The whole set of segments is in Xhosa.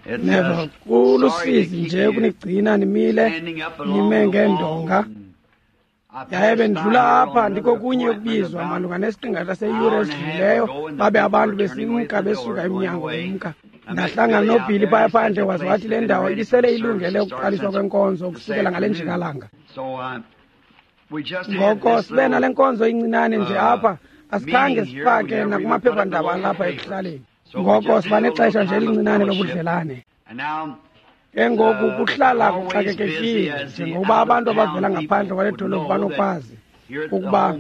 Neville. Neville, kulusizi nje kunigcina nimile nime ngeendonga. Yaye bendidlula apha ndikokunye ukubizwa malunga nesiqingatha seyure esidlulileyo, babe abantu besimka besuka emnyango bemka. Ndahlangana noBilly phaya phandle waze wathi le ndawo ibisele ilungele ukuqaliswa kwenkonzo ukusukela ngale njikalanga. Ngoko sibe nale nkonzo incinane nje apha, asikhange sifake nakumaphephandaba alapha ekuhlaleni. Ngoko siba nexesha nje elincinane lobudlelane. Ke ngoku kuhlala kuxakekekile njengokuba abantu abavela ngaphandle kwale dolophu banokwazi ukuba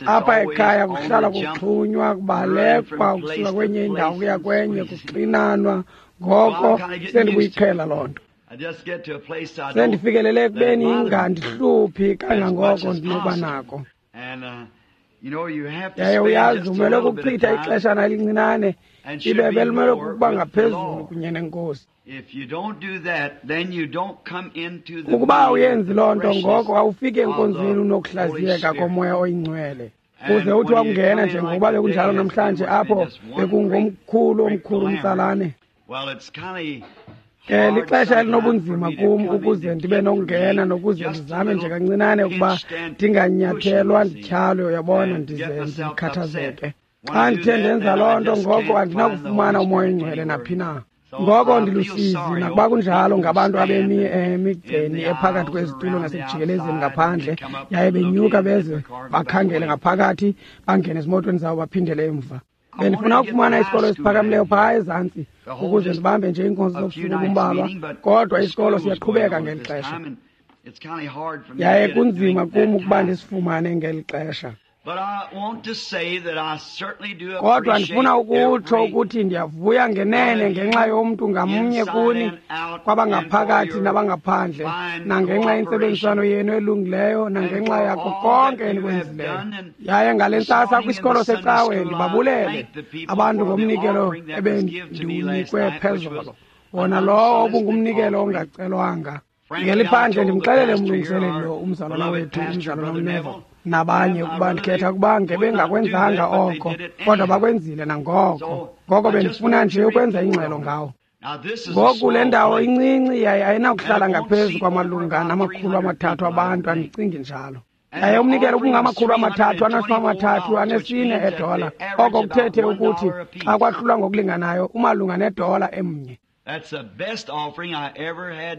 apha ekhaya kuhlala kuxhunywa, kubalekwa ukusuka kwenye indawo kuya kwenye, kuxinanwa. Ngoko sendibuyiqhela loo nto. Sendifikelele ekubeni ingandihluphi kangangoko ndinokuba nako. Yaye uyazi umele ukuchitha ixeshana elincinane, ibe belimele kukuba ngaphezulu kunye nenkosi. Ukuba awuyenzi loo nto, ngoko awufiki enkonzweni unokuhlaziyeka komoya oyingcwele. Uze uthi wakungena njengokuba bekunjalo namhlanje apho bekungomkhulu omkhulu umtsalane. Ke lixesha elinobunzima kum ukuze ndibe nokungena nokuze ndizame nje kancinane ukuba ndinganyathelwa ndityhalwe, uyabona, ndize ndikhathazeke. Xa ndithe ndenza loo nto, ngoko andinakufumana umoya oyingcwele naphi na. Ngoko ndilusizi nakuba kunjalo ngabantu abemi emigceni ephakathi kwezitulo nasekujikelezeni ngaphandle, yaye benyuka beze bakhangele ngaphakathi, bangene ezimotweni zabo baphindele emva. Bendifuna ukufumana isikolo esiphakamileyo phaa ezantsi ukuze ndibambe nje iinkonzo zobusuku obumbalwa, kodwa isikolo siyaqhubeka ngeli xesha. Yaye kunzima kum ukuba ndisifumane ngeli xesha. Kodwa ndifuna ukutsho ukuthi ndiyavuya ngenene ngenxa yomntu ngamnye kuni, kwabangaphakathi nabangaphandle, nangenxa yentsebenziswano yenu elungileyo, nangenxa yako konke enikwenzileyo. Yaye ngale ntsasa kwisikolo secawe ndibabulele abantu ngomnikelo ebendiwunikwe phezolo, wona lowo obungumnikelo ongacelwanga. Ngeliphandle ndimxelele umlungiseleli lo, umzalwana wethu, umzalwana uNeville, nabanye ukuba ndikhetha ukuba ngebengakwenzanga oko, kodwa bakwenzile nangoko. Ngoko bendifuna nje ukwenza ingxelo ngawo. Ngoku le ndawo incinci yaye ayinakuhlala ngaphezu kwamalunga nama-300 abantu, andicingi njalo. Yaye umnikelo ubungama-334 edola, oko kuthethe ukuthi xa kwahlulwa ngokulinganayo umalunga nedola emnye.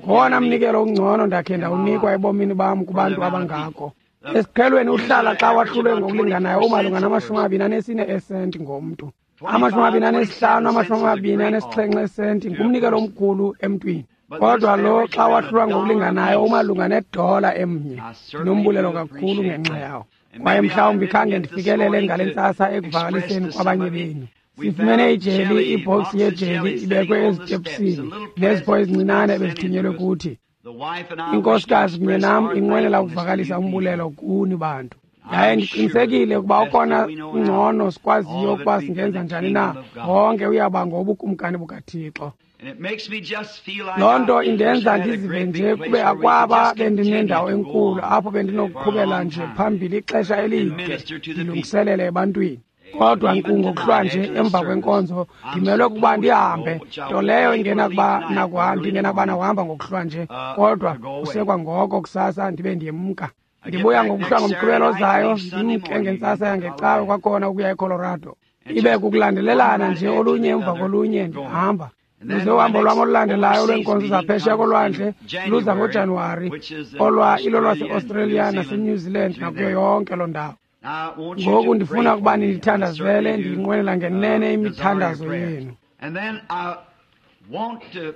Ngowona mnikelo ungcono ndakhe ndawunikwa ebomini bam kubantu abangako. Esiqhelweni uhlala xa wahlulwe ngokulinganayo umalunga nama-24 esenti ngomntu. 25, 27 esenti ngumnikelo omkhulu emntwini. Kodwa lo xa wahlulwa ngokulinganayo umalunga nedola emnye. Ndinombulelo kakhulu ngenxa yawo. Kwaye mhlawumbi khange ndifikelele ngale ntsasa ekuvakaliseni kwabanye benu. Sifumene ijeli, ibhoksi yejeli ibekwe ezitepsini nezipho ezincinane ebezithunyelwe kuthi. Inkosikazi kunye nam inqwenela ukuvakalisa umbulelo kuni bantu. Yaye ndiqinisekile ukuba okona ngcono sikwaziyo ukuba singenza njani na, wonke uyaba ngobukumkani bukaThixo. Loo nto indenza ndizive nje kube akwaba bendinendawo enkulu apho bendinokuqhubela nje phambili ixesha elide ndilungiselele ebantwini. Kodwa nkqu ngokuhlwa nje emva kwenkonzo ndimelwe ukuba ndihambe, nto leyo ingenakuba nakuhamba ngokuhlwa nje, kodwa kusekwangoko kusasa ndibe ndiyemka. Ndibuya ngokuhlwa ngomgqibelo ozayo, ndimke ngentsasa yangecawe kwakhona ukuya eColorado. Ibe kukulandelelana nje olunye emva kolunye ndihamba. Luze uhambo lwam olulandelayo lweenkonzo zaphesheya kolwandle luza ngoJanuwari, olwa ilo lwaseAustralia naseNew Zealand nakuyo yonke loo ndawo. Ngoku ndifuna ukuba nindithandazele, ndiyinqwenela ngenene imithandazo yenu.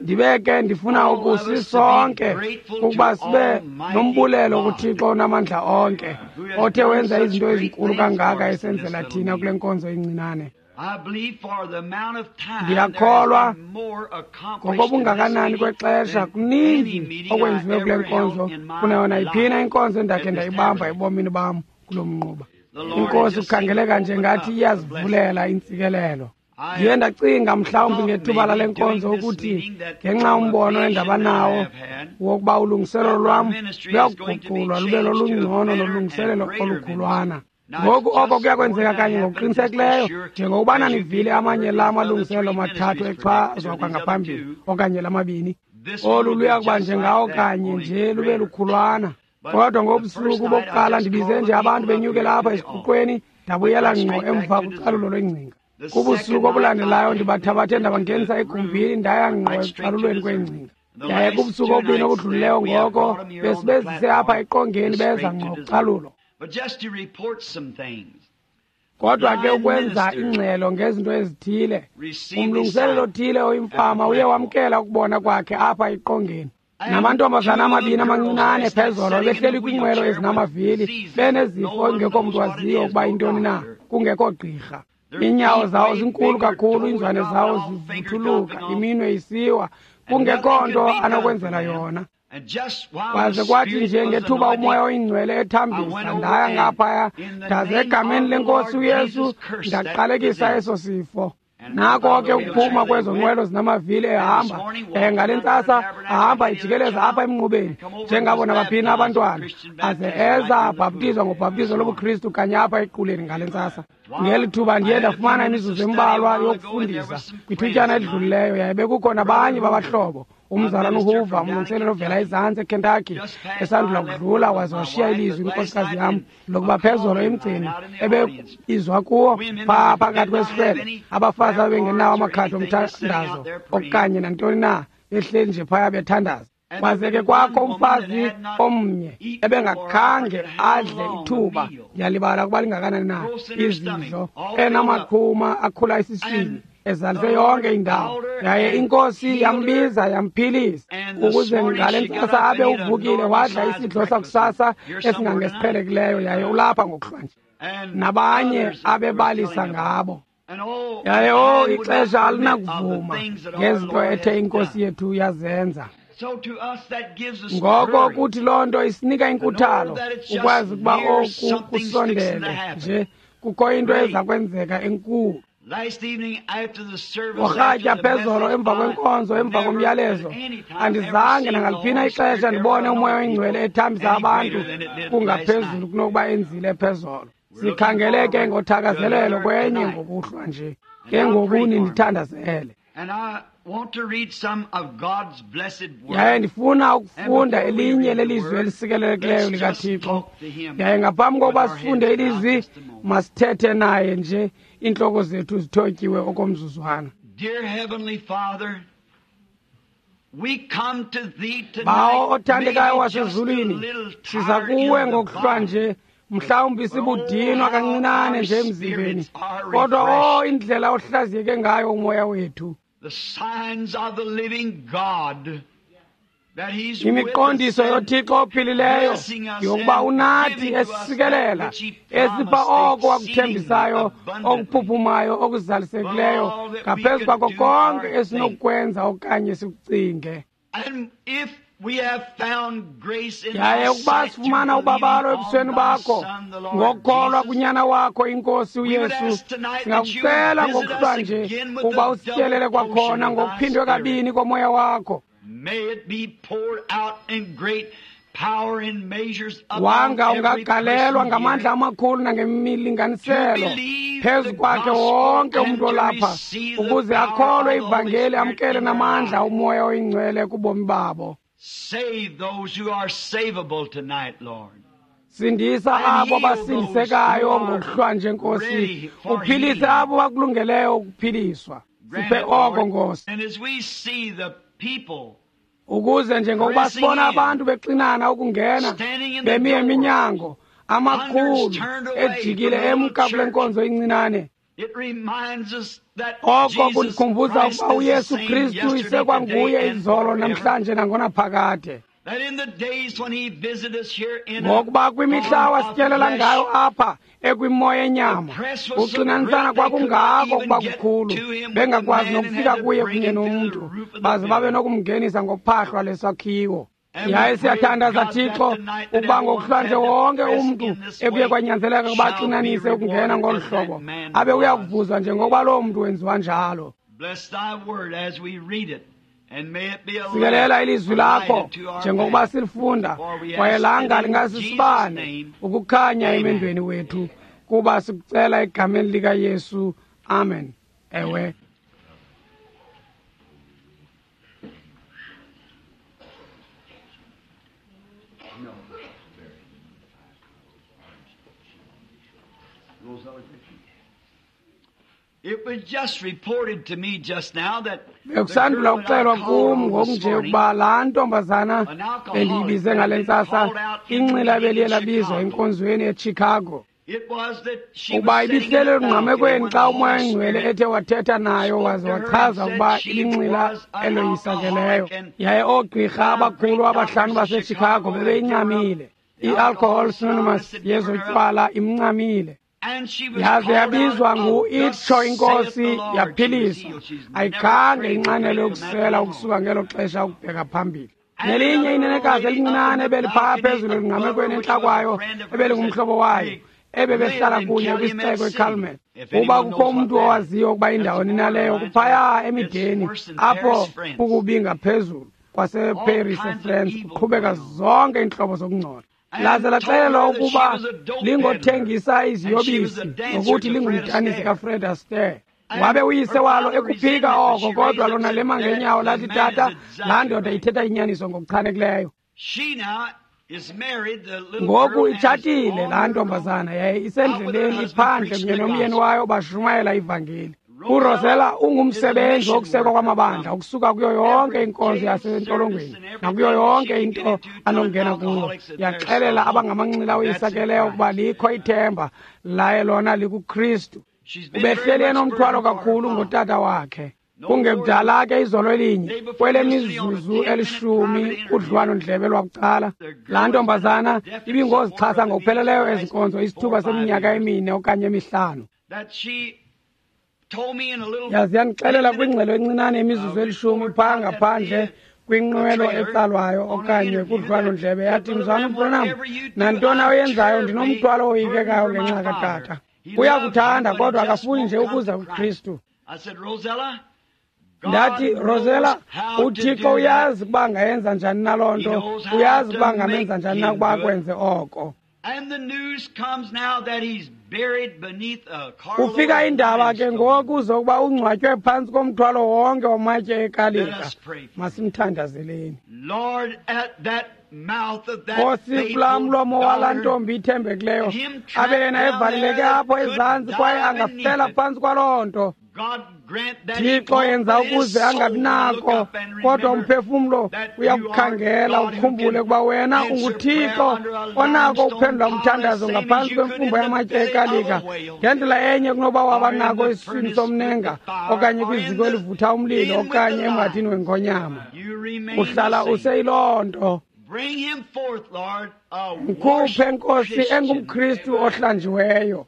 Ndibe ke ndifuna ukusisonke ukuba sibe nombulelo kuThixo onamandla onke, othe wenza izinto ezinkulu kangaka esenzela thina kule nkonzo incinane. Ndiyakholwa ngokobungakanani kwexesha kuninzi okwenziwe kule nkonzo kunayo nayiphina inkonzo endakhe ndayibamba ebomini bam kulo mnquba. Inkosi kukhangeleka nje ngathi iyazivulela intsikelelo. Ndiye ndacinga mhlawumbi ngethuba lale nkonzo ukuthi ngenxa umbono endabanawo wokuba ulungiselelo lwam luyakuguqulwa lube lolungcono nolungiselelo olukhulwana. Ngoku oko kuyakwenzeka kanye ngokuqinisekileyo njengokubana nivile amanye la malungiselelo mathathu echazwa kwangaphambili okanye lamabini. Olu luya kuba njengawo kanye nje lube lukhulwana. Kodwa ngobusuku bokuqala ndibize nje abantu benyukela apha esiguqweni, ndabuyela ngqo emva kucalulo lwengcinga. Kubusuku obulandelayo ndibathabathe ndabangenisa egumbini, ndaya ngqo ekucalulweni kwengcinga. Yaye kubusuku obubini obudlulileyo ngoko besibezise apha eqongeni beza ngqo kucalulo. Kodwa ke ukwenza ingxelo ngezinto ezithile, umlungiselelo othile oyimfama uye wamkela ukubona kwakhe apha eqongeni. Namantombazana amabini amancinane phezolo behleli kwiinqwelo ezinamavili, benezifo engekho mntu waziyo ukuba yintoni na, kungekho gqirha. Iinyawo zawo zinkulu kakhulu, iinzwane zawo zivuthuluka, iminwe isiwa, kungekho nto anokwenzela yona. Kwaze kwathi nje ngethuba uMoya oyiNgcwele ethambisa, ndaya ngaphaya, ndaze egameni leNkosi uYesu ndaqalekisa eso sifo. Nako ke ukuphuma kwezo nqwelo zinamavili ehamba, ngale ntsasa ahamba ijikeleza apha emnqubeni njengabo nabaphina abantwana, aze eza abhaptizwa ngobhaptizo lobuKristu kanye apha equleni ngale ntsasa. Ngeli thuba ndiye ndafumana imizuzu embalwa yokufundisa kwithutyana elidlulileyo, yaye bekukho nabanye babahlobo. Umzalwana uHoover, umlungiseleli ovela ezantsi eKentucky, esandula kudlula waze washiya ilizwi inkosikazi yam lokuba phezolo emgceni ebebizwa kuwo phaa phakathi kwesihlwele, abafazi ababengenawo amakhadi omthandazo okanye nantoni na, behleli nje phaya bethandaza. Kwaze ke kwakho umfazi omnye ebengakhange adle ithuba, ndiyalibala ukuba lingakanani na, izidlo, enamaqhuma akhula esiswini ezalise yonke indawo. Yaye iNkosi yambiza yamphilisa, ukuze ngale ntsasa abe uvukile wadla isidlo sakusasa esingangesiqhelekileyo, yaye ulapha ngokuhlwa nje. Nabanye abebalisa ngabo. Yaye o ixesha alinakuvuma ngezinto ethe iNkosi yethu yazenza. Ngoko kuthi loo nto isinika inkuthalo ukwazi ukuba oku kusondele nje, kukho into eza kwenzeka enkulu. Ngorhatya phezolo emva kwenkonzo, emva komyalezo, andizange nangaliphina ixesha ndibone uMoya oyiNgcwele ethambisa abantu kungaphezulu kunokuba enzile phezolo. Sikhangele ke ngothakazelelo kwenye ngokuhlwa nje. Ke ngoku nindithandazele. Yaye ndifuna ukufunda elinye lelizwi elisikelelekileyo likaThixo. Yaye ngaphambi kokuba sifunde ilizwi, masithethe naye nje, iintloko zethu zithotyiwe okomzuzwana. Bawo othandekayo wasezulwini, siza kuwe ngokuhlwa nje, mhlawumbi sibudinwa kancinane nje emzimbeni, kodwa o indlela ohlaziyeke ngayo umoya wethu. Imiqondiso yoThixo ophilileyo yokuba unathi esisikelela, esipha oko wakuthembisayo, okuphuphumayo, okuzalisekileyo ngaphezu kwako konke esinokukwenza okanye sikucinge. Yaye ukuba sifumana ubabalo ebusweni bakho ngokukholwa kunyana wakho iNkosi uYesu, singakucela ngokuhlwa nje ukuba usityelele kwakhona ngokuphindwe kabini komoya wakho. Wanga ungagalelwa ngamandla amakhulu nangemilinganiselo phezu kwakhe wonke umntu olapha, ukuze akholwe ivangeli, amkele namandla uMoya oyiNgcwele kubomi babo. Sindisa abo basindisekayo ngokuhlwa nje, Nkosi. Uphilise abo bakulungeleyo ukuphiliswa. Siphe oko, Nkosi. Ukuze njengokuba sibona abantu bexinana ukungena, bemi eminyango, amakhulu ejikile emka kule nkonzo incinane, oko kundikhumbuza ukuba uYesu Kristu isekwanguye izolo, namhlanje nangonaphakade. Ngokuba kwimihla wasityelela ngayo apha ekwimoya enyama, uxinanisana kwakungako ukuba kukhulu, bengakwazi nokufika kuye kunye nomntu, baze babe nokumngenisa ngophahlwa lesakhiwo. Yaye siyathandaza, Thixo, ukuba ngokuhlwa nje wonke umntu ekuye kwanyanzeleka ukuba axinanise ukungena ngolu hlobo, abe uya kuvuzwa njengokuba loo mntu wenziwa njalo. Sikelela ilizwi lakho njengokuba silifunda, kwaye langa lingasisibane ukukhanya emendweni wethu. Kuba sikucela egameni likaYesu. Amen. Ewe. It was just reported to me just now that bekusandula ukuxelwa kum ngokunje ukuba laa ntombazana bendiyibize ngale ntsasa inxila beliye labizwa enkonzweni eChicago. Ukuba ibihlele elungqamekweni xa uMoya oyiNgcwele ethe wathetha nayo waze wachaza ukuba ilinxila eloyisakeleyo. Yaye oogqirha abakhulu abahlanu baseChicago bebeyincamile. I-Alcohol Anonymous yezotywala imncamile. Yaze yabizwa ngu-Itsho iNkosi, yaphiliswa. Ayikhange inxanele ukusela ukusuka ngelo xesha ukubheka phambili. Nelinye inenekazi elincinane ebeliphaa phezulu elungqamekweni entla kwayo ebelingumhlobo wayo, ebebehlala kunye kwisixeko eCalmet. Uba kukho umntu owaziyo ukuba indawoni naleyo, kuphaya emideni apho kukubi ngaphezulu kwaseParis eFrance, kuqhubeka zonke iintlobo zokungcola. Laze laxelelwa ukuba lingothengisa iziyobisi nokuthi lingumdanisi kaFred Astaire. Wabe uyise walo ekuphika oko, kodwa lona lema ngenyawo lathi, tata, laa ndoda ithetha inyaniso ngokuchanekileyo. Ngoku itshatile laa ntombazana, yaye isendleleni iphandle kunye nomyeni wayo bashumayela ivangeli. URosella ungumsebenzi wokusekwa kwamabandla ukusuka kuyo yonke inkonzo yasentolongweni nakuyo yonke into anongena kuyo. Yaxelela abangamanxila oyisakeleyo ukuba likho ithemba laye lona likuKristu. Ubehleli enomthwalo kakhulu ngotata wakhe. Kungekudala ke izolo elinye kwelemizuzu elishumi udliwano-ndlebe lwabucala, laa ntombazana ibingozixhasa ngokupheleleyo ezi nkonzo isithuba seminyaka emine okanye emihlanu. Yaze yandixelela kwingxelo encinane imizuzu elishumi phaa ngaphandle kwinqwelo etsalwayo okanye kudliwano-ndlebe, yathi, Mzwana uBranham, nantoni oyenzayo ndinomthwalo owoyikekayo ngenxa katata. Uyakuthanda kodwa akafuni nje ukuza kuKristu. Ndathi, Rosella, uThixo uyazi ukuba angayenza njani na loo nto, uyazi ukuba angamenza njani na ukuba akwenze oko. Kufika indaba ke ngoku zokuba ungcwatywe phantsi komthwalo wonke wamatye ekalika. Masimthandazeleni. Nkosi, kulaa mlomo walaa ntombi ithembekileyo, abe yena evaleleke apho ezantsi kwaye angafela phantsi kwaloo nto. Thixo, yenza ukuze angabi nako, kodwa umphefumlo uyakukhangela ukhumbule ukuba wena unguThixo onako ukuphendula umthandazo ngaphantsi kwemfumbo yamatye ekalika ngendlela enye kunoba waba nako esiswini somnenga okanye kwiziko elivutha umlilo okanye emhathini wengonyama. Uhlala useyiloo nto. Mkhuphe, Nkosi, engumKristu ohlanjiweyo.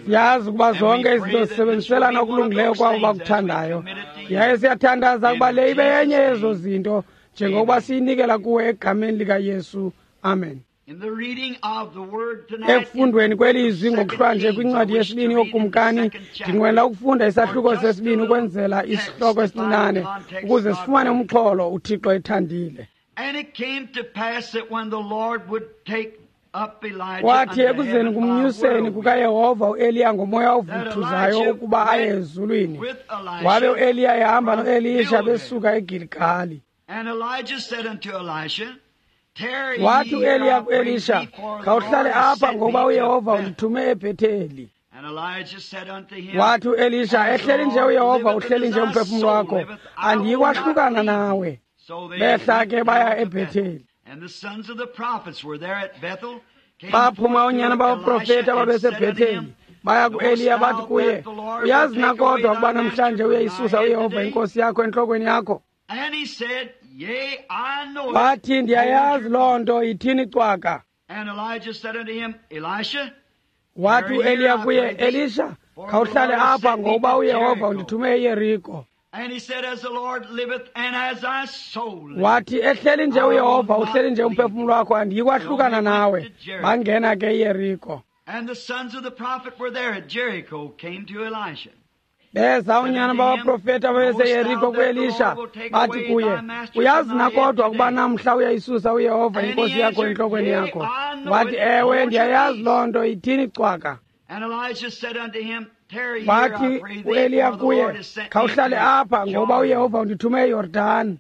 Siyazi ukuba zonke izinto zisebenziselana okulungileyo kwabo bakuthandayo, yaye siyathandaza ukuba le ibe yenye yezo zinto njengokuba siyinikela kuwe egameni likaYesu. Amen. Ekufundweni kwelizwi ngokuhlwanje kwincwadi yesibini yoKumkani, ndinqwenela ukufunda isahluko sesibini ukwenzela isihloko esincinane ukuze sifumane umxholo uThixo ethandile. Kwathi ekuzeni kumnyuseni kukaYehova uEliya ngomoya ovuthuzayo ukuba aye ezulwini, wabe uEliya ehamba noElisha besuka eGiligali. Wathi uEliya kuElisha, khawuhlale apha ngokuba uYehova undithume eBhetheli. Wathi uElisha, ehleli nje uYehova, uhleli nje umphefumlo wakho, andiyikwahlukana nawe. Behla ke baya eBhetheli. Baphuma oonyana babaprofeti ababeseBhetheli, baya kuEliya bathi kuye, uyazi na kodwa ukuba namhlanje uyayisusa uYehova inkosi yakho entlokweni yakho? Wathi, ndiyayazi loo nto, yithini cwaka. Wathi uEliya kuye, Elisha, khawuhlale apha ngokuba uYehova undithume eYeriko. Wathi, ehleli nje uYehova, uhleli nje umphefumlo wakho, andiyikwahlukana nawe. Bangena ke eYeriko. Beza unyana babaprofeti ababeseYeriko kuElisha, bathi kuye, uyazi na kodwa ukuba namhla uyayisusa uYehova inkosi yakho entlokweni yakho? Wathi, ewe, ndiyayazi loo nto, ithini cwaka. Wathi uEliya kuye, khawuhlale apha, ngoba uYehova undithume eYordani.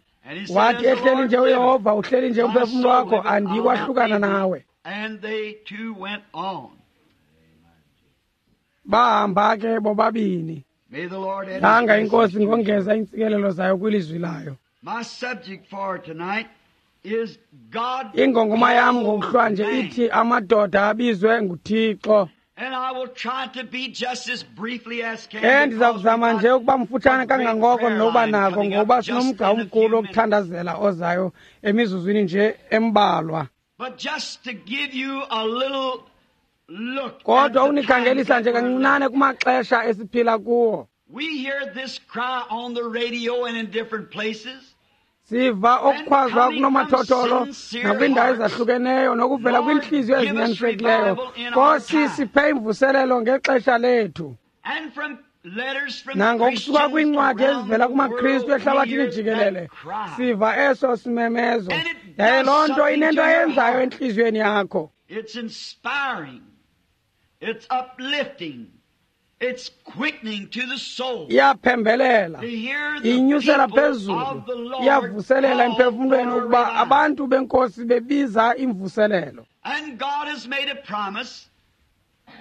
Wathi, ehleli nje uYehova, uhleli nje umphefumlo wakho, andikwahlukana nawe. Bahamba ke bobabini. Nanga inkosi ngongeza iintsikelelo zayo kwilizwi layo. Ingongoma yam ngokuhlwanje ithi amadoda abizwe nguThixo. Ke ndiza kuzama nje ukuba mfutshane kangangoko ndinokuba nako, ngoba sinomgca omkhulu wokuthandazela ozayo emizuzwini nje embalwa. Kodwa unikhangelisa nje kancinane kumaxesha esiphila kuwo. Siva okukhwazwa kunomathotholo nakwiindawo ezahlukeneyo nokuvela kwiintliziyo ezinyanisekileyo. Nkosi, siphe imvuselelo ngexesha lethu. Nangokusuka kwiincwadi ezivela kumaKristu ehlabathini jikelele, siva eso simemezo. Yaye loo nto inento ayenzayo entliziyweni yakho. It's inspiring. It's uplifting. It's quickening to the soul. Iyaphembelela, inyusela phezulu, iyavuselela emphefumlweni ukuba abantu benkosi bebiza imvuselelo. And God has made a promise.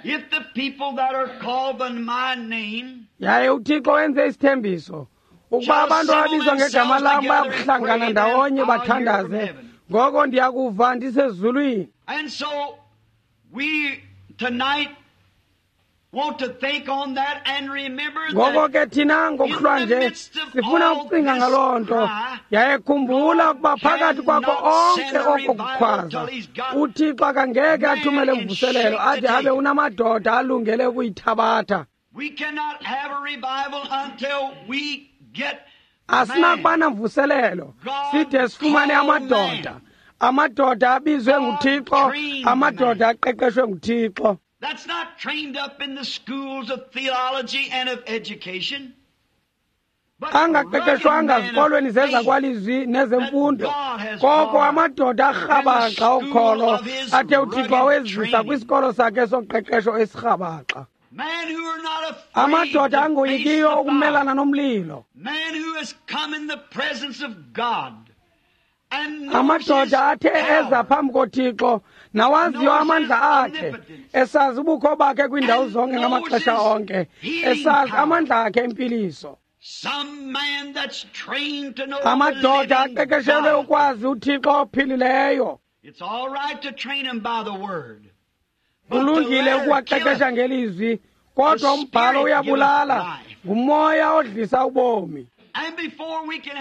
If the people that are called by my name, yaye uThixo wenze isithembiso ukuba abantu ababizwa ngegama lam bayakuhlangana ndawonye bathandaze, ngoko ndiyakuva ndisezulwini. And so we tonight want to think on that and remember ngoko ke thina ngokuhlwanje sifuna ukucinga ngaloo nto. Yaye khumbula ukuba phakathi kwakho onke oko kukhwaza, uThixo akangeke athumele mvuselelo ade abe unamadoda alungele ukuyithabatha. We cannot have a revival until we get Asinakuba namvuselelo side sifumane amadoda. Amadoda abizwe nguThixo, amadoda aqeqeshwe nguThixo. That's not trained up in the schools of theology and of education. Angaqeqeshwanga zikolweni zezakwalizwi nezemfundo, koko amadoda arhabaxa okholo athe uThixo awezisa kwisikolo sakhe soqeqesho esirhabaxa. Amadoda angoyikiyo ukumelana nomlilo. Amadoda athe eza phambi koThixo nawaziyo amandla akhe, esazi ubukho bakhe kwiindawo zonke ngamaxesha onke, esazi amandla akhe empiliso. Amadoda aqeqeshelwe ukwazi uThixo ophilileyo. Kulungile ukuwaqeqesha ngelizwi, kodwa umbhalo uyabulala, ngumoya odlisa ubomi.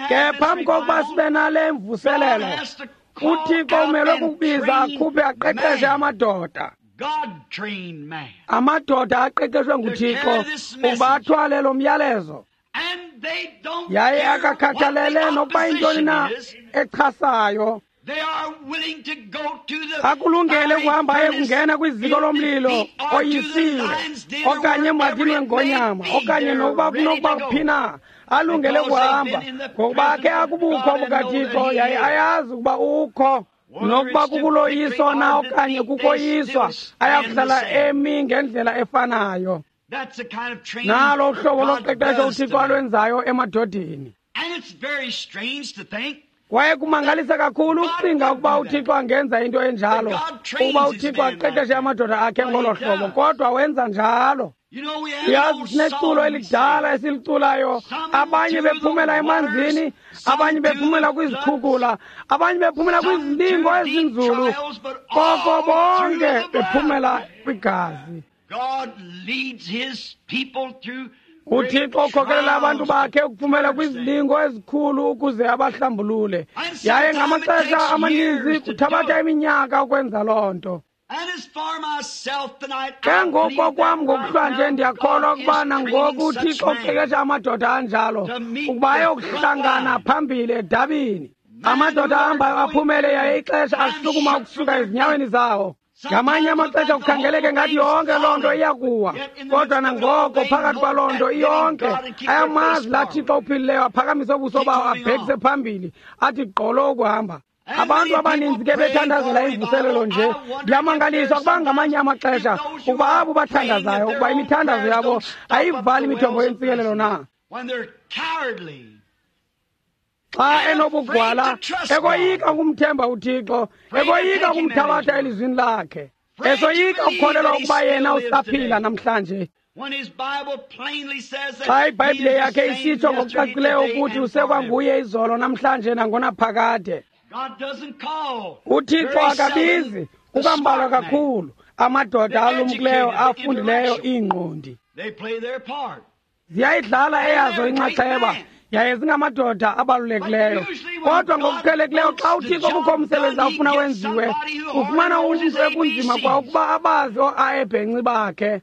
Ke phambi kokuba sibe nale mvuselelo, uThixo umelwe kukubiza akhuphe aqeqeshe amadoda. Amadoda aqeqeshwe nguThixo ukuba athwale lo myalezo. Yaye akakhathalele nokuba yintoni na echasayo. Akulungele ukuhamba aye kungena kwiziko lomlilo oyisiwe, okanye emhadini wengonyama, okanye nokuba kunokuba kuphi na, alungele ukuhamba ngokuba akhe akubukho bukaThixo, yaye ayazi ukuba ukho. Nokuba kukuloyiso na okanye kukoyiswa, ayakuhlala emi ngendlela efanayo. Nalo uhlobo loqeqesho uThixo alwenzayo emadodeni. Kwaye kumangalisa kakhulu ukucinga ukuba uThixo angenza into enjalo, ukuba uThixo aqeqeshe amadoda akhe ngolo hlobo, kodwa wenza njalo. Uyazi, sineculo elidala esiliculayo, abanye bephumela emanzini, abanye bephumela kwizikhukula, abanye bephumela kwizilingo ezinzulu, koko bonke bephumela kwigazi. uThixo ukhokelela abantu bakhe ukuphumela kwizilingo ezikhulu ukuze abahlambulule. Yaye ngamaxesha amaninzi kuthabatha iminyaka ukwenza loo nto. Ke ngoku kwam ngokuhlwanje ndiyakholwa ukuba nangoku uThixo uqeqesha amadoda anjalo ukuba ayokuhlangana phambili edabini. Amadoda ahambayo aphumele yaye ixesha asukuma ukusuka ezinyaweni zawo. Ngamanye amaxesha kukhangeleke ngathi yonke loo nto iyakuwa, kodwa nangoko phakathi kwaloo nto iyonke ayamazi laa Thixo uphilileyo, aphakamise ubuso bawo abhekise phambili, athi gqolo ukuhamba. Abantu abaninzi ke bethandazela imvuselelo nje. Ndiyamangaliswa kuba ngamanye amaxesha ukuba abo bathandazayo ukuba imithandazo yabo ayivali imithombo yentsikelelo na. Xa enobugwala, ekoyika ukumthemba uThixo, ekoyika ukumthabatha elizwini lakhe, esoyika ukukholelwa ukuba yena usaphila namhlanje. Xa iBhayibhile yakhe isitsho ngokucacileyo ukuthi usekwanguye izolo namhlanje nangonaphakade. UThixo akabizi kukambalwa kakhulu amadoda alumkileyo afundileyo iingqondi. Ziyayidlala eyazo inxaxheba, yaye zingamadoda abalulekileyo. Kodwa ngokuqhelekileyo xa uThixo kukho umsebenzi awufuna wenziwe, ufumana umntu ekunzima kwa ukuba abazi oo-aebhenci bakhe.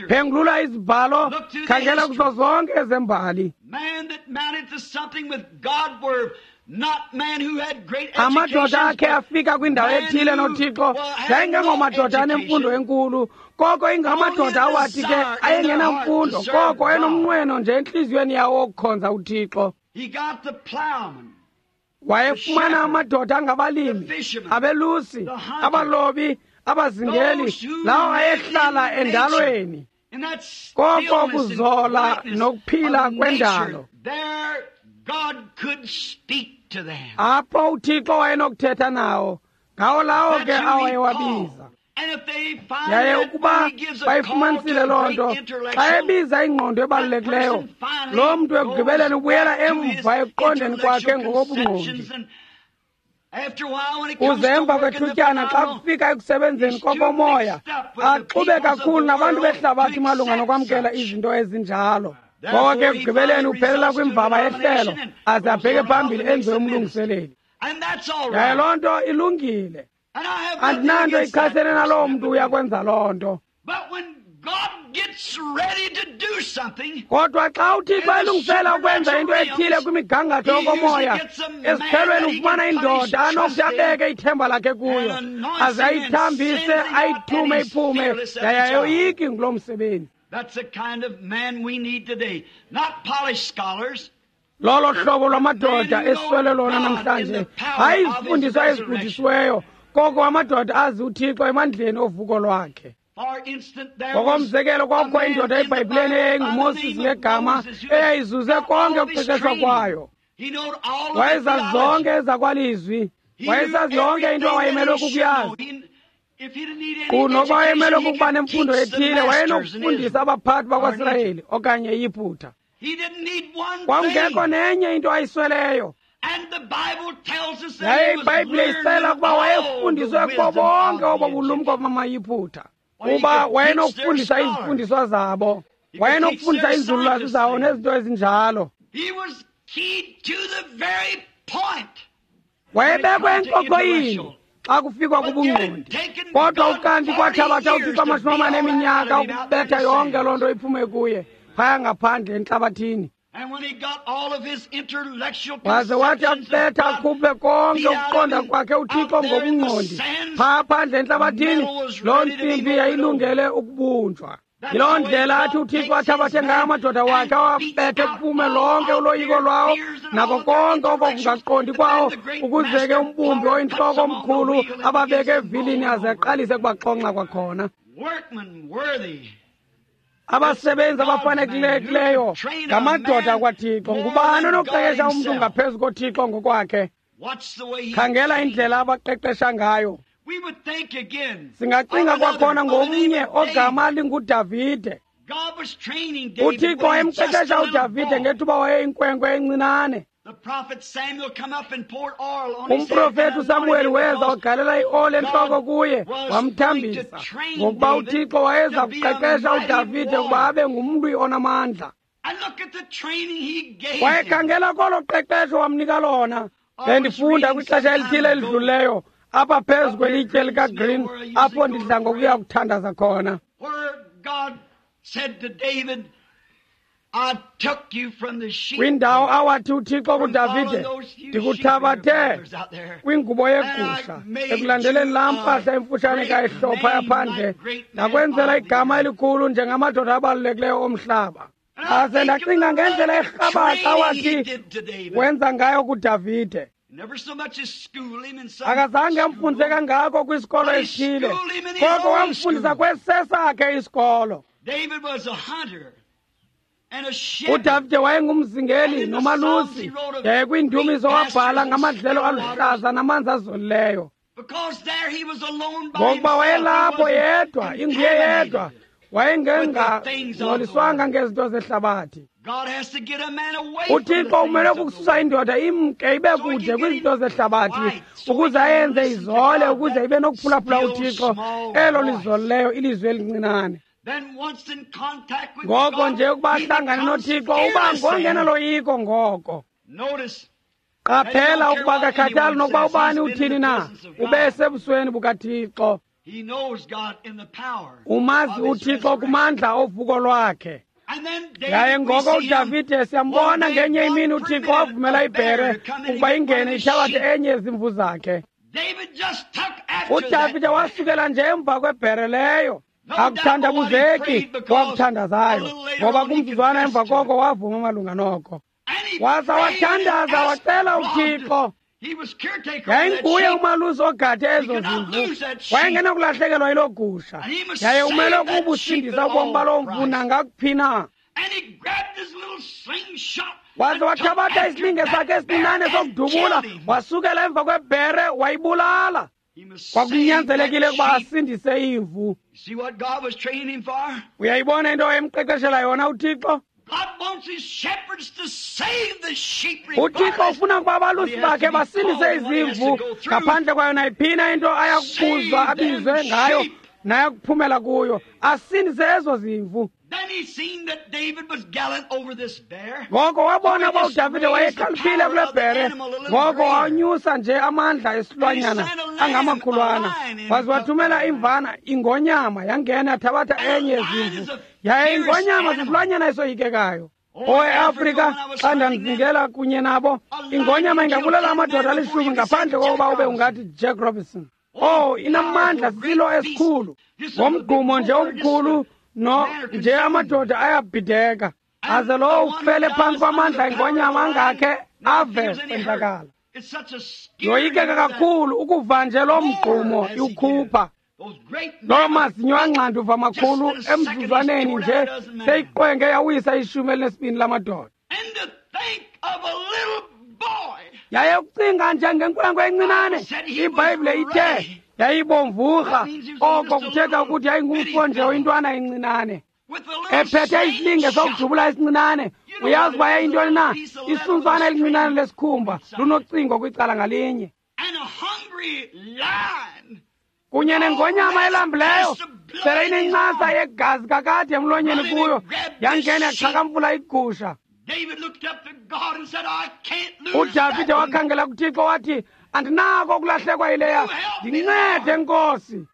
Phengulula izibhalo, khangela kuzo zonke ezembali. Amadoda akhe afika kwindawo ethile noThixo yayingengomadoda anemfundo enkulu, koko ingamadoda awathi ke ayengenamfundo, koko enomnqweno nje entliziyweni yawo wokukhonza uThixo. Wayefumana amadoda angabalimi, abelusi, abalobi, abazingeli, lawo ayehlala endalweni, koko kuzola nokuphila kwendalo. Apho uThixo wayenokuthetha nawo, ngawo lawo ke awayewabiza. Yaye ukuba bayifumanisile loo nto, xa ebiza ingqondo ebalulekileyo, loo mntu ekugqibeleni ubuyela emva ekuqondeni kwakhe ngokobungqondi. Kuze emva kwethutyana xa kufika ekusebenzeni kokomoya, axube kakhulu nabantu behlabathi malunga nokwamkela izinto ezinjalo. Ngoko ke ekugqibeleni uphelela kwimvaba yehlelo aze abheke phambili enziwe umlungiseleli. Yaye loo nto ilungile. Andinanto ichasene naloo mntu uyakwenza loo nto. Kodwa xa uThixo elungisela ukwenza into ethile kwimigangatho yokomoya, esiphelweni ufumana indoda anokuthi abeke ithemba lakhe kuyo, aze ayithambise, ayithume iphume, yaye ayoyiki nguloo msebenzi. Lolo hlobo lwamadoda esiswele lona namhlanje, hayi izifundiswa ezigudisiweyo, koko amadoda azi uThixo emandleni ovuko lwakhe. Ngokomzekelo, kwakukho indoda eBhayibhileni eyayinguMoses ngegama, eyayizuze konke ukuqeqeshwa kwayo. Wayezazi zonke ezakwalizwi, wayesazi yonke into awayemelwe kukuyazi. Kunokuba wayemelwe kukuba nemfundo ethile, wayenokufundisa abaphathi bakwaSirayeli okanye iYiputa. Kwakungekho nenye into ayisweleyo. Yaye iBhayibhile isixelela ukuba wayefundiswe kubo bonke obo bulumko bamaYiputa, kuba wayenokufundisa izifundiswa zabo, wayenokufundisa inzululwazi zawo nezinto ezinjalo. Wayebekwe enkokoyini xa kufikwa kubungqondi, kodwa ukanti kwathabatha uThixo 40 eminyaka ukubetha yonke loo nto iphume kuye phaya ngaphandle entlabathini. Waze wathi akubetha akhuphe konke ukuqonda kwakhe uThixo ngobungqondi phaa phandle entlabathini, loo ntsimbi yayilungele ukubunjwa. Yiloo ndlela athi uThixo athabathe ngayo amadoda wakhe, awabethe kuphume lonke uloyiko lwawo nako konke oko kungaqondi kwawo, ukuze ke umbumbi oyintloko omkhulu ababeke evilini aze aqalise kubaxonxa kwakhona. Abasebenzi abafanelekileyo ngamadoda kwaThixo. Ngubani onokuqeqesha umntu ngaphezu koThixo ngokwakhe? Khangela indlela abaqeqesha ngayo. Singacinga kwakhona ngomnye ogama linguDavide. UThixo wayemqeqesha uDavide ngethuba wayeyinkwenkwe encinane. Umprofeti uSamuweli weza wagalela ioli entloko kuye wamthambisa, ngokuba uThixo wayeza kuqeqesha uDavide ukuba abe ngumlwi onamandla. Wayekhangela kolo qeqesho wamnika lona. Bendifunda kwixesha elithile elidlulileyo apha phezu kwelitye likaGreen, apho ndidla ngokuya kuthandaza khona. Kwindawo awathi uThixo kuDavide, ndikuthabathe kwingubo yegusha, ekulandeleni laa mpahla emfutshane kayihlopha yaphandle, ndakwenzela igama elikhulu njengamadoda abalulekileyo omhlaba. Aze ndacinga ngendlela erhabaxa awathi wenza ngayo kuDavide. Akazange amfundise kangako kwisikolo esithile, koko wamfundisa kwesesakhe isikolo. UDavide wayengumzingeli nomalusi, yaye kwiindumiso wabhala ngamadlelo aluhlaza namanzi azolileyo. Ngokuba wayelapho yedwa, inguye yedwa, wayengengangcoliswanga ngezinto zehlabathi. UThixo umele ukususa indoda imke ibe kude kwizinto zehlabathi ukuze ayenze izole, ukuze ibe nokuphulaphula uThixo elo lizolileyo ilizwi elincinane. Ngoko nje ukuba ahlangane noThixo uba ngongenaloyiko ngoko. Qaphela ukuba kakhathali nokuba ubani uthini na, ube sebusweni bukaThixo. Umazi uThixo kumandla ovuko lwakhe. Yaye ngoko uDavide siyambona ngenye imini uThixo wavumela ibhere ukuba ingene ithabathe enye yezimvu zakhe. UDavide wasukela nje emva kwebhere leyo. Akuthandabuzeki wakuthandazayo, ngoba kumzuzwana emva koko wavuma malunga noko. Waza wathandaza wacela uThixo. Yayinguye umalusi ogade ezo zimvu, wayengenakulahlekelwa yiloo gusha, yaye umele ukubusindisa ubomi baloo mvu nangakuphi na. Waze wathabatha isilinge sakhe esincinane sokudubula, wasukela emva kwebhere wayibulala. Kwakunyanzelekile ukuba asindise imvu. Uyayibona into emqeqeshela yona uThixo? UThixo ufuna ukuba abalusi bakhe basindise izimvu ngaphandle kwayo nayiphina into ayakubuzwa abizwe ngayo nayakuphumela kuyo, asindise ezo zimvu. Ngoko wabona uba uDavide wayekhaliphile kule bhere, ngoko wanyusa nje amandla esilwanyana angamakhulwana, waze wathumela imvana ingonyama yangena yathabatha enye yezimvu. Yaye ingonyama sisilwanyana esoyikekayo. Owe-Afrika, xa ndandizingela kunye nabo, ingonyama ingabulala amadoda alishumi ngaphandle kokuba ube ungathi Jack Robinson. Oh, inamandla, sisilo esikhulu. Ngomgqumo nje omkhulu no nje amadoda ayabhideka, aze lowo ufele phantsi kwamandla engonyama angakhe ave kwenzakala. Yoyikeka kakhulu ukuva nje loo mgqumo iwukhupha. Loo mazinyo angxanduva makhulu emzuzwaneni nje seyiqwenge yawisa 12 lamadoda. Yaye ukucinga nje ngenkwenkwe encinane, iBhayibhile ithe yayibomvurha, oko kuthetha ukuthi yayingumfo nje oyintwana encinane ephethe isilinge sokudubula esincinane. Uyazi uba yayintoni na? Isuntswana elincinane lesikhumba lunocingo kwicala ngalinye, kunye nengonyama elambileyo sele inencasa yegazi kakade emlonyeni kuyo, yangena yaxhakamfula igusha. UDavide wakhangela kuThixo wathi, andinako ukulahlekwa yileya, ndincede Nkosi.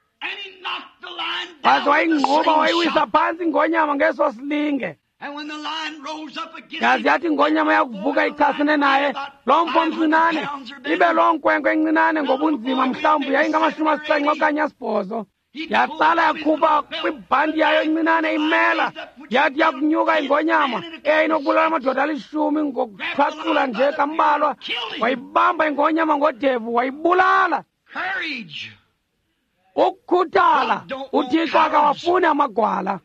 Waze wayingquba wayiwisa phantsi ingonyama ngeso silinge. Yaze yathi ingonyama yakuvuka ichasene naye, loo mfo mncinane, ibe loo nkwenkwe encinane ngobunzima mhlawumbi yayingama-70 okanye 8. Yatsala yakhupha kwibhanti yayo encinane imela, yathi yakunyuka ingonyama eyayinokubulala amadoda alishumi ngokuthwaxula nje kambalwa, wayibamba ingonyama ngodevu wayibulala. Ukukhuthala, uThixo akawafuni amagwala.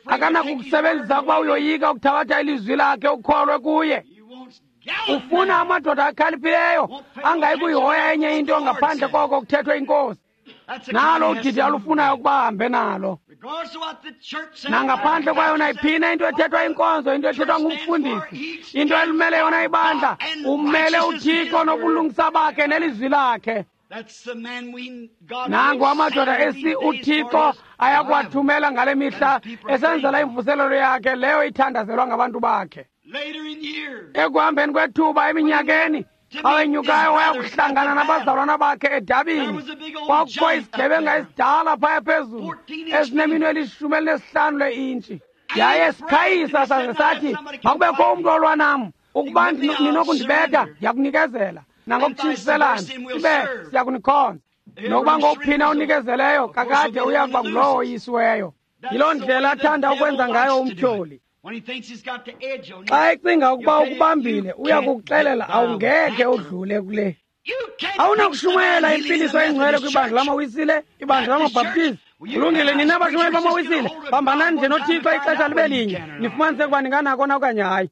Akanakukusebenzisa ukuba uyoyika ukuthabatha ilizwi lakhe ukholwe kuye. Ufuna amadoda akhaliphileyo angayi kuyihoya enye into ngaphandle koko kuthethwe inkosi. Nalo udidi alufunayo ukuba ahambe nalo. Nangaphandle kwayo nayiphina into ethethwa inkonzo, into ethethwa ngumfundisi, into elimele yona ibandla, umele uThixo nobulungisa bakhe nelizwi lakhe. Nangu amadoda esi uThixo ayakuwathumela ngale mihla esenzela imvuselelo yakhe leyo ithandazelwa ngabantu bakhe. Ekuhambeni kwethuba eminyakeni, xa wenyukayo waya kuhlangana nabazalwana bakhe edabini, kwakukho isigebenga esidala phaya phezulu esineminwe eli-15 leintshi. Yaye sikhayisa saze sathi makubekho umntu olwa nam, ukuba ninokundibetha ndiyakunikezela, nangokutshintshiselana ibe siyakunikhonza. Nokuba ngokuphina unikezeleyo kakade uya kuba ngulowo oyisiweyo. Yiloo ndlela athanda ukwenza ngayo umtyholi. Xa ecinga ukuba ukubambile, uya kukuxelela awungekhe udlule kule. Awunakushumayela impiliso engcwele kwibandla lamaWisile, ibandla lamaBhaptizi. Kulungile, nina bashumayeli bamaWisile, bambanani nje noThixo ixesha libe linye, nifumanise ukuba ninganako na okanye hayi.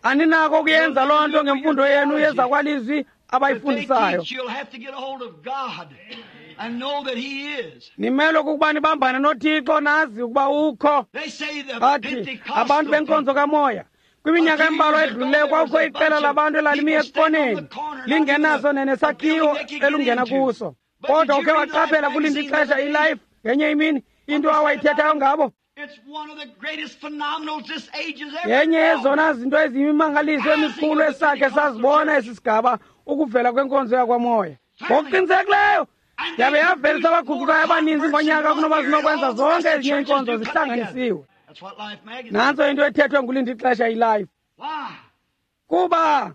Aninako ukuyenza loo nto ngemfundo yenu yezakwalizwi abayifundisayo. Nimelwe kukuba nibambane noThixo nazi ukuba ukho. Bathi abantu benkonzo kamoya, kwiminyaka embalwa edlulileyo kwakukho iqela labantu elalimi ekoneni lingenaso nenesakhiwo elungena kuso. Kodwa ukhe waqaphela kulinda ixesha iLife ngenye imini into awayithethayo ngabo. Yenye yezona zinto eziyimimangaliso emikhulu esakhe sazibona esi sigaba ukuvela kwenkonzo yakwamoya. Ngokuqinisekileyo yabe yavelisa abaguqukayo abaninzi ngonyaka kunoba zinokwenza zonke ezinye iinkonzo zihlanganisiwe. Nantso into ethethwe ngulinda ixesha iLife. Kuba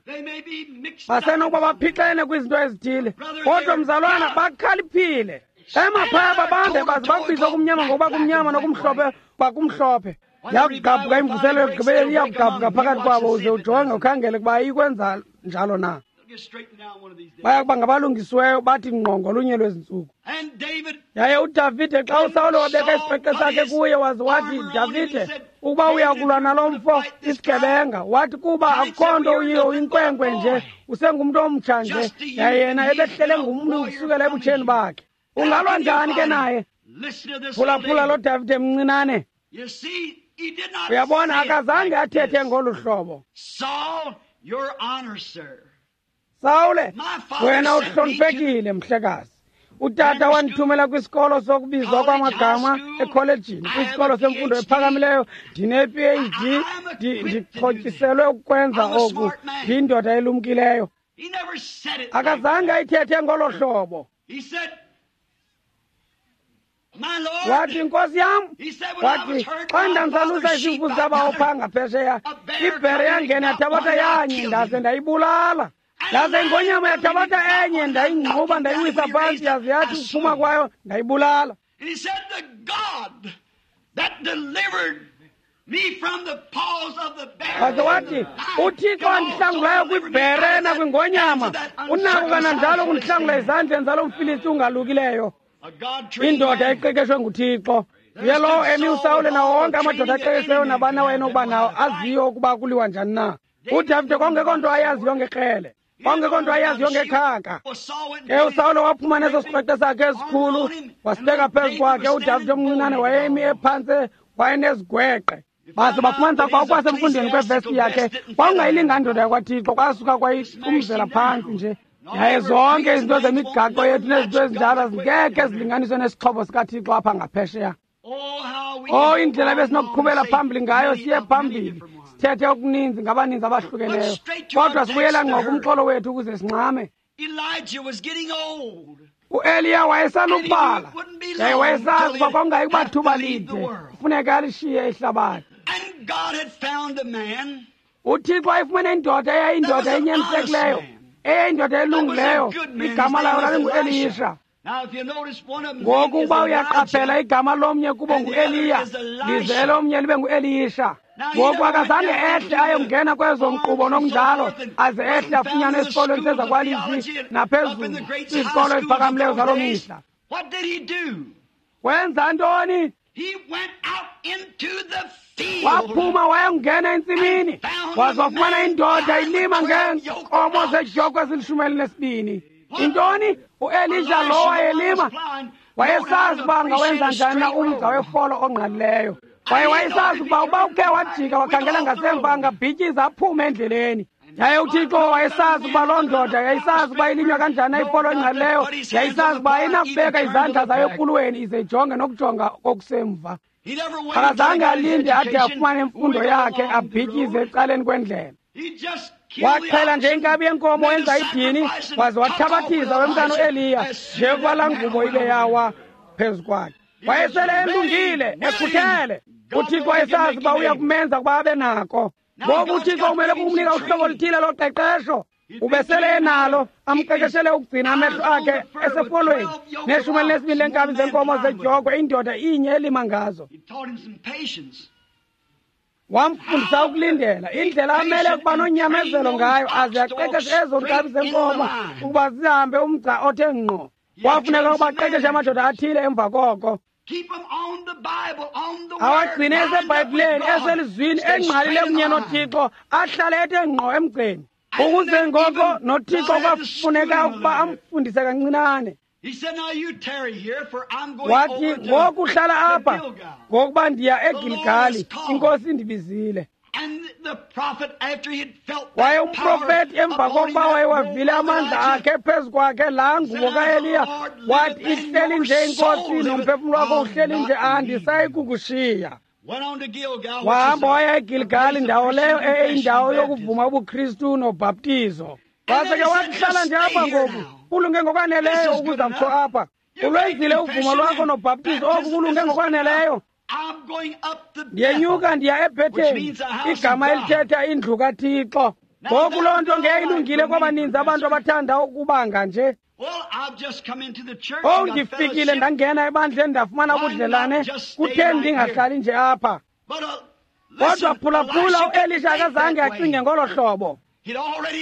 basenokuba baphixene kwizinto ezithile, kodwa mzalwana bakhaliphile. Emaphaya babambe baze bakubize okumnyama ngokuba kumnyama nokumhlophe kwakumhlophe. Yakugqabhuka imvuselo yokugqibeleni, iyakugqabhuka phakathi kwabo, uze ujonge ukhangele ukuba ayikwenza njalo na. Baya kuba ngabalungisiweyo bathi ngqo ngolunye lwezi ntsuku. Yaye uDavide xa uSawule wabeka isipeqe sakhe kuye waze wathi, Davide, ukuba uyakulwa nalo mfo isigebenga, wathi kuba akukho nto uyiyo, uyinkwenkwe nje, usengumntu omtsha nje, yaye yena ebehlele ngumntu ukusukela ebutsheni bakhe. Ungalwa njani ke naye? Phulaphula lo Davide mncinane. Uyabona, akazange athethe ngolu hlobo. Sawule, wena uhloniphekile mhlekazi. Utata wandithumela kwisikolo sokubizwa kwamagama ekholejini, kwisikolo semfundo ephakamileyo. Ndine-PhD, ndixhotyiselwe ukwenza oku. Ndiyindoda elumkileyo. Akazange ayithethe ngolo hlobo. Wathi, Nkosi yam, wathi xa ndandisalusa izimvu zabawo phaa ngaphesheya, ibhere yangena yathabatha yanye, ndaze ndayibulala. Ndaze ingonyama yathabatha enye, ndayingquba ndayiwisa phantsi, yaze yathi ukuphuma kwayo ndayibulala. Waze wathi, uThixo andihlangulayo kwibhere nakwingonyama, unako kananjalo ukundihlangula ezandleni zalo mFilisti ungalukileyo. Indoda eqeqeshwe nguThixo. Ye lowo emi uSawule nawo wonke amadoda aqeqesheyo nabani awayenokuba nawo aziyo ukuba kuliwa njani na. uDavide kwakungekho nto ayaziyo ngekrele, kwakungekho nto ayaziyo ngekhaka. Ke uSawule waphuma neso sikrweqe sakhe esikhulu wasibeka phezu kwakhe. uDavide omncinane wayemi ephantse wayenezigweqe. Baze bafumanisa ukuba okwasemfundweni kwevesti yakhe kwakungayilingani ndoda yakwaThixo, kwasuka kwayiqumzela phantsi nje. Yaye zonke izinto zemigaqo yethu nezinto ezinjalo zingekhe zilinganiswe nesixhobo sikaThixo apha ngaphesheya. Oh, indlela besinokuqhubela phambili ngayo, siye phambili sithethe okuninzi ngabaninzi abahlukeneyo, kodwa sibuyela ngqo kumxholo wethu ukuze sincame. uEliya wayesalubala, yaye wayesazi uba kwakungayi kuba thuba lide kufuneka alishiye ihlabathi. uThixo wayefumene indoda eyayindoda enyanisekileyo, eyayindoda elungileyo, igama layo lalinguElisha. Ngoku uba uyaqaphela, igama lomnye kubo nguEliya, lize elomnye libe nguElisha. Ngoku akazange ehle ayongena kwezo nkqubo nokunjalo, aze ehle afunyanwe esikolweni sezakwalizwi naphezulu kwizikolo eziphakamileyo zaloo mihla. Wenza ntoni? Waphuma wayongena entsimini, waze wafumana indoda ilima ngeenkomo zedyokwe ezili-12. Intoni? uElisha lo wayelima wayesazi uba angawenza njani na umgca wefolo ongqalileyo. Kwaye wayesazi ukuba ukhe wajika wakhangela ngasemva angabhityiza aphume endleleni. Yaye uThixo wayesazi ukuba loo ndoda yayisazi ukuba ilinywa kanjani na ifolo engqalileyo, yayisazi uba ayinakubeka izandla zayo ekulweni ize ijonge nokujonga okusemva. Akazange alinde ade afumane imfundo yakhe abhityize ecaleni kwendlela. Waxhela nje inkabi yenkomo wenza idini, waze wathabathisa wemntana uEliya njengokuba laa ngubo ibe yawa phezu kwakhe. Wayesele elungile, ekhuthele. UThixo wayesazi uba uya kumenza ukuba abe nako. Ngoku uThixo umele kukumnika uhlobo oluthile loqeqesho. Ubesele enalo, amqeqeshele ukugcina amehlo akhe esefolweni ne-12 leenkabi zenkomo zedyokwe, indoda inye elima ngazo. Wamfundisa ukulindela, indlela amele ukuba nonyamezelo ngayo, aze aqeqeshe ezo nkabi zenkomo ukuba zihambe umgca othe ngqo. Kwafuneka ukuba aqeqeshe amadoda athile emva koko, awagcine eseBhayibhileni, eselizwini, engqalile kunye noThixo, ahlale ethe ngqo emgceni. Ukuze ngoko noThixo kwafuneka ukuba amfundise kancinane. Wathi, ngoku hlala apha, ngokuba ndiya eGilgali, iNkosi indibizile. Kwaye umprofeti emva kokuba wayewavile amandla akhe phezu kwakhe, laa ngubo kaEliya, wathi, ihleli nje iNkosi nomphefumlo wakho uhleli nje, andisayi kukushiya. Wahamba waya eGilgali, ndawo leyo eyindawo yokuvuma ubuKristu nobhaptizo. Waze ke wathi, hlala nje apha ngoku, kulunge ngokwaneleyo ukuza kutsho apha. Ulwenzile uvumo lwakho nobhaptizo, oku kulunge ngokwaneleyo. Ndiyenyuka ndiya eBhetheli, igama elithetha indlu kaThixo. Ngoku loo nto ngeyilungile kwabaninzi abantu abathanda ukubanga nje. Owu, ndifikile ndangena ebandleni ndafumana ubudlelane, kutheni ndingahlali nje apha? Kodwa phulaphula, uElisha akazange acinge ngolo hlobo.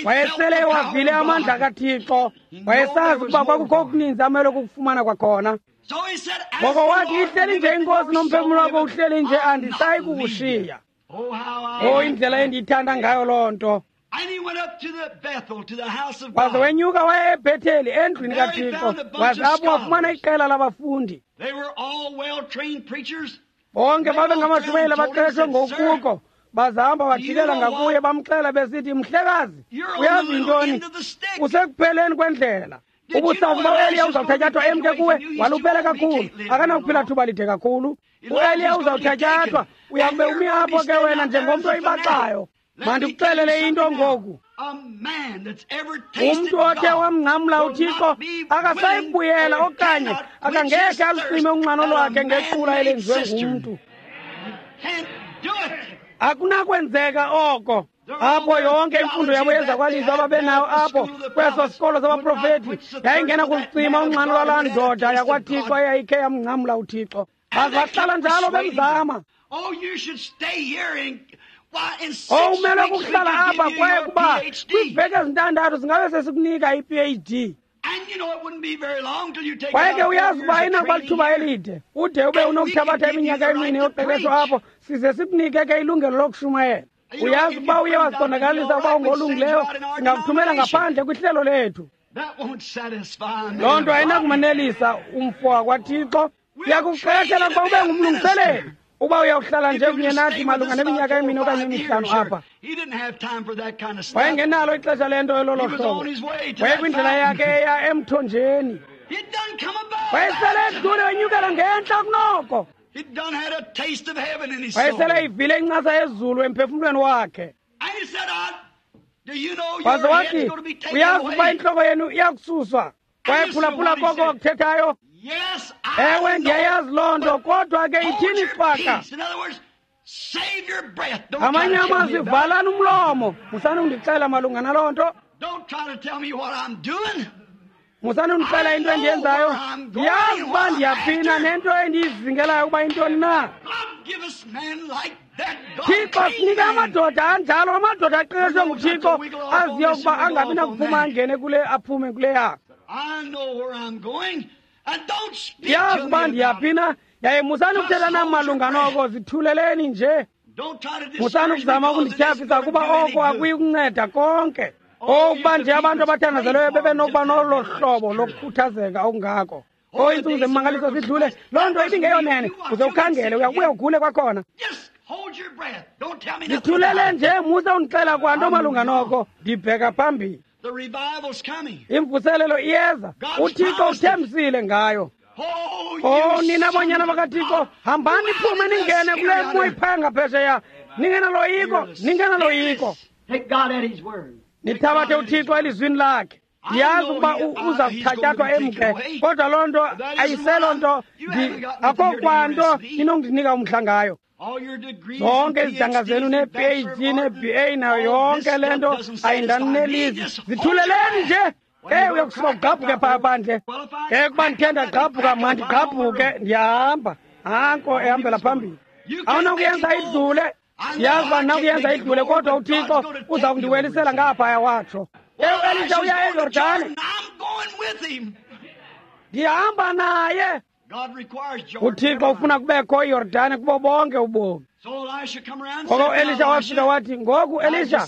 Wayesele ewavile amandla kaThixo, wayesazi ukuba kwakukho okuninzi amele ukukufumana kwakhona. Ngoko wathi, ihleli nje iNkosi nomphefumlo wakho uhleli nje, andisayi kukushiya. Oh, indlela endiyithanda ngayo loo nto. Waze wenyuka waya eBhetheli, endlwini kaThixo, waze apho wafumana iqela labafundi. Bonke babengamashumayeli abaqeshwe ngokuko. Bazahamba bajikela ngakuye, bamxela besithi, mhlekazi, uyazi yintoni? Usekupheleni kwendlela. Ubusazi uba uEliya uzawuthatyathwa emke kuwe, waluphele kakhulu, akanakuphila thuba lide kakhulu. UEliya uzawuthatyathwa, uyakube umi apho ke wena njengomntu oyibaxayo. Mandikuxelele into ngoku. Umntu othe wamngcamla uThixo akasayi kubuyela okanye akangekhe alucime unxano lwakhe ngequla elenziwe ngumntu. Akunakwenzeka oko. Apho yonke imfundo yabo yezakwalizwi ababenayo apho kweso sikolo sabaprofeti yayingena kulicima unxano lwalaa ndoda yakwaThixo eyayikhe yamngcamla uThixo. Baze bahlala njalo bemzama. Oh, umele kukuhlala apha kwaye kuba kwiiveki ezintandathu singabe sesikunika i-PhD. Kwaye ke uyazi uba ayinakuba lithuba elide, ude ube unokuthabatha iminyaka emine yoqeqesho apho, size sikunike ke ilungelo lokushumayela. Uyazi ukuba uye waziqondakalisa uba ungolungileyo, singakuthumela ngaphandle kwihlelo lethu. Loo nto ayinakumanelisa umfo wakwaThixo. Siyakuqeqeshela ukuba ube ngumlungiseleli, uba uyawuhlala nje kunye nathi malunga neminyaka emine okanye emihlanu apha. Wayengenalo ixesha lento elolo hlobo. Wayekwindlela yakhe eya emthonjeni. Wayesele edlule wenyukela ngentla kunoko. Wayesele eyivile incasa yezulu emphefumlweni wakhe. Waze wathi, uyazi ukuba intloko yenu iyakususwa. Wayephulaphula koko wakuthethayo. Ewe, ndiyayazi loo nto, kodwa ke ithini cwaka? Ngamanye amazwi, valani umlomo. Musani undixela malunga naloo nto. Musani undixela into endiyenzayo. Ndiyazi uba ndiyaphina nento endiyizingelayo ukuba intoni na. Thixo sinike amadoda anjalo, amadoda aqeqeshwe nguThixo, aziyo ukuba angabi nakuphuma angene kule, aphume kuleya. Ndiyazi uba ndiyaphina, yaye musani ukuthetha nam malunga noko, zithuleleni nje. Musani ukuzama ukundityhafisa kuba oko akuyi kunceda konke. Okuba nje abantu abathandazelweyo bebenokuba nolo hlobo lokukhuthazeka okungako. Oh, iintsuku zemmangaliso zidlule, loo nto ibingeyonene. Uze ukhangele, uyakubuya ugule kwakhona. Zithulele nje, musa undixela kwanto malunga noko, ndibheka phambili. Imvuselelo iyeza, uThixo uthembisile ngayo. Oh, nina bonyana bakaThixo, hambani niphume ningene kule mo iphaya ngaphesheya. Ningenaloyiko, ningenaloyiko. Nithabathe uThixo elizwini lakhe. Ndiyazi ukuba uza kuthatyathwa emke, kodwa loo nto ayiselo nto, akho kwanto inondinika umdla ngayo. Zonke izidanga zenu nee-PhD nee-BA nayo yonke le nto ayindanelisi. Zithuleleni nje. Ke uyakusuka ugqabhuke phaa phandle. Ke kuba ndikhe ndagqabhuka, mandigqabhuke, ndiyahamba. Hanko ehambela phambili. Awunakuyenza idlule. Ndiyazi uba ndinakuyenza idlule, kodwa uThixo uza kundiwelisela ngaphaya, watsho. Ke uElisha uya eYordane. Ndihamba naye. UThixo ufuna kubekho iYordane kubo bonke ubomi. Ngoko uElisha wafika wathi, ngoku Elisha,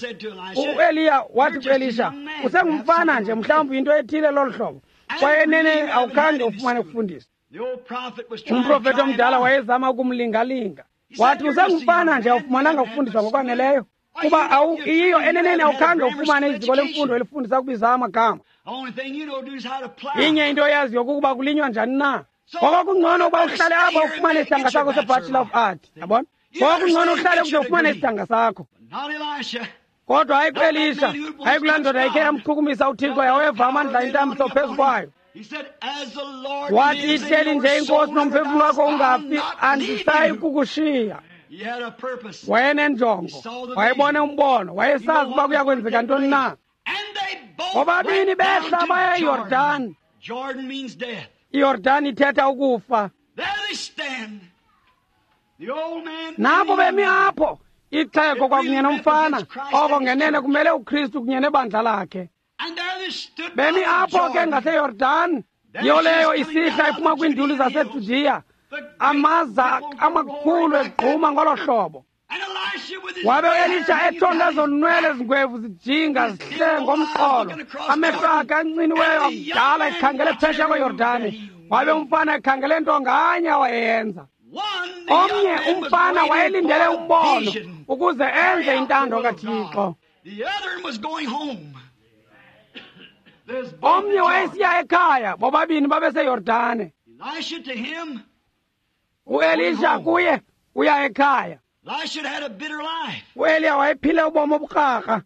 uEliya wathi kuElisha, usengumfana nje, mhlawumbi into ethile lolu hlobo, kwaye enene awukhange ufumane kufundisa. Umprofethi omdala wayezama ukumlingalinga. Wathi, usengumfana nje, awufumananga kufundiswa ngokwaneleyo, kuba iyiyo eneneni awukhange ufumane iziko lemfundo elifundisa ukubiza amagama. Inye into oyaziyo kukuba kulinywa njani na. Ngoko kungcono ukuba uhlale apha ufumane isidanga sakho seBachelor of Art, yabona? Ngoko kungcono uhlale ukuze ufumane isidanga sakho. Kodwa hayi kuElisha, hayi kulaa ndoda ikhe yamchukumisa uThixo yaweva amandla intambiso phezu kwayo. Wathi, ihleli nje iNkosi nomphefumlo wakho ungafi, andisayi kukushiya. Wayenenjongo, wayebone umbono, wayesazi uba kuya kwenzeka ntoni na. Bobabini behla baya eYordani. IYordani ithetha ukufa. Nabo bemi apho, ixhego kwakunye nomfana, oko ngenene kumele uKristu kunye nebandla lakhe. Bemi apho ke ngaseYordani, yiyo leyo isihla iphuma kwiinduli zaseJudiya, amaza amakhulu egquma ngolo hlobo. Wabe uElisha ethonga ezonwele ezingwevu zijinga zihle ngomqolo, amehlo akhe anciniweyo akudala ekhangele phesheya kweYordani. Wabe umfana ekhangele nto nganye awayeyenza. Omnye umfana wayelindele umbono ukuze enze intando kaThixo. Omnye wayesiya ekhaya, bobabini babeseYordane. UElisha kuye uya ekhaya. UEliya wayephile ubomi obukrakra.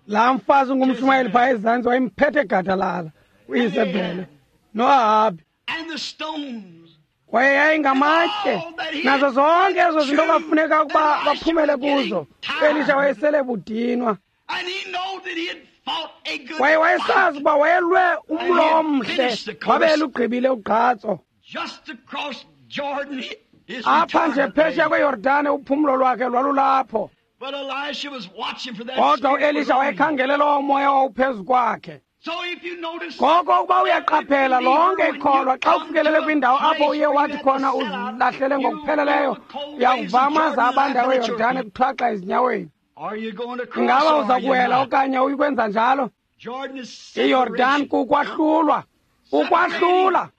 Laa mfazi ungumshumayeli phaa ezantsi wayemphethe gadalala, uIsabhele noAhabi. Kwaye yayingamatye nazo zonke ezo zinto kwafuneka ukuba baphumele kuzo. UElisha wayesele budinwa. Kwaye wayesazi ukuba wayelwe umlo omhle, wabe elugqibile ugqatso. Apha nje phesheya kweYordane uphumlo lwakhe lwalulapho. Kodwa uElisha wayekhangele lowo moya wawuphezu kwakhe. Ngoko ukuba uyaqaphela lonke ikholwa, xa ufikelele kwindawo apho uye wathi khona uzilahlele ngokupheleleyo, uyakuva amaza abandayo eYordane kuthwaxa ezinyaweni. Ingaba uza kuwela okanye uyikwenza njalo? IYordane kukwahlulwa, ukwahlula.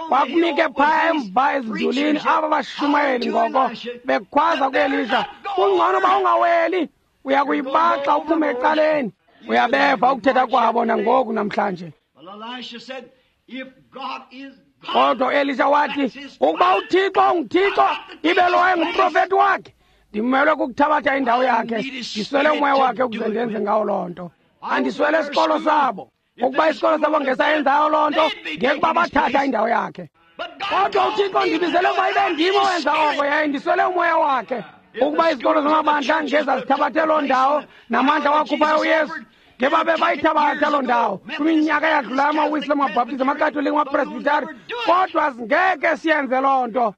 Kwakumike phaya emva ezindulini aba bashumayeli ngoko bekhwaza kuElisha, kungcono uba ungaweli, uya kuyibaxa uphume ecaleni. Uyabeva ukuthetha kwabo nangoku namhlanje. Kodwa uElisha wathi, ukuba uThixo unguThixo, ibe lo wayengumprofethi wakhe, ndimelwe kukuthabatha indawo yakhe, ndiswele umoya wakhe ukuze ndenze ngawo loo nto. Andiswele isikolo sabo. Ukuba isikolo sabo ngesayenzayo loo nto, ngekuba bathatha indawo yakhe. Kodwa uThixo ndibizele ukuba ibe ndim owenza oko, yaye ndiswele umoya wakhe. Ukuba izikolo zamabandla ngezazithabathe loo ndawo namandla wakhuphayo uYesu, ngebabe bayithabatha loo ndawo kwiminyaka eyadlulayo, amaWisile, amaBhaptizi, amaKatolika, amaPresbitari, kodwa singeke siyenze loo nto.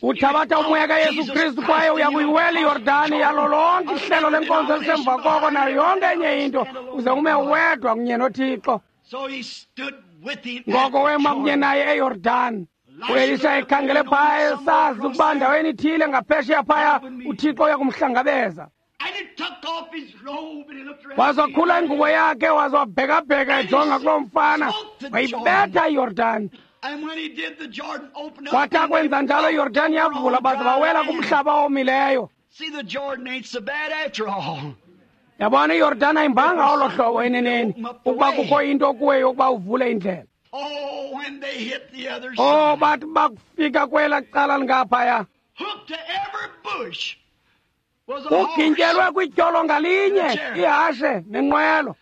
Uthabatha umoya kaYesu Kristu kwaye uya kuyiwela iYordani yalo lonke ihlelo lenkonzo elisemva koko nayo yonke enye into, uze ume wedwa kunye noThixo. Ngoko wema kunye naye eYordani. uElisha ekhangele phaya esazi ukuba ndaweni ithile ngaphesheya phaya uThixo uya kumhlangabeza. Wazakhula ingubo yakhe, wazwabhekabheka ejonga kuloo mfana, wayibetha iYordani. Wathi akwenza njalo iYordani yavula, baze bawela kumhlaba owomileyo. Yabona, iYordani ayimbanga olo hlobo eneneni, ukuba kukho into kuwe yokuba uvule indlela. Oh, bathi bakufika kwela cala lingaphaya, Ugintyelwe kwityolo ngalinye ihashe nenqwelo.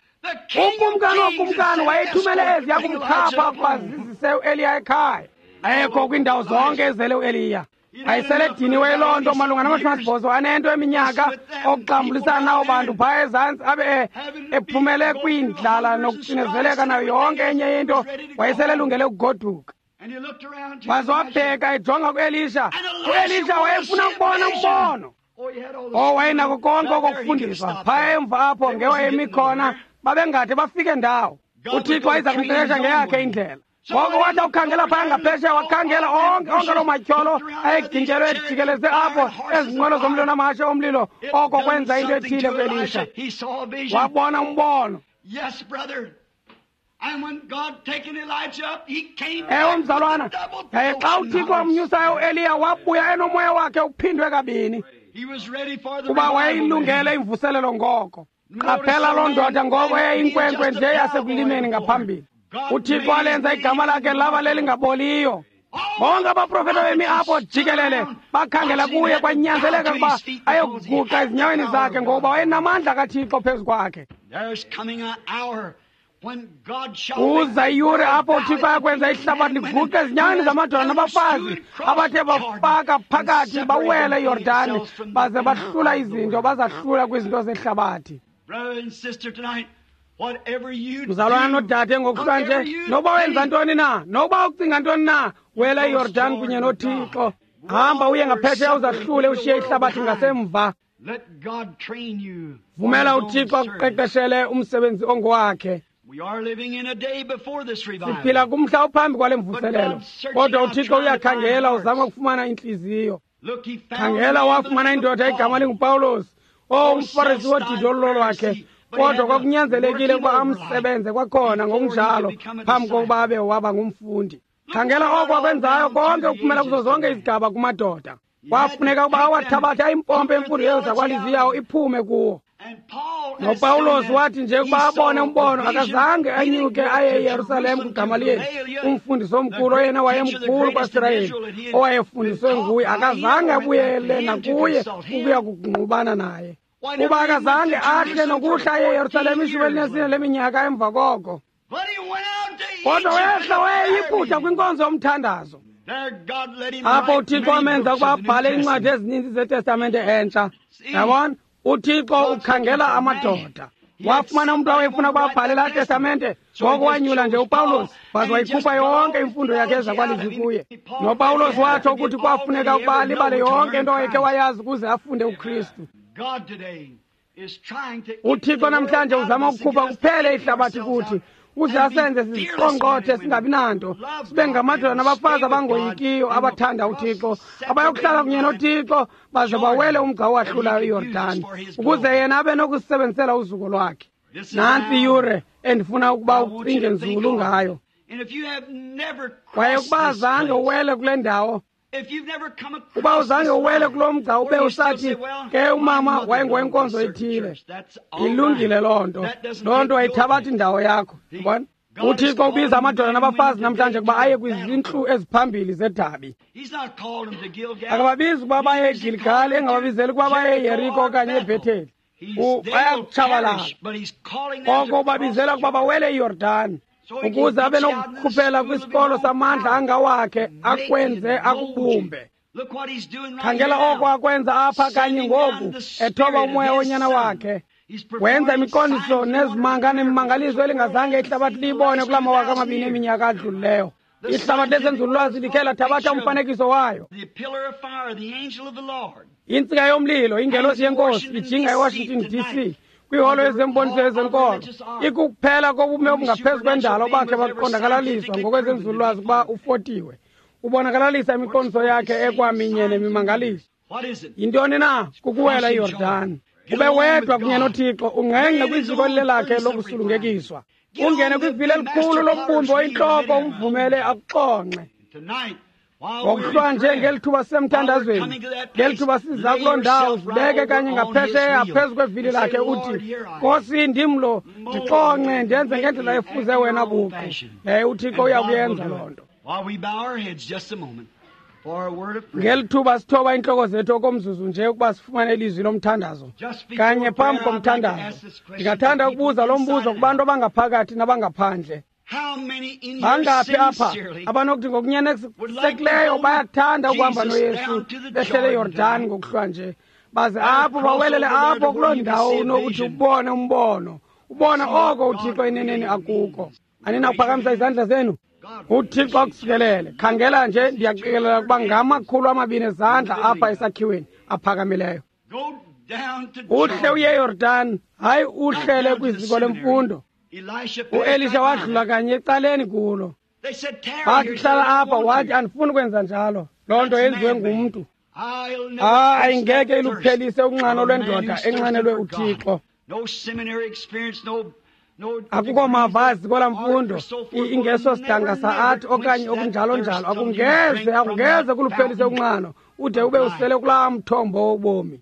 Ukumkani wokumkani wayethumele eziya kumkhapha ukuba zizise uEliya ekhaya. Ayekho kwiindawo zonke ezele uEliya. Wayesele ediniwe loo nto malunga nama-84 eminyaka okuxambulisana nawo bantu phaya ezantsi, abe ephumele kwindlala nokucinezeleka nayo yonke enye into. Wayesele elungele ukugoduka. Waze wabheka ejonga kuElisha. UElisha wayefuna ukubona umbono. Wayenako konke okokufundiswa phaya emva apho ngewayemi khona, babengade bafike ndawo. UThixo wayeza kumqeqesha ngeyakhe indlela. Ngoko wathi awukhangela phaya ngaphesheya, wakhangela onke loo matyholo ayegintyelwe ejikeleze apho, ezinqwelo zomlilo namahashe omlilo. Oko kwenza into ethile kuElisha. Wabona umbono. Ewe, mzalwana, yaye xa uThixo wamnyusayo uEliya, wabuya enomoya wakhe uphindwe kabini, kuba wayeyilungele imvuselelo ngoko. Qaphela loo ndoda ngoko eyayinkwenkwe nje yasekulimeni ngaphambili. UThixo walenza igama lakhe laba lelingaboliyo. Bonke abaprofeta bemi apho jikelele bakhangela kuye, kwanyanzeleka ukuba ayokuguqa ezinyaweni zakhe, ngokuba wayenamandla kaThixo phezu kwakhe. Uza iyure apho uThixo ayakwenza ihlabathi liguqe ezinyaweni zamadoda nabafazi abathe bafaka phakathi bawele iYordani, baze bahlula izinto, bazahlula kwizinto zehlabathi. Mzalwana nodade, ngokuhlwa nje, noba wenza ntoni na, noba ucinga ntoni na, wela iYordani kunye noThixo. Hamba uye ngaphesheya uzahlule, ushiye ihlabathi ngasemva. Vumela uThixo akuqeqeshele umsebenzi ongowakhe. Siphila kumhla ophambi kwale mvuselelo, kodwa uThixo uyakhangela, uzama ukufumana intliziyo. Khangela, wafumana indoda igama linguPawulos, umFarisi wodidi olulolwakhe, kodwa kwakunyanzelekile ukuba amsebenze kwakhona ngokunjalo phambi kokuba abe waba ngumfundi. Khangela oko akwenzayo konke ukuphumela kuzo zonke izigaba kumadoda. Kwafuneka ukuba awathabathe ayimpompe imfundo yezakwalizwi yawo iphume kuwo. NoPawulos wathi nje ukuba abone umbono, akazange anyuke aye eYerusalem kuGamaliyeli, umfundisi omkhulu oyena wayemkhulu kwaSirayeli, owayefundiswe nguye. Akazange abuyele nakuye ukuya kungqubana naye, kuba akazange ahle nokuhla aye eYerusalem 14 leminyaka emva koko. Kodwa wehla wayeyiphutha kwinkonzo yomthandazo. Apho uThixo wamenza ukuba abhale iincwadi ezininzi zeTestamente entsha. Yabona, uThixo ukhangela amadoda. Wafumana umntu awayefuna ukuba abhale laa testamente, ngoko wanyula nje uPawulos, waze wayikhupha yonke imfundo yakhe ezakwalizwi kuye. NoPawulos watsho ukuthi kwafuneka ukuba alibale yonke into awayekhe wayazi ukuze afunde uKristu. UThixo namhlanje uzama ukukhupha kuphele ihlabathi kuthi, uze asenze siziqongqothe singabi nanto, sibe ngamadoda nabafazi abangoyikiyo abathanda uThixo, abayokuhlala kunye noThixo baze bawele umgca owahlulayo iYordani, ukuze yena abe nokusebenzisela uzuko lwakhe. Nantsi iyure endifuna ukuba ucinge nzulu ngayo. Kwaye ukuba azange uwele kule ndawo, uba uzange uwele kulo mgca ube usathi ke umama wayengowenkonzo ethile, ilungile loo nto. Loo nto ayithabathi indawo yakho. Yabona, uThixo ubiza amadoda nabafazi namhlanje ukuba aye kwizintlu eziphambili zedabi. Akababizi ukuba baye eGiligali, engababizeli ukuba baye eYeriko okanye eBhetheli. Bayakutshabalala. Koko ubabizela ukuba bawele iYordani, ukuze abe nokukhuphela kwisikolo samandla angawakhe, akwenze akubumbe. Khangela oko akwenza apha kanye ngoku, ethoba umoya wonyana wakhe. Wenza imiqondiso nezimanga nemimangaliso elingazange ihlabathi liyibone kula 2000 eminyaka adlulileyo. Ihlabathi lezenzululwazi likhe lathabatha umfanekiso wayo. Intsika yomlilo, ingelosi yenkosi, ijinga eWashington DC, kwiholo yezemboniso yezenkolo, ikukuphela kobume obungaphezu kwendalo bakhe baqondakalaliswa ngokwezenzululwazi ukuba ufotiwe. Ubonakalalisa imiqondiso yakhe ekwaminye nemimangaliso. Yintoni na? Kukuwela iYordani. Ube wedwa kunye noThixo, ungqengqe kwiziko lelakhe lokusulungekiswa. Ungene kwivili elikhulu lombumbi oyintloko, umvumele akuxonxe. Ngokuhlwa nje ngeli thuba sisemthandazweni, ngeli thuba siza kuloo ndawo, zibeke kanye ngaphesheya phezu kwevili lakhe, uthi, Nkosi, ndim lo, ndixonxe, ndenze ngendlela efuze wena buqu. Yaye uThixo uyakuyenza loo nto. Ngeli thuba sithoba iintloko zethu okomzuzu nje ukuba sifumane ilizwi lomthandazo. Kanye phambi komthandazo, ndingathanda ukubuza lo mbuzo kubantu abangaphakathi nabangaphandle. Bangaphi apha abanokuthi ngokunyanekisekileyo bayathanda ukuhamba noYesu behlele eYordani ngokuhlwa nje, baze apho bawelele apho kuloo ndawo unokuthi ubone umbono, ubone oko uThixo eneneni akuko. Aninakuphakamisa izandla zenu? UThixo akusikelele. Khangela nje, ndiyaqikelela ukuba ngama-200 ezandla apha esakhiweni aphakamileyo. Uhle uye eYordani, hayi uhlele kwiziko lemfundo. UElisha wadlula kanye ecaleni kulo. Bathi hlala apha, wathi andifuni kwenza njalo. Loo nto yenziwe ngumntu. Hayi, ngeke iluphelise unxano lwendoda enxanelwe uThixo. Akukho mava aziko lamfundo, ingeso sidanga sa-art okanye okunjalo njalo. Akungeze kuluphelise unxano ude ube usele kulaa mthombo wobomi.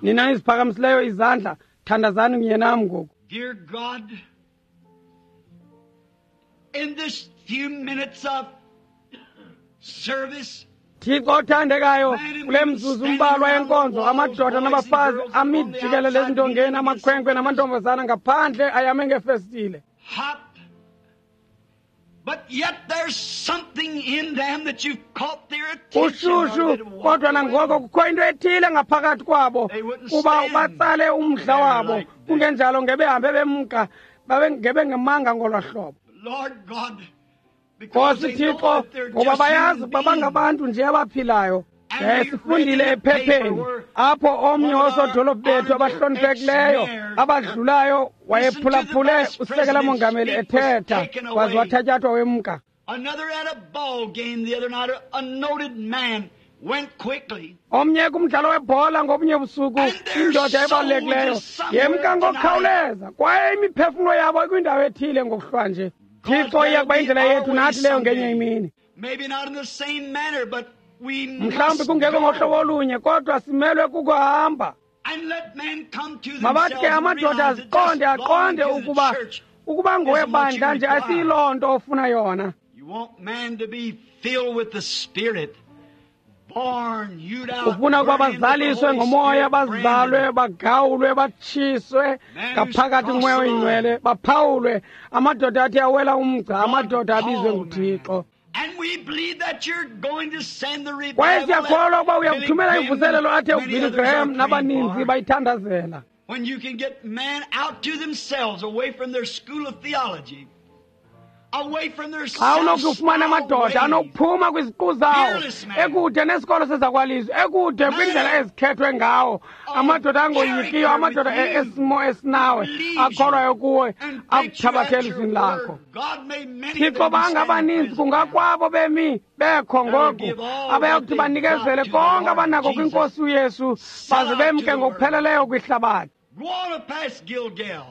Nina niziphakamisileyo izandla, thandazani kunye nam ngoku. Dear God, in this few minutes of service, Thixo othandekayo, kule mzuzu mbalwa yenkonzo, amadoda nabafazi ami jikelele ezindongeni, amakhwenkwe namantombazana ngaphandle ayame ngefestile. Hot. But yet there's something in them that you've caught their attention. Ushushu, kodwa nangoko kukho into ethile ngaphakathi kwabo kuba batsale umdla wabo, kungenjalo ngebehambe bemka, babengebengemanga ngolwa hlobo. Lord God, Nkosi Thixo, ngoba bayazi ukuba bangabantu nje abaphilayo. Sifundile ephepheni apho omnye woosodolophu bethu abahloniphekileyo abadlulayo wayephulaphule usekela mongameli ethetha, waze wathatyathwa wemka. Another at a ball game the other night, a noted man went quickly. Omnye kumdlalo webhola ngobunye busuku, indoda ebalulekileyo yemka ngokukhawuleza, kwaye imiphefumlo yabo ikwindawo ethile ngokuhlwa nje. Thixo iya kuba indlela yethu nathi leyo ngenye imini. Maybe not in the same manner, but we mhlawumbi kungekho ngohlobo olunye, kodwa simelwe kukuhamba. And let men come to Mabathi ke amadoda aziqonde, aqonde ukuba ngowebandla nje asiyiloo nto ofuna yona. You want man to be filled with the Spirit, born, hewed out, Ufuna ukuba burning with the bazaliswe Holy ngomoya, Spirit, bazalwe, bagawulwe, batshiswe ngaphakathi ngumoya oyingcwele, baphawulwe. Amadoda athi awela umgca, amadoda abizwe nguThixo. And we believe that you're going to send the revival. Kwaye siyakholwa ukuba that Billy uyakuthumela Graham imvuselelo athe and many uBilly others are Graham praying nabaninzi for. bayithandazela. When you can get men out to themselves, away from their school of theology, away from their Xa unokufumana amadoda self-styled ways. anokuphuma kwiziqu zawo, ekude nesikolo sezakwalizwi, ekude kwindlela ezikhethwe ngawo, amadoda angoyikiyo, amadoda esimo esinawe, akholwayo kuwe, akuthabathela elizwini lakho. Thixo, bangabaninzi kungakwabo bemi bekho ngoku abayakuthi banikezele konke abanako kwinkosi uYesu, baze bemke ngokupheleleyo kwihlabathi. Go on past Gilgal.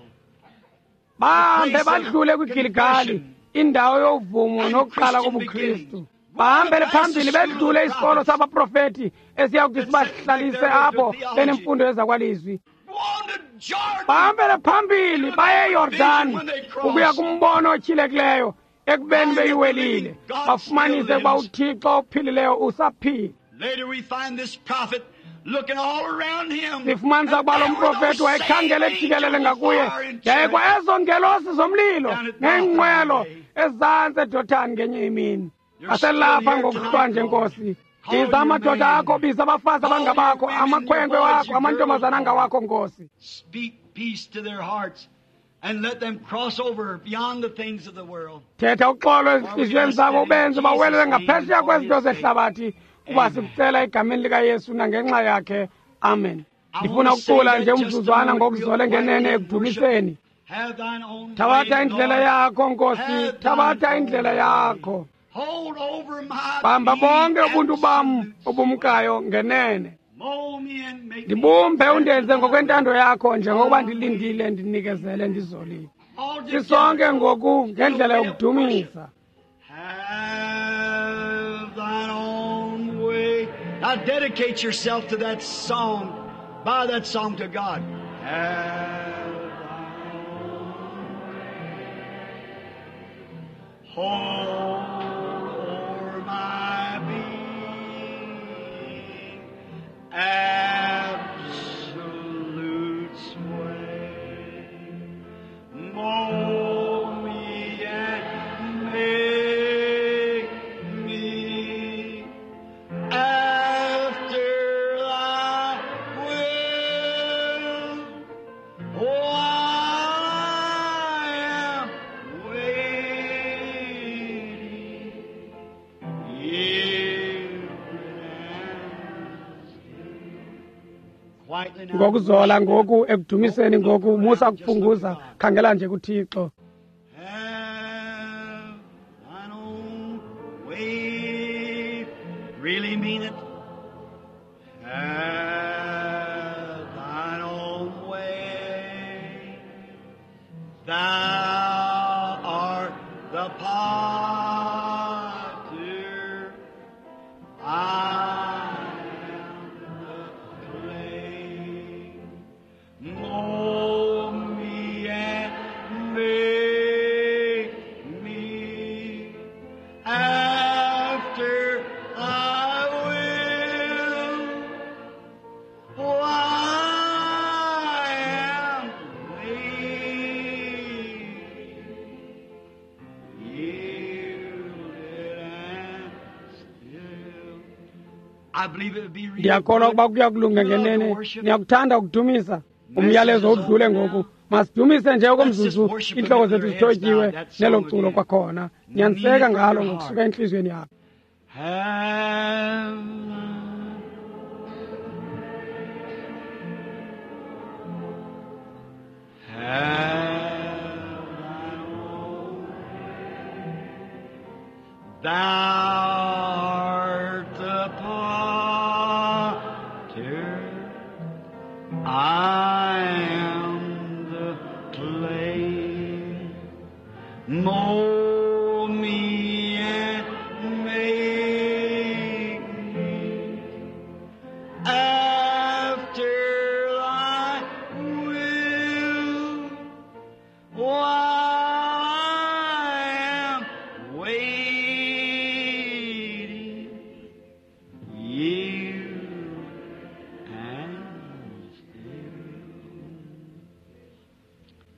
Bahambe badlule kwiGiligali, indawo yovumo nokuqala kobuKristu. Bahambele phambili bedlule isikolo sabaprofeti esiyakuthi sibahlalise apho benemfundo yezakwalizwi. Go on to Jordan. Bahambele phambili baye eYordani ukuya kumbono otyhilekileyo ekubeni beyiwelile, bafumanise ukuba uThixo ophilileyo usaphila. Later we find this prophet looking all around him. Sifumanisa ukuba lo mprofethi wayekhangela ejikelele ngakuye, yaye kwa ezo ngelosi zomlilo neenqwelo ezantsi eDothani ngenye imini. Aselapha ngokuhlwa nje, Nkosi. Biza amadoda akho, biza abafazi abangabakho, amakhwenkwe wakho, amantombazana angawakho, Nkosi. Speak peace to their hearts and let them cross over beyond the things of the world. Thetha uxolo ezintliziyweni zabo, ubenze bawelele ngaphesheya kwezinto zehlabathi, kuba sikucela egameni likaYesu nangenxa yakhe. Amen. Ndifuna ukucula nje umzuzwana ngokuzole ngenene ekudumiseni. Have thine own Thabatha way, indlela Lord. yakho, Nkosi. Have thine Thabatha own indlela way. yakho. Hold over my Bamba being bonke ubuntu bam absolute. obumkayo ngenene. Mold me and make me Ndibumbe undenze ngokwentando yakho, njengokuba ndilindile, ndinikezele, ndizolile. all together. Sisonke ngoku ngendlela yokudumisa. Have thine own way. Now dedicate yourself to that song. By that song to God. Have thine own way. Hold Ngokuzola ngoku ekudumiseni ngoku, musa kufunguza, khangela nje kuThixo. Have thine own way. Really mean it. Have thine own way. Thou art the potter. I am the clay. Mold me and make me after thy will. Oh, I am weak, yielded and still. I believe it would be real Ndiyakholwa good. ukuba kuya kulunga ngenene. Niyakuthanda ukudumisa. Umyalezo udlule ngoku. Masidumise nje okomzuzu, iintloko zethu zithotyiwe nelo culo kwakhona. Nyaniseka ngalo ngokusuka entliziyweni yakho. Have thine own. Thou art the potter, I am the clay. Mold me and make me after thy will. Oh, I am waiting, yield and still.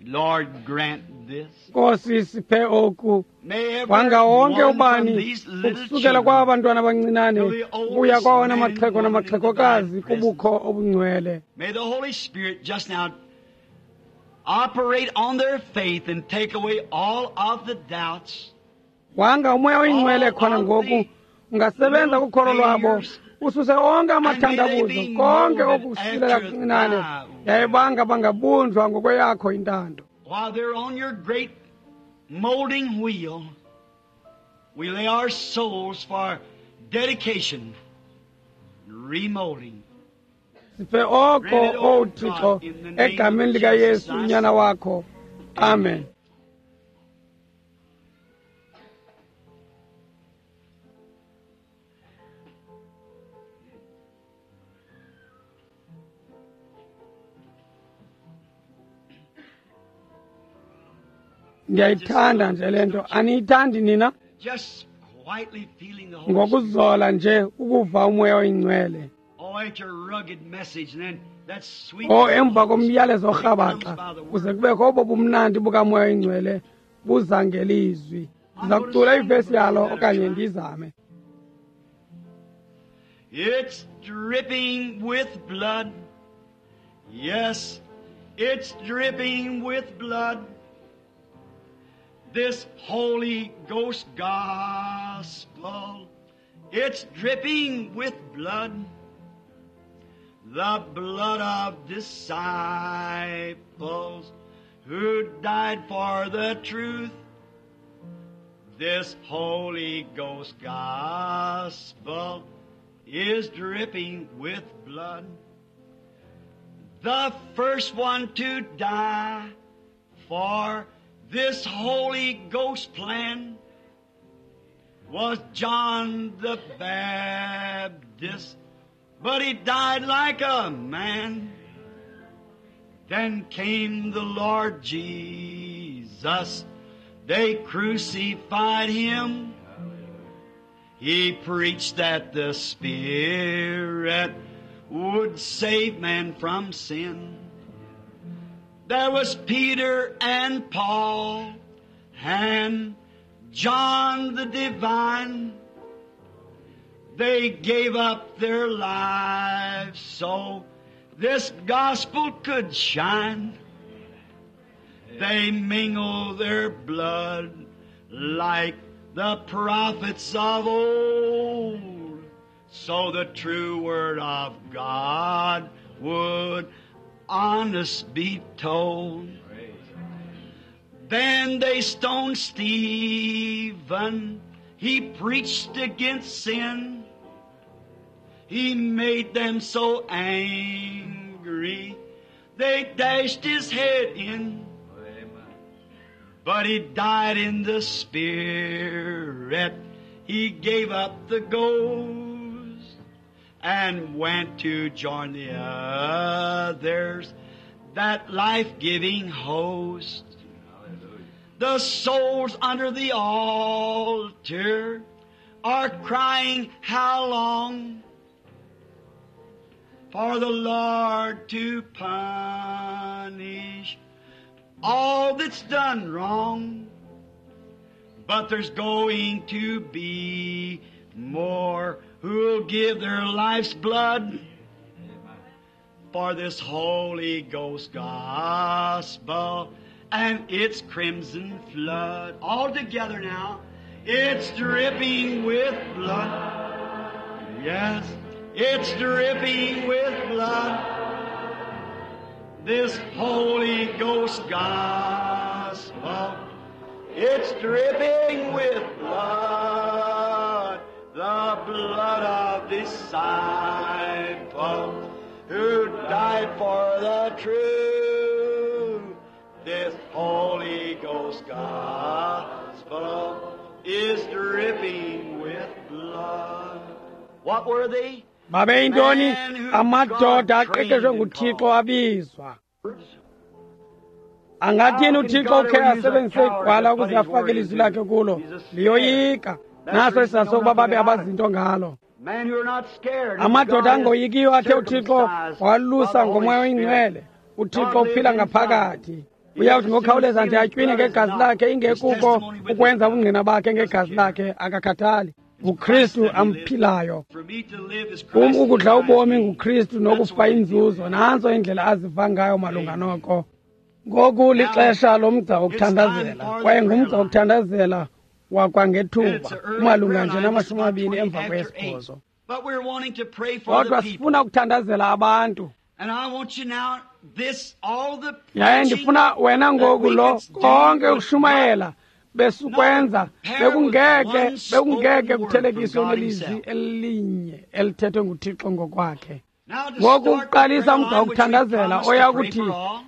Lord, grant this. Nkosi, siphe oku. May every Wanga wonke one from ubani these little ukusukela kwaba children bantwana abancinane to the oldest ukuya kwawona man, maxhego woman in the namaxhegokazi divine kubukho obungcwele. May the Holy Spirit just now operate on their faith and take away all of the doubts. Wanga umoya oyingcwele khona ngoku ungasebenza kukholo lwabo, ususe onke amathandabuzo, konke okusilela kuncinane, yaye banga bangabunjwa ngokweyakho intando. While they're on your great molding wheel, we lay our souls for dedication, remolding. Siphe oko, owu Thixo, egameni likaYesu unyana wakho. Amen. Ndiyayithanda nje le nto. Aniyithandi nina? Just quietly feeling the Holy Spirit. Ngokuzola nje ukuva umoya oyingcwele. Oh, after a rugged message, and then that sweet. O emva komyalezo orhabaxa kuze kubekho obo bumnandi bukamoya oyingcwele buza ngelizwi. Ndiza kucula ivesi yalo okanye ndizame. It's dripping with blood. Yes, it's dripping with blood. This Holy Ghost gospel, it's dripping with blood. The blood of disciples who died for the truth. This Holy Ghost gospel is dripping with blood. The first one to die for this Holy Ghost plan was John the Baptist, but he died like a man. Then came the Lord Jesus. They crucified him. He preached that the Spirit would save man from sin. There was Peter and Paul and John the Divine. They gave up their lives so this gospel could shine. They mingle their blood like the prophets of old, so the true word of God would honest be told. Then they stoned Stephen. He preached against sin. He made them so angry, they dashed his head in. But he died in the spirit. He gave up the ghost and went to join the others, that life-giving host. The souls under the altar are crying, how long? For the Lord to punish all that's done wrong. But there's going to be more who'll give their life's blood for this Holy Ghost gospel and its crimson flood. All together now. It's dripping with blood. Yes, it's dripping with blood. This Holy Ghost gospel, it's dripping with blood, the blood of disciple who died for the truth. This Holy Ghost gospel is dripping with blood. What were they? Babeyintoni? Amadoda aqeqeshwe nguThixo abizwa. Angathini uThixo ukhe asebenzise igwala ukuze afake ilizwi lakhe kulo? Liyoyika. Naso isizathu sokuba babe abazinto ngalo. Amadoda angoyikiyo athe uThixo walusa ngoMoya oyiNgcwele. uThixo uphila ngaphakathi. Uyawuthi ngokukhawuleza nje atywine ngegazi lakhe, ingekuko ukwenza ubungqina bakhe ngegazi lakhe, akakhathali. NguKristu amphilayo. Kum ukudla ubomi nguKristu nokufa inzuzo. Nantso indlela aziva ngayo malunga noko. Ngoku lixesha lomgca wokuthandazela, kwaye ngumgca wokuthandazela wakwangethuba, umalunga nje 8:20. Kodwa sifuna ukuthandazela abantu. Yaye ndifuna wena ngoku lo konke ukushumayela besukwenza bekungeke kuthelekiswe nelizwi elinye elithethwe nguThixo ngokwakhe. Ngoku ukuqalisa umgca wokuthandazela oya kuthi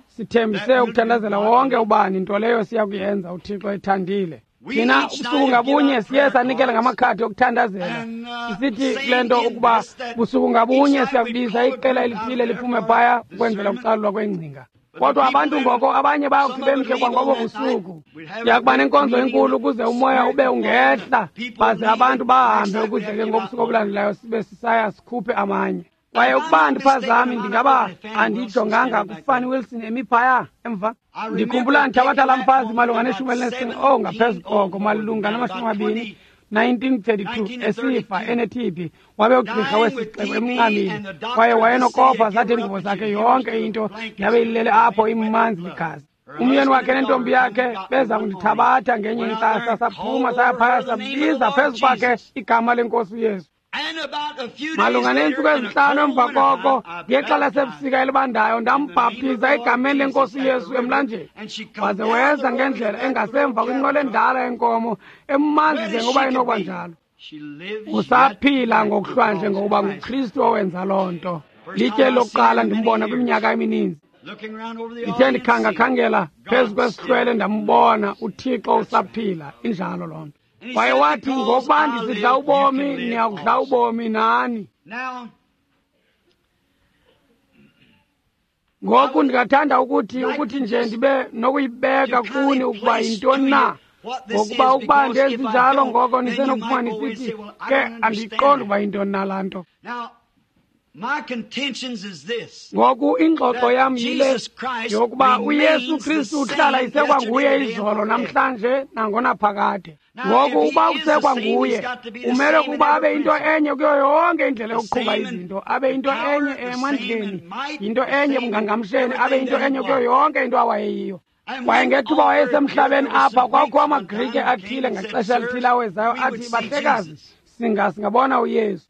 sithembise ukuthandazela wonke ubani, nto leyo siya kuyenza uThixo ethandile. Thina ubusuku ngabunye siye sanikela ngamakhadi okuthandazela, sisithi kule nto ukuba busuku ngabunye siyakubiza iqela elithile liphume phaya ukwenzela ukucalulwa kwengcinga. Kodwa abantu ngoko abanye bayakuthi bemke kwangobo busuku. Siyakuba nenkonzo enkulu ukuze umoya ube ungehla, baze abantu bahambe ukuze ke ngobusuku obulandelayo sibe sisaya sikhuphe amanye. Kwaye ukuba andiphazami ndingaba andijonganga kuFanny Wilson emi phaya emva. Ndikhumbula ndithabatha laa mfazi malunga ne-15, oh ngaphezu koko, malunga nama-20, 1932, esifa ene-TB. Wabe ugqirha wesixeko emncamile, kwaye wayenokofa zathi iingubo zakhe yonke into yabe ilele apho imanzi ligazi. Umyeni wakhe nentombi yakhe beza kundithabatha ngenye intsasa, saphuma saya phaya sabiza phezu kwakhe igama lenkosi uYesu. Malunga neentsuku ezintlanu emva koko, ngexa lasebusika elibandayo, ndambhaptiza egameni lenkosi uYesu emlanjeni. Waze weza ngendlela engasemva kwinqwelo endala yenkomo, emanzi njengoba inokuba njalo. Usaphila ngokuhlwanje ngokuba nguKristu owenza loo nto. Litye lokuqala ndimbona kwiminyaka emininzi. Ndithe ndikhangakhangela phezu kwesihlwele ndambona uThixo usaphila. Injalo loo nto. Kwaye wathi, ngokuba ndisidla ubomi, niyakudla ubomi nani. Ngoku ndingathanda ukuthi nje ndibe nokuyibeka kuni ukuba yintoni na. Ngokuba ukuba ndenzinjalo ngoko nisenokufuma nisithi, ke andiyiqondi ukuba yintoni na laa nto. Ngoku ingxoxo yam yile yokuba uYesu Kristu uhlala isekwanguye izolo namhlanje nangonaphakade. Ngoku uba usekwanguye, umele ukuba abe into enye kuyo yonke indlela yokuqhuba izinto, abe into enye emandleni, into enye ebungangamsheni, abe into enye kuyo yonke into awayeyiyo. Kwaye ngethuba wayesemhlabeni apha, kwakukho amaGrike athile ngaxesha elithile awezayo athi, bahlekazi, singabona uYesu.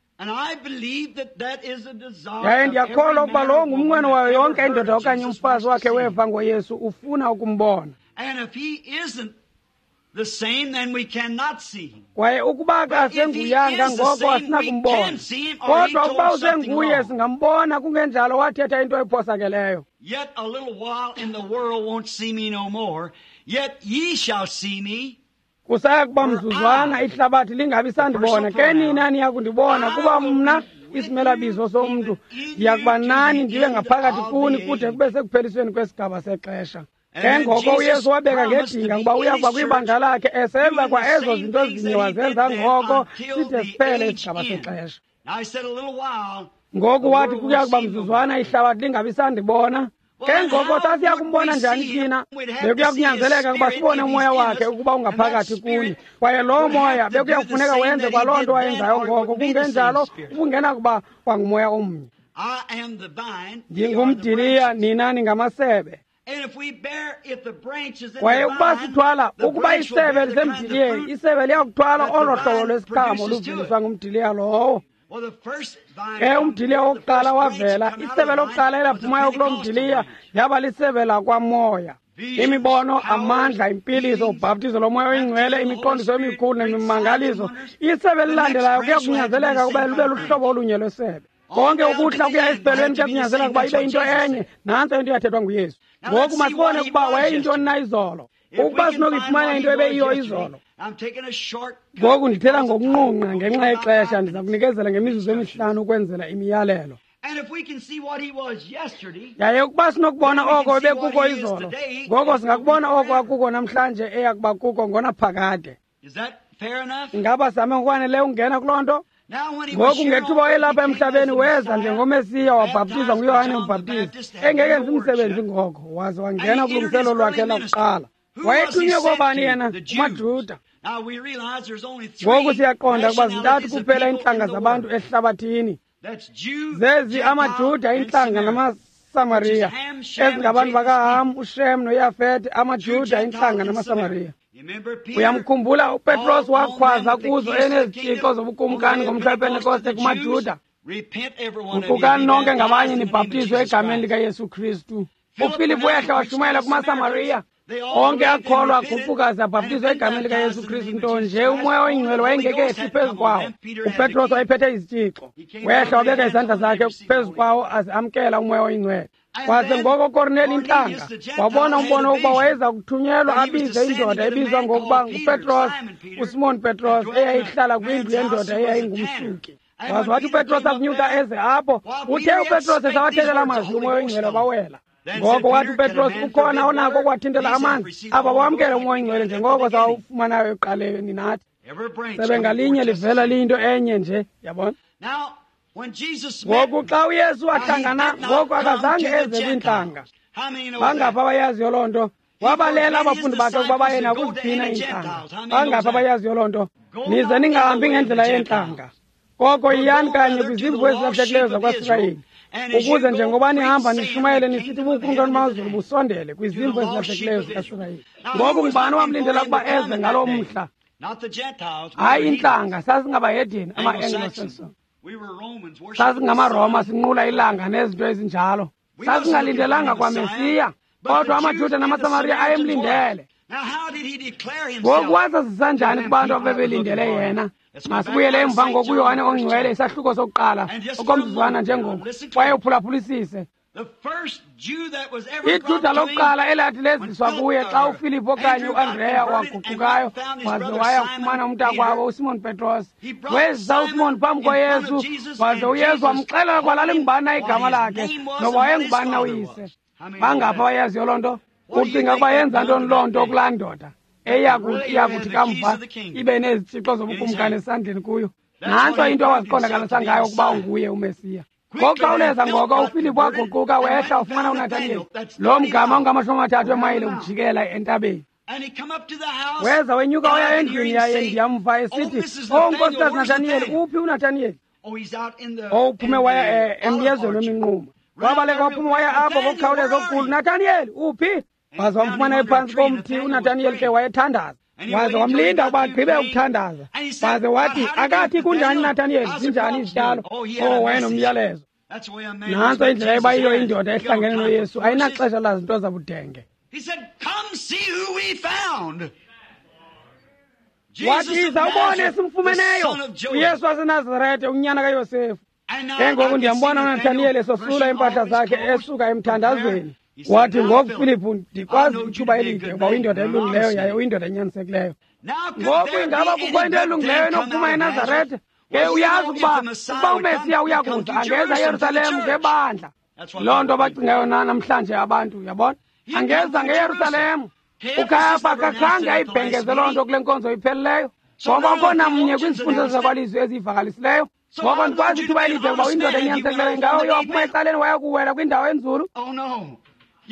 Yaye ndiyakholwa ukuba lowo ngumnqweno wayo yonke indoda okanye umfazi wakhe weva ngoYesu ufuna ukumbona. Kwaye ukuba akasenguyanga ngoko asinakumbona, kodwa ukuba usenguye singambona, kungenjalo wathetha into ephosakeleyo. Yet a little while and the world won't see me no more, yet ye shall see me. Kusaya kuba mzuzwana ihlabathi lingabi sandibona, ke nina niya kundibona, kuba mna isimelabizo somntu ndiya kuba nani ndibe ngaphakathi kuni kude kube sekuphelisweni kwesigaba sexesha. Ke ngoko uYesu wabeka ngedinga ukuba uya kuba kwibandla lakhe esenza kwa ezo zinto zinye wazenza ngoko side siphele isigaba sexesha. Ngoku wathi kuya kuba mzuzwana ihlabathi lingabi sandibona. Ke ngoko sasiya kumbona njani thina? Bekuya kunyanzeleka ukuba sibone umoya wakhe ukuba ungaphakathi kuni, kwaye loo moya bekuya kufuneka wenze kwaloo nto wayenzayo ngoko, kungenjalo ubungena kuba kwangumoya omnye. Ndingumdiliya, nina ningamasebe. Kwaye ukuba sithwala, ukuba isebe lisemdiliyeni, isebe liyakuthwala olo hlobo lwesiqhamo luveliswa ngumdiliya lowo. Ke umdiliya wokuqala wavela, isebe lokuqala elaphumayo kuloo mdiliya yaba lisebe lakwamoya. Imibono, amandla, impiliso, ubhaptizo lomoya oyingcwele, imiqondiso emikhulu nemimangaliso. Isebe elilandelayo kuya kunyanzeleka ukuba lube luhlobo olunye lwesebe. Konke ukuhla kuya esiphelweni kuya kunyanzeleka ukuba ibe into enye. Nantso into yathethwa nguYesu. Ngoku masibone ukuba wayeyintoni na izolo. Ukuba sinokuyifumana into ebeyiyo izolo. Ngoku ndithetha ngokunqunqa ngenxa yexesha, ndiza kunikezela ngemizuzu emihlanu ukwenzela imiyalelo. Yaye ukuba sinokubona oko ebekuko izolo, ngoko singakubona oko akuko namhlanje eyakuba kuko ngonaphakade. Ingaba same ngokwaneleyo ukungena kuloo nto? Ngoku ngethuba wayelapha emhlabeni weza njengoMesiya, wabhaptizwa nguYohane uMbhaptizi, engekenzi umsebenzi ngoko, waze wangena kulungiselelo lwakhe lakuqala. Wayethunywe koobani yena? KumaJuda. Ngoku siyaqonda ukuba zintathu kuphela iintlanga zabantu ehlabathini. Zezi amaJuda, iintlanga namaSamariya, ezingabantu bakaHam, uShem noYafete, amaJuda, iintlanga namaSamariya. Uyamkhumbula uPetros wakhwaza kuzo enezitshixo zobukumkani ngomhla wePentekoste kumaJuda, guqukani nonke ngabanye nibhaptizwe egameni likaYesu Kristu. UFilipu wehla washumayela kumaSamariya, onke akholwa aguquka abhaptizwa egameni likaYesu Kristu, nto nje umoya oyingcwele wayengekehli phezu kwawo. UPetros wayephethe izitshixo, wehla wabeka izandla zakhe phezu kwawo aze amkela umoya oyingcwele. Kwaze ngoko Korneli intlanga wabona umbono wokuba wayeza kuthunyelwa abize indoda ebizwa ngokuba nguPetros, uSimon Petros, eyayihlala kwindlu yendoda eyayingumsuki. Waze wathi uPetros akunyuka eze apho, uthe uPetros esawathethela amazwi, umoya oyingcwele wabawela. Ngoko wathi uPetros, ukhona onako ukwathintela amanzi, aba wamkele umoya oyingcwele njengoko sawufumanayo ekuqaleni nathi. Sebe ngalinye livela liyinto enye nje, yabona. Ngoku xa uYesu wahlangana, ngoko akazange eze kwiintlanga. Bangaphi abayaziyo loo nto? Wabalela abafundi bakhe ukuba baye nakuziphi iintlanga. Bangaphi abayaziyo loo nto? Nize ningahambi ngendlela yeentlanga, koko yiyani kanye kwizimvu ezilahlekileyo zakwaSirayeli, ukuze njengoba nihamba nishumayele nisithi ubukumkani bamazulu busondele, kwizimvu ezilahlekileyo zikaSirayeli. Ngoku ngubani wamlindela ukuba eze ngaloo mhla? Hayi intlanga, sasingabahedeni, ama-Anglo-Saxon. SasingaamaRoma, sinqula ilanga nezinto ezinjalo. Sasingalindelanga kwaMesiya, kodwa amaJuda namaSamariya ayemlindele. Ngoku wazazisa njani kubantu abebelindele yena? Masibuyele emva ngoku uYohane oNgcwele, isahluko sokuqala, okomzuzwana njengoku, kwaye uphulaphulisise. IJuda lokuqala elathi leziswa kuye xa uFilipu okanye uAndreya waguqukayo waze waya kufumana umntakwabo uSimon Petros, wezisa uSimon phambi koYesu, waze uYesu wamxelela ukuba lalingubani na igama lakhe noba wayengubani na uyise. Bangaphi abayaziyo loo nto? Ucinga ukuba yenza ntoni loo nto kulaa ndoda eyakuthi kamva ibe nezitshixo zobukumkani esandleni kuyo? Nantso into awaziqondakalisa ngayo ukuba unguye uMesiya. Ngokukhawuleza ngoko uFilipu waguquka wehla ufumana uNathaniyeli, loo mgama ungamashumi amathathu emayile ukujikela entabeni. Weza wenyuka waya endlwini yaye ndiyamva esithi, "Oh, nkosikazi Nathaniyeli, uphi uNathaniyeli?" Owuphume waya emyezweni weminquma. Wabaleka waphuma waya apho ngokukhawuleza okukhulu, "Nathaniyeli, uphi?" Waze wamfumana ephantsi komthi. uNathaniyeli ke wayethandaza. Waze wamlinda ukuba agqibe ukuthandaza. Waze wathi, akathi kunjani Nathaniyeli, zinjani izityalo? Oh, wayenomyalezo. Nantso indlela ebayiyo indoda ehlangene noYesu, ayinaxesha lazinto zabudenge. Wathi, yiza ubone esimfumeneyo, uYesu waseNazarete, unyana kaYosefu. Ke ngoku ndiyambona uNathaniyeli esosula iimpahla zakhe esuka emthandazweni. Wathi, ngoku Filipu, ndikwazi ithuba elide ukuba uyindoda elungileyo yaye uyindoda enyanisekileyo. Ngoku ingaba kukho into elungileyo enokuphuma eNazarete? Ke uyazi ukuba uMesiya uya kuza, angeza eYerusalem ngebandla. Loo nto bacingayo namhlanje abantu, uyabona? Angeza ngeYerusalem. UKayafa akakhange ayibhengeze loo nto kule nkonzo ipheleleyo, ngoba akho namnye kwizifundo zakwalizwi eziyivakalisileyo. Ngoko ndikwazi ithuba elide ukuba uyindoda enyanisekileyo, ingawe uye waphuma ecaleni waya kuwela kwindawo enzulu.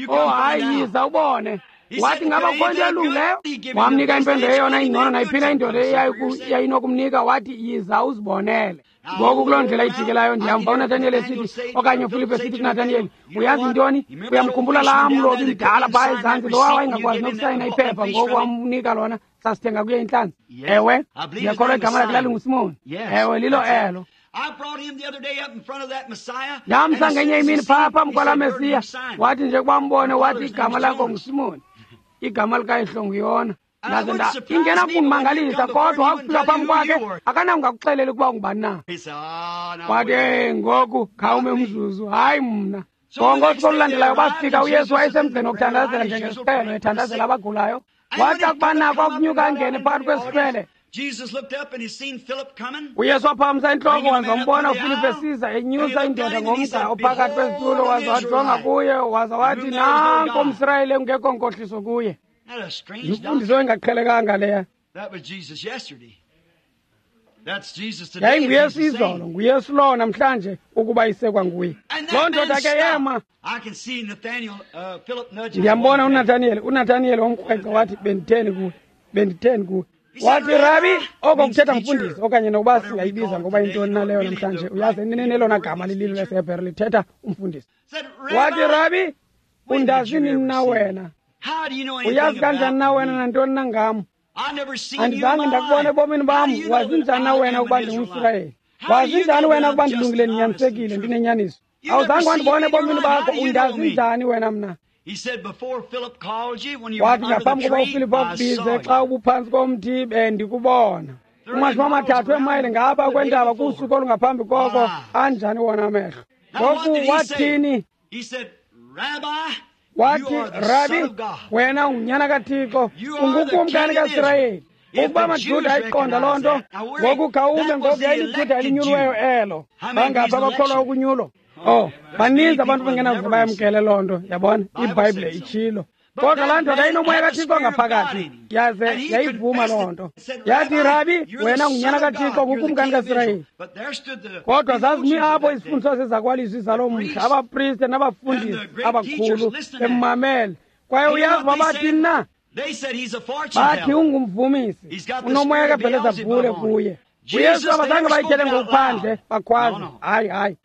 Oh hayi, yiza ubone. Wathi, ngaba kukho into elungileyo? Wamnika impendulo eyona ingcono nayiphina indoda eyayinokumnika. Wathi, yiza uzibonele. Ngoku kuloo ndlela ijikelayo ndiyamva uNathaniyeli esithi, okanye uFilipu esithi kuNathaniyeli, uyazi ntoni? Uyamkhumbula laa mlobi mdala phaa ezantsi, lowa wayengakwazi nokusayina iphepha, ngoku wamnika lona, sasithenga kuye intlanzi. Ewe, ndiyakholwa igama lakhe lalinguSimoni. Ewe, lilo elo. Ndamsa ngenye imini phaa phambi kwalaa Mesiya, wathi nje kuba mbone, wathi igama lakho nguSimoni, igama likayihlo nguYona. Ndaze nda ingena kundimangalisa, kodwa wakufika phambi kwakhe akanangakuxelela ukuba ungubani na. Wathi, ngoku khawume umzuzu, hayi mna. Ngosuku olulandelayo bafika, uYesu wayesemgceni wokuthandazela njengesiqhelo, ethandazela abagulayo. Wathi akuba nako akunyuka angene phakathi kwesihlwele, uYesu waphakamisa intloko waza wambona uFilipu esiza enyusa indoda ngomgca ophakathi kwezitulo, waza wajonga kuye waza wathi, nanko umSirayeli engekho nkohliso kuye. Yimfundiso engaqhelekanga leya. YayinguYesu izolo, nguYesu lowo namhlanje, ukuba isekwa nguye. Loo ndoda ke yema. Ndiyambona uNathaniyeli wamkrweca wathi, benditheni kuwe, benditheni kuwe. Wathi, Rabi, oko kuthetha mfundisi, okanye nokuba singayibiza ngoba yintoni na leyo namhlanje. Uyazi, eneneni elona gama lililo lesiHebhere lithetha umfundisi. Wathi, Rabi, undazi nini na wena? Uyazi kanjani na wena nantoni na ngam? Andizange ndakubona ebomini bam. Wazi njani na wena ukuba ndingumSirayeli? Wazi njani wena ukuba ndilungile, ndinyanisekile, ndinenyaniso? Awuzange wandibona ebomini bakho, undazi njani wena mna? Wathi, ngaphambi kokuba uFilipu akubize, xa ubuphantsi komthi, bendikubona. Kumashumi 30 eemayile ngapha kwentaba kusuku olungaphambi koko, anjani wona amehlo. Ngoku wathini? Wathi, Rabi, wena ungunyana kaThixo, ungukumkani kaSirayeli. Ukuba amaJuda ayiqonda loo nto, ngoku khawume, ngoku yayiliJuda elinyuliweyo elo. Bangaphi abakholwa ukunyulo? Oh, baninzi abantu bengenakuze bayamkele loo nto, yabona, iBhayibhile itshilo. Kodwa laa ndoda inomoya kaThixo ngaphakathi, yaze yayivuma loo nto. Yathi, Rabi, wena ungunyana kaThixo, ngukumkani kaSirayeli. Kodwa zazimi apho izifundiso zezakwalizwi zaloo mhla, abapriste nabafundisi abakhulu bemmamele. Kwaye uyazi uba bathini na? Bathi ungumvumisi, unomoya kaBhelezebhule kuye. uYesu abazange bayitshele ngokuphandle, bakhwaze, hayi, hayi.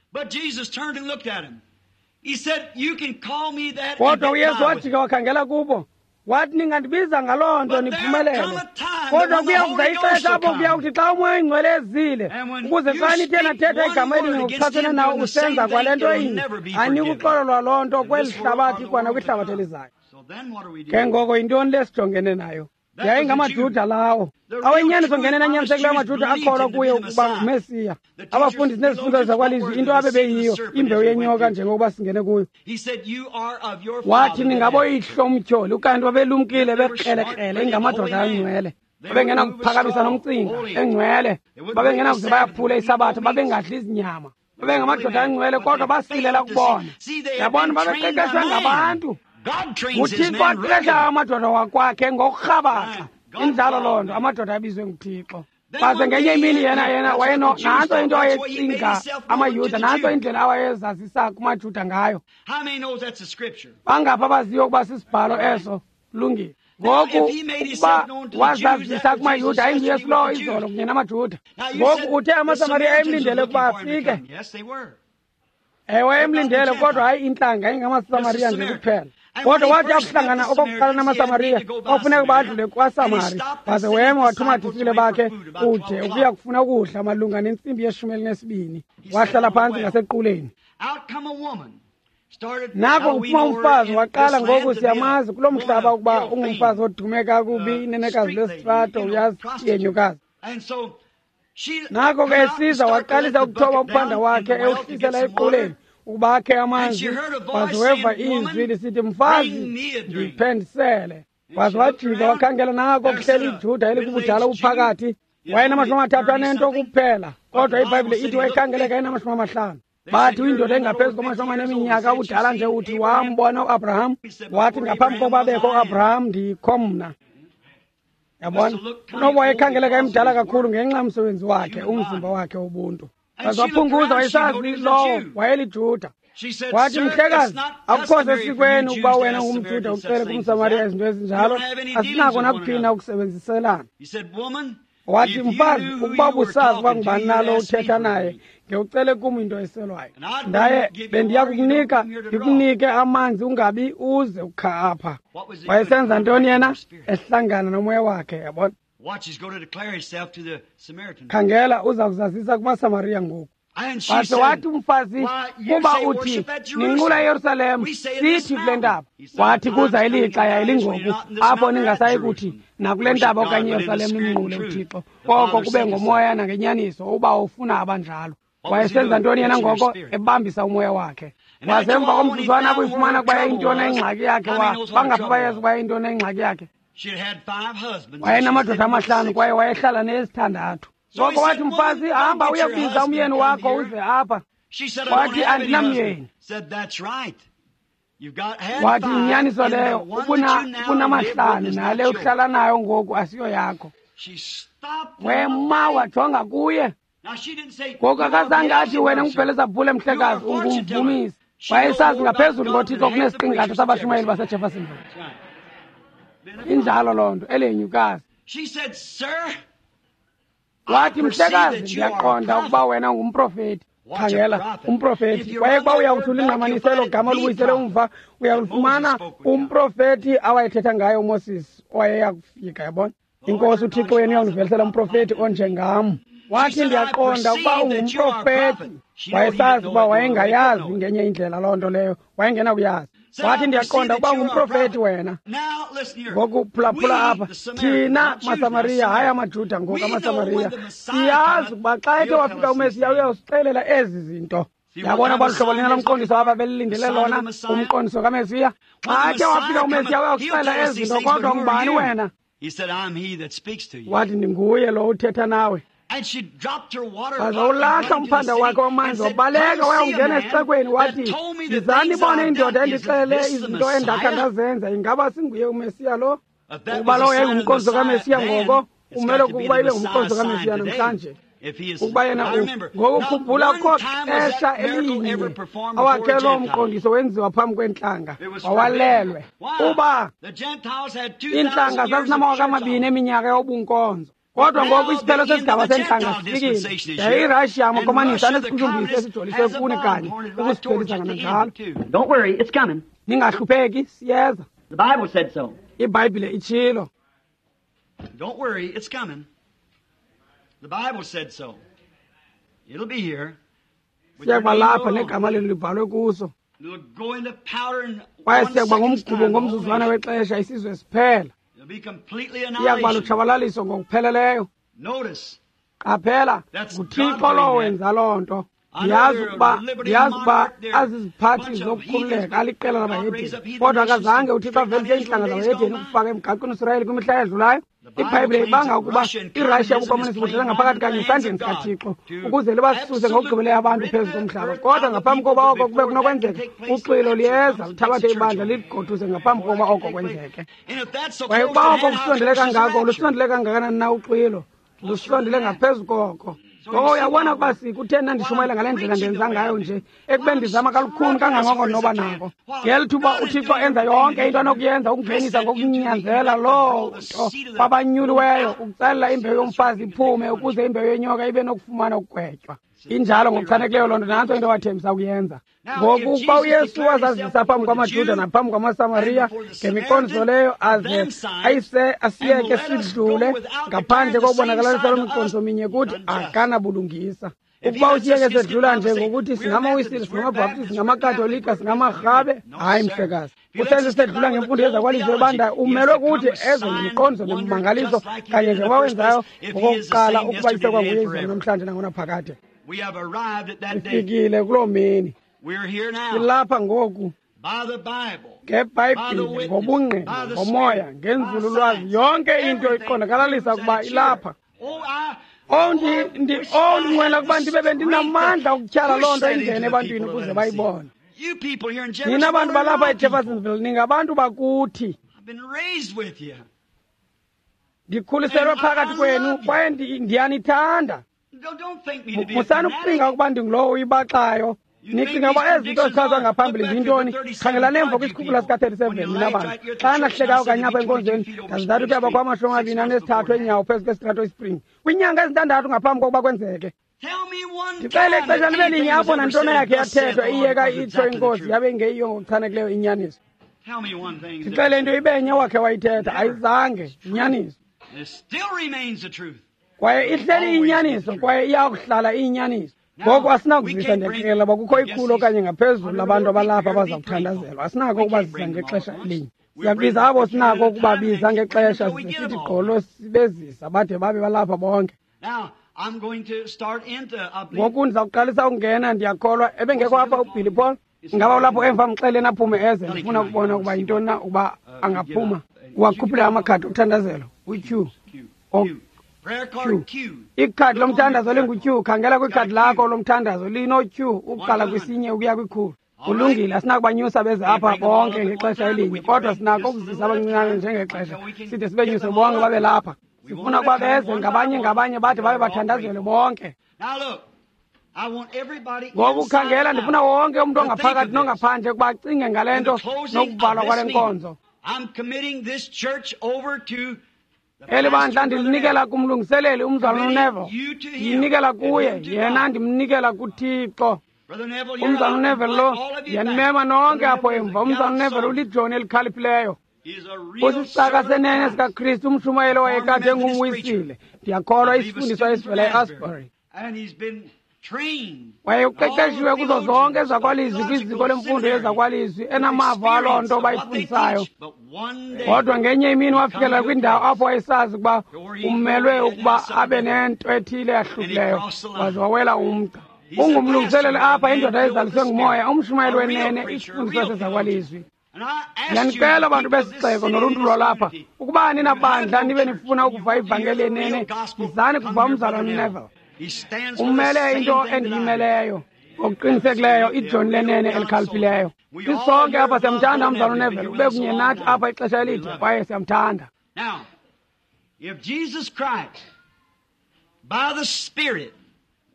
Kodwa uYesu wajika wakhangela kubo, wathi, ningandibiza ngaloo nto niphumelele. Kodwa kuya kuza ixesha apho kuyawuthi xa uMoya oyiNgcwele ezile, ukuze xa nithe nathetha igama elinye ngokuchasene nawo usenza kwale nto inye, anikuxolelwa loo nto kweli hlabathi kwanakwihlabathi elizayo. Ke ngoko yintoni le sijongene nayo? YayingamaJuda lawo awenyaniso ngenene anyanisekileyo, amaJuda akholwa kuye ukuba nguMesiya. Abafundisi nezifundo zakwalizwi, into abebeyiyo, imbewu yenyoka njengokuba singene kuyo. Wathi, ningaboyihlo umtyholi. Ukanti babelumkile, bekrelekrele, ingamadoda angcwele. Babengenakuphakamisa nomcinga, engcwele. Babengenakuze bayaphule isabatha, babengadli izinyama. Babengamadoda angcwele, kodwa basilela ukubona. Yabona, babeqeqeshwe ngabantu. UThixo aqeqesha amadoda wakwakhe ngokurhabaxa. Injalo loo nto, amadoda abizwe nguThixo. Baze ngenye imini yena wayeno, nantso into awayecinga amaYuda, nantso indlela awayezazisa kumaJuda ngayo. Bangaphi abaziyo ukuba sisibhalo eso? Lungile. Ngoku ukuba wazazisa kumaYuda, ayinguYesu lowo izolo kunye namaJuda. Ngoku uthe amaSamariya ayemlindele ukuba afike. Ewe, emlindele, kodwa hayi intlanga, ingamaSamariya nje kuphela. Kodwa wathi akuhlangana okokuqala namaSamariya, kwafuneka badlule kwaSamari, waze wema wathuma abadisipile bakhe kude ukuya kufuna ukudla malunga nentsimbi ye-12. Wahlala phantsi ngasequleni. Nako kuphuma umfazi waqala. Ngoku siyamazi kulo mhlaba ukuba ungumfazi odume kakubi, inenekazi lesitrato, uyazi, yenyukazi. Nako ke esiza, waqalisa ukuthoba umphanda wakhe ewuhlisela equleni ukuba akhe amanzi. Waze weva izwi lisithi, "Mfazi, ndiphe ndisele." Waze wajika wakhangela, nako kuhleli iJuda elikubudala uphakathi. Wayenama-30 anento kuphela, kodwa iBhayibhile ithi wayekhangeleka enama-50. Bathi uyindoda engaphezu kwama-40 eminyaka ubudala nje. Uthi wambona uAbraham. Wathi, "Ngaphambi kokuba bekho uAbraham, ndikho mna." Yabona, unoba wayekhangeleka emdala kakhulu ngenxa yomsebenzi wakhe, umzimba wakhe wobuntu. Waze waphunguza, wayesazi lowo wayeliJuda. Wathi, "Mhlekazi, akukho sesikweni ukuba wena ungumJuda ucele kumSamariya izinto ezinjalo. Asinako nakuphina ukusebenziselana." Wathi, "Mfazi, ukuba ubusazi uba ngubani nalo uthetha naye, ngewucele kum into eselwayo, ndaye bendiya kukunika, ndikunike amanzi, ungabi uze ukha apha." Wayesenza ntoni yena? Ehlangana nomoya wakhe, yabona. Khangela, uza kuzazisa kumaSamariya ngoku. Waze wathi umfazi, "Kuba uthi ninqula eYerusalem, sithi kule ntaba." Wathi, "Kuza ilixa, yayilingoku, apho ningasayi kuthi nakule ntaba okanye eYerusalem nimnqule uThixo, koko kube ngomoya nangenyaniso. Uba ufuna abanjalo." Wayesenza ntoni yena ngoko? Ebambisa umoya wakhe. Waze emva komzuzwana akuyifumana kuba yayintoni ingxaki yakhe, bangaphi bayazi ukuba yayintoni ingxaki yakhe? Wayenamadoda 5 kwaye wayehlala neyesithandathu. Ngoko wathi, "Mfazi, hamba uyokubiza umyeni wakho uze apha." Wathi, "Andinamyeni." Wathi, "Yinyaniso leyo, ubunamahlanu, nale uhlala nayo ngoku asiyo yakho." Wema wajonga kuye. Ngoku akazange athi, "Wena nguBhelezabhule, mhlekazi, ungumvumisi." Wayesazi ngaphezulu ngoThixo kunesiqingatha sabashumayeli baseJeffersonville. Injalo loo nto, elenyukazi. Wathi, "Mhlekazi, ndiyaqonda ukuba wena ungumprofeti." Khangela umprofeti. Kwaye kuba uyawuthi ulingqamanise elo gama, olubuyisele umva, uyawulifumana umprofeti awayethetha ngaye uMoses owayeya kufika, yabona. "Inkosi uThixo wenu uyawundivelisela umprofeti onjengam." Wathi, "Ndiyaqonda ukuba ungumprofeti." Wayesazi ukuba wayengayazi ngenye indlela loo nto leyo, wayengenakuyazi. Wathi, "Ndiyaqonda ukuba ungumprofeti wena." Ngoku phulaphula apha. Thina maSamariya, hayi amaJuda ngoku, amaSamariya, siyazi ukuba xa ethe wafika uMesiya, uyawusixelela ezi zinto. Yabona uba luhlobo lina lomqondiso apha belilindele lona, umqondiso kaMesiya. Xa ethe wafika uMesiya, uyawusixelela ezi zinto, kodwa ngubani wena? Wathi, "Ndinguye lo uthetha nawe." Waze ulahla umphanda wakhe wamanzi, wabaleka wayawungena esixekweni, wathi, "Yizani ibone indoda endixelele izinto endakha ndazenza. Ingaba singuye uMesiya lo?" Ukuba lowo yayingumqondiso kaMesiya ngoko, umele ukuba ibe ngumqondiso kaMesiya namhlanje ukuba yena. Ngoku khumbula, kho xesha elinye awakhe loo mqondiso wenziwa phambi kweentlanga, wawalelwe. Uba iintlanga zazinama-2000 eminyaka yobunkonzo, kodwa ngoku isiphelo sesigaba seentlanga sifikile, yaye iRashiya, amakomanisi, anesiqhushumbisi esijoliswe kuni kanye ukusiphelisa kananjalo. Don't worry, it's coming. Ningahlupheki, siyeza. The Bible said so. IBhayibhile itshilo. Don't worry, it's coming. The Bible said so. It'll be here. With your Siyakuba name lapha wrote on it. negama lenu libhalwe kuso. It'll go into powder in Kwaye one siyakuba second's ngumgubo time, the whole ngomzuzwana nation. wexesha, isizwe siphela. It'll be completely Iyakuba annihilation. lutshabalaliso ngokupheleleyo. Notice, Qaphela, That's nguThixo God lowo doing that. wenza loo nto. I know Ndiyazi they're ukuba liberty ndiyazi ukuba monarch, they're aziziphathi bunch of zokukhululeka, heathens, aliqela but God labahedeni, raised up heathen kodwa nations akazange to uThixo straighten out avelise Israel iintlanga days zabahedeni gone by. ukufaka emgaqweni uSirayeli kwimihla edlulayo? The Bible IBhayibhile claims ibanga that ukuba Russia and iRashiya communism is ubukomunisi budlala playing ngaphakathi right kanye into the hands esandleni of God sikaThixo to ukuze libasuse ngokugqibeleyo abantu absolute phezu rid the komhlaba. earth Kodwa out of ngaphambi people, koba but oko kube before that can kunokwenzeka, take place, the uxwilo rapture liyeza comes and takes luthabathe the church ibandla away. ligoduse ngaphambi Before kokuba that can oko take place. kwenzeke. And if that's so Kwaye close ukuba to oko hand, how kusondele close is the kangako, rapture? lusondele kangakanani na uxwilo? Lusondele ngaphezu koko. Ngoko uyabona ukuba sikutheni na ndishumayela ngale ndlela ndenza ngayo nje, ekubeni ndizama kalukhuni kangangoko noba nako. Ngeli thuba uThixo enza yonke into anokuyenza ukungenisa ngokunyanzela loo nto kwabanyuliweyo, ukucelela imbewu yomfazi iphume ukuze imbewu yenyoka ibe nokufumana ukugwetywa. Injalo ngokuchanekileyo loo nto, nantso into wathembisa ukuyenza. Ngoku ukuba uYesu wazazisa phambi kwamaJuda naphambi kwamaSamariya ngemiqondiso leyo, aze asiyeke sidlule ngaphandle kokubonakalisa loo miqondiso minye kuthi, akanabulungisa. Ukuba usiyeke sedlula nje ngokuthi singamaWisile, singamabhaptizi, singamakatolika, singamarhabe, hayi mhlekazi. Usenze sedlula ngemfundo yezakwalizwi ebandayo, umelwe kuthi eze ngemiqondiso nemimangaliso kanye njengoba wenzayo ngokokuqala, ukuba isekwanguye izolo namhlanje nangonaphakade. Sifikile kuloo mini. Silapha ngoku ngeBhayibhile, ngobungqina, ngomoya, ngenzululwazi, yonke into iqondakalalisa ukuba ilapha. Ndinqwena ukuba ndibe bendinamandla ukutyhala loo nto ingene ebantwini ukuze bayibone. Nina bantu balapha eJeffersonville, ningabantu bakuthi. Ndikhuliselwe phakathi kwenu kwaye ndiyanithanda. Musani ukucinga ukuba ndingulowo uyibaxayo. Nicinga uba ezi zinto zichazwa ngaphambili ziyintoni? Khangelani emva kwisikhukula sika-37, nina bantu. Xa nahlekayo kanye apha enkonzweni, ndazintathu kuyaba kwama-23 eenyawo phezu kwesitrato iSpring kwiinyanga ezintandathu ngaphambi kokuba kwenzeke. Ndixele ixesha libe linye apho nantoni yakhe yathethwa iyeka itsho inkosi yabe ingeyiyo ngokuchanekileyo inyaniso. Ndixele into ibenye wakhe wayithetha, ayizange inyaniso. Kwaye ihleli inyaniso, kwaye iyakuhlala iyinyaniso. Ngoku asinakuzisa, ndiyaqikelela uba kukho 100 okanye ngaphezulu labantu abalapha abaza kuthandazelwa. Asinako ukubazisa ngexesha elinye. Siyakubiza abo sinako ukubabiza ngexesha, size sithi gqolo sibezisa bade babe balapha bonke. Ngoku ndiza kuqalisa ukungena, ndiyakholwa. Ebengekho apha uBilly Paul? Ingaba ulapho emva? Mxeleni aphume eze, ndifuna ukubona ukuba yintoni na ukuba angaphuma. Uwakhuphile amakhadi okuthandazelo, uQ. Ikhadi lomthandazo lingu-Q. Khangela kwikhadi lakho lomthandazo, lino-Q ukuqala kwisinye ukuya kwikhulu. Kulungile, asinakubanyusa beze apha bonke ngexesha elinye, kodwa sinako ukuzisa abancinane njengexesha, side sibenyuse bonke babe lapha. Sifuna ukuba beze ngabanye ngabanye bade babe bathandazelwe bonke. Ngoku khangela, ndifuna wonke umntu ongaphakathi nongaphandle ukuba acinge ngale nto nokuvalwa kwale nkonzo. Eli bandla ndilinikela kumlungiseleli umzalwana uNeville. Ndiyinikela kuye, yena ndimnikela kuThixo. Umzalwana uNeville lo, ndiyanimema nonke apho emva. Umzalwana uNeville ulijoni elikhaliphileyo. Usisicaka senene sikaKristu, umshumayeli owayekade engumwisile. Ndiyakholwa isifundiswa esivela eAsbury. Waye uqeqeshiwe kuzo zonke ezakwalizwi kwiziko lemfundo yezakwalizwi, enamava aloo nto bayifundisayo. Kodwa ngenye imini wafikelela kwindawo apho wayesazi ukuba umelwe ukuba abe nento ethile eyahlukileyo, waze wawela umgca. Ungumlungiseleli apha, indoda ezaliswe ngumoya, umshumayeli wenene, isifundiswa sezakwalizwi. Ndiyanicela bantu besixeko noluntu lwalapha, ukuba ninabandla nibe nifuna ukuva ivangeli yenene, yizani kuva umzalwana uNeville. Umele into endiyimeleyo ngokuqinisekileyo, ijoni lenene elikhaliphileyo. Sisonke apha siyamthanda umzalwana uNeville, ube kunye nathi apha ixesha elide kwaye siyamthanda.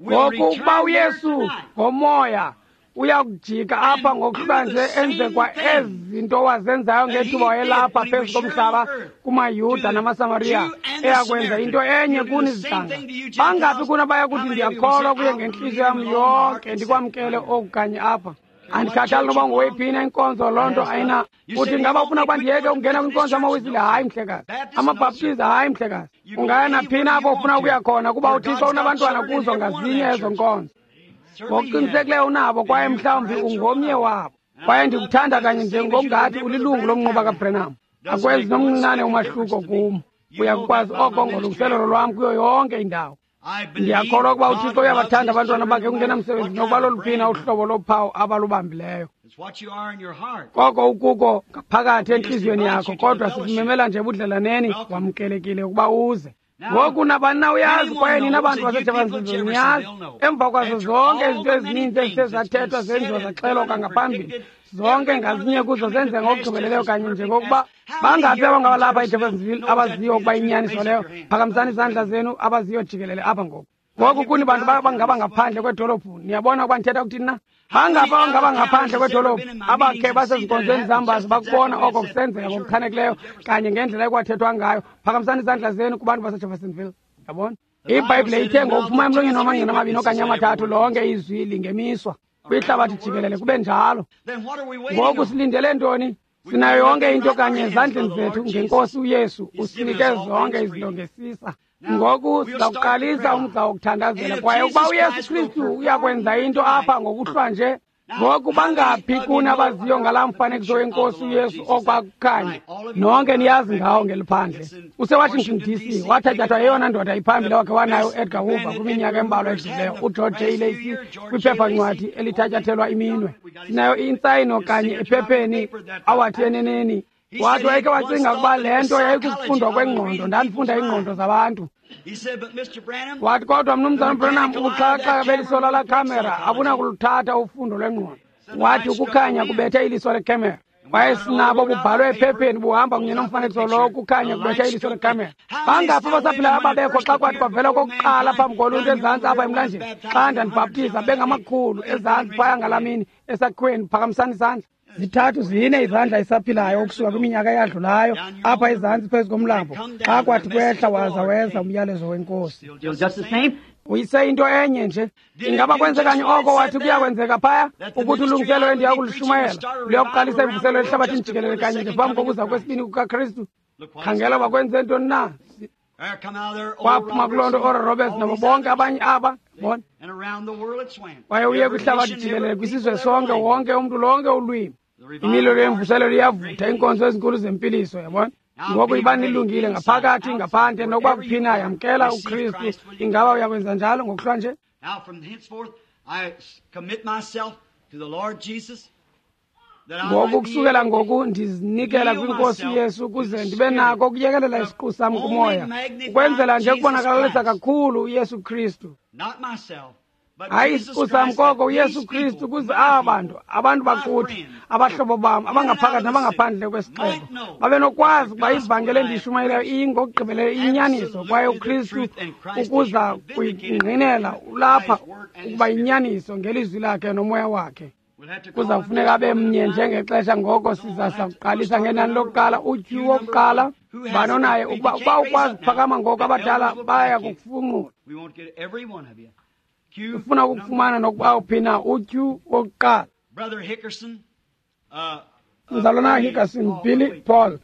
Ngoku ukuba uYesu ngomoya uyakujika apha ngokuhlanje enze kwa ezi zinto wazenzayo ngethuba wayelapha phezu komhlaba kumaYuda namaSamariya, eyakwenza into enye kuni zihlanga. Bangaphi kuni abaya kuthi ndiyakholwa kuye ngentliziyo yam yonke, ndikwamkele oku kanye apha? Andikhathali noba ngowephina inkonzo, loo nto ayina. Uthi ngaba ufuna ukuba ndiyeke ukungena kwinkonzo yamaWisile? Hayi mhlekazi. AmaBhaptizi? Hayi mhlekazi. Ungaya naphina apho ufuna ukuya khona, kuba uThixo unabantwana kuzo ngazinye ezo nkonzo. Ngokuqinisekileyo unabo, kwaye mhlawumbi ungomnye wabo. Kwaye ndikuthanda kanye njengokungathi ulilungu lomnquba kaBrenham. Akwenzi nomncinane umahluko kum. Uyakukwazi oko ngolungiselelo lwam kuyo yonke indawo. Ndiyakholwa ukuba uThixo uyabathanda abantwana bakhe kungenamsebenzi nokuba loluphina uhlobo lophawu abalubambileyo. Koko ukuko ngaphakathi entliziyweni yakho, kodwa sikumemela nje ebudlelaneni, wamkelekile ukuba uze. Ngoku nabani na uyazi, kwaye nina bantu baseJeffersonville niyazi, emva kwazo zonke izinto ezininzi ezithe zathethwa zenziwa zaxelwa kwangaphambili, zonke ngazinye kuzo zenze ngokugqibeleleyo kanye njengokuba. Bangaphi abangabalapha eJeffersonville abaziyo ukuba inyaniso leyo? Phakamisani izandla zenu abaziyo jikelele apha ngoku. Ngoku kuni bantu bangaba ngaphandle kwedolophu, niyabona ukuba ndithetha ukuthini na? Bangaphi abangaba ngaphandle kwedolophu abakhe basezinkonzweni zam baze bakubona oko kusenzeka ngokuchanekileyo kanye ngendlela ekwathethwa ngayo? Phakamisani izandla zenu kubantu baseJeffersonville. Yabona? IBhayibhile ithe ngokuphuma emlonyeni wamangqina amabini okanye amathathu lonke izwi lingemiswa kwihlabathi jikelele kube njalo. Ngoku silindele ntoni? Sinayo yonke into kanye ezandleni zethu ngenkosi uYesu usinike zonke izinto ngesisa. Ngoku sizawuqalisa umgca wokuthandazela kwaye ukuba uYesu Kristu uyakwenza into apha ngokuhlwa nje. Ngoku bangaphi kuni abaziyo ngalaa mfanekiso wenkosi uYesu okwakukhanya? Nonke niyazi ngawo ngeliphandle. UseWashington DC wathatyathwa yeyona ndoda iphambili wakhe wanayo uEdgar Hoover kwiminyaka embalwa edluleyo, uGeorge J. Lacey kwiphephancwadi elithatyathelwa iminwe. Sinayo intsayino kanye ephepheni awathi eneneni. Wathi wayekhe wacinga ukuba le nto yayikukufundwa kwengqondo, ndandifunda iingqondo zabantu. Wathi kodwa mnumzana Branham, ubuxhakaxhaka beliso lala khamera abunakuluthatha ufundo lwengqondo. Wathi ukukhanya kubethe iliso lekhamera. Kwaye sinabo bubhalwe ephepheni buhamba kunye nomfanekiso lowo, ukukhanya kubethe iliso lekhamera. Bangaphi abasaphilayo ababekho xa kwathi kwavela okokuqala phambi koluntu ezantsi apha emlanjeni xa ndandibhaptiza, bengamakhulu ezantsi phaya ngalaa mini esakhiweni? Phakamisani isandla. Zithathu zine izandla esaphilayo ukusuka kwiminyaka eyadlulayo apha ezantsi phezu komlambo xa kwathi kwehla waza weza umyalezo wenkosi. Uyise into enye nje. Ingaba kwenzekanye oko wathi kuyakwenzeka phaya ukuthi ulungiselelo endiya kulishumayela luyakuqalisa imvuselelo ehlabathini jikelele kanye nje phambi kokuza kwesibini kukaKristu? Khangela bakwenze ntoni na? Kwaphuma kuloo nto Oral Roberts nabo bonke abanye aba bona. Kwaye uye kwihlabathi jikelele kwisizwe sonke, wonke umntu, lonke ulwimi. Imililo yemvuselelo iyavutha, iinkonzo ezinkulu zempiliso, yabona. Ngoku iba nilungile ngaphakathi, ngaphandle, nokuba kuphina, yamkela uKristu. Ingaba uyakwenza njalo ngokuhlwa nje? Ngoku kusukela ngoku ndizinikela kwinkosi Yesu ukuze ndibe nako ukuyekelela isiqu sam kumoya, ukwenzela nje ukubonakalisa kakhulu uYesu Kristu. Hayi isiqu sam koko uYesu Kristu, ukuze aba bantu, abantu bakuthi, abahlobo bam, abangaphakathi nabangaphandle kwesixeko, babe nokwazi ukuba ivangeli endiyishumayelayo ingokugqibeleleyo iyinyaniso, kwaye uKristu ukuza kuyingqinela ulapha ukuba yinyaniso ngelizwi lakhe nomoya wakhe. Kuza kufuneka abe mnye njengexesha. Ngoko siza sakuqalisa ngenani lokuqala, utyhu wokuqala banonaye ukuba ukwazi ukuphakama ngoku abadala baya kukufunqula. Ufuna ukufumana nokuba uphi na utyhu wokuqala. Mzalwana Hickerson, Billy Paul,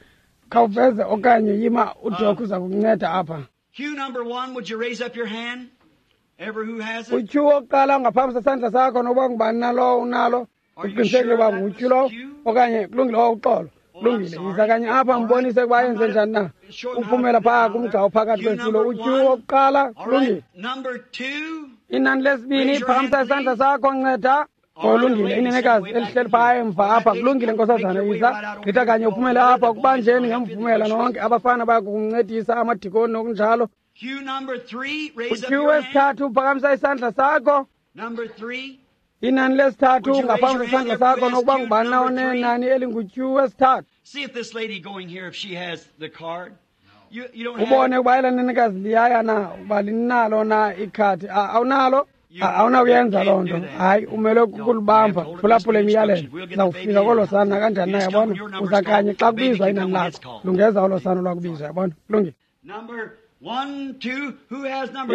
khawuveze okanye yima, uDok uza kukunceda apha. Utyhu wokuqala ungaphambi sesandla sakho nokuba ngubani na lowo unalo, uqinisekile uba ngutyhu lowo okanye kulungile. Uxolo, kulungile. Yiza kanye apha mbonise ukuba yenze njani na. Uphumela phaa kumgca ophakathi kwesitulo. Utyhu wokuqala, kulungile. Inani lesibini, phakamisa isandla sakho, nceda. Kulungile, inenekazi elihleli phaa emva apha, kulungile nkosazana, yiza gqitha kanye uphumele apha. Kubanjeni ngemvumela nonke abafana baya kukuncedisa, amadikoni nokunjalo. Utyhu wesithathu, uphakamisa isandla sakho. Inani lesithathu, ungaphakamisa isandla sakho nokuba ngubani na onenani elingutyhu wesithathu. Ubone ukuba ela nenekazi liyaya na, ukuba linalo na ikhadi. Awunalo? Awunawuyenza loo nto. Hayi, umele kukulibamba, phulaphula imiyalelo. Uzawufika kolo sana nakanjani na, yabona. Uza kanye xa kubizwa inani lakho, lungeza olo sana lwakubizwa, yabona. Kulungile.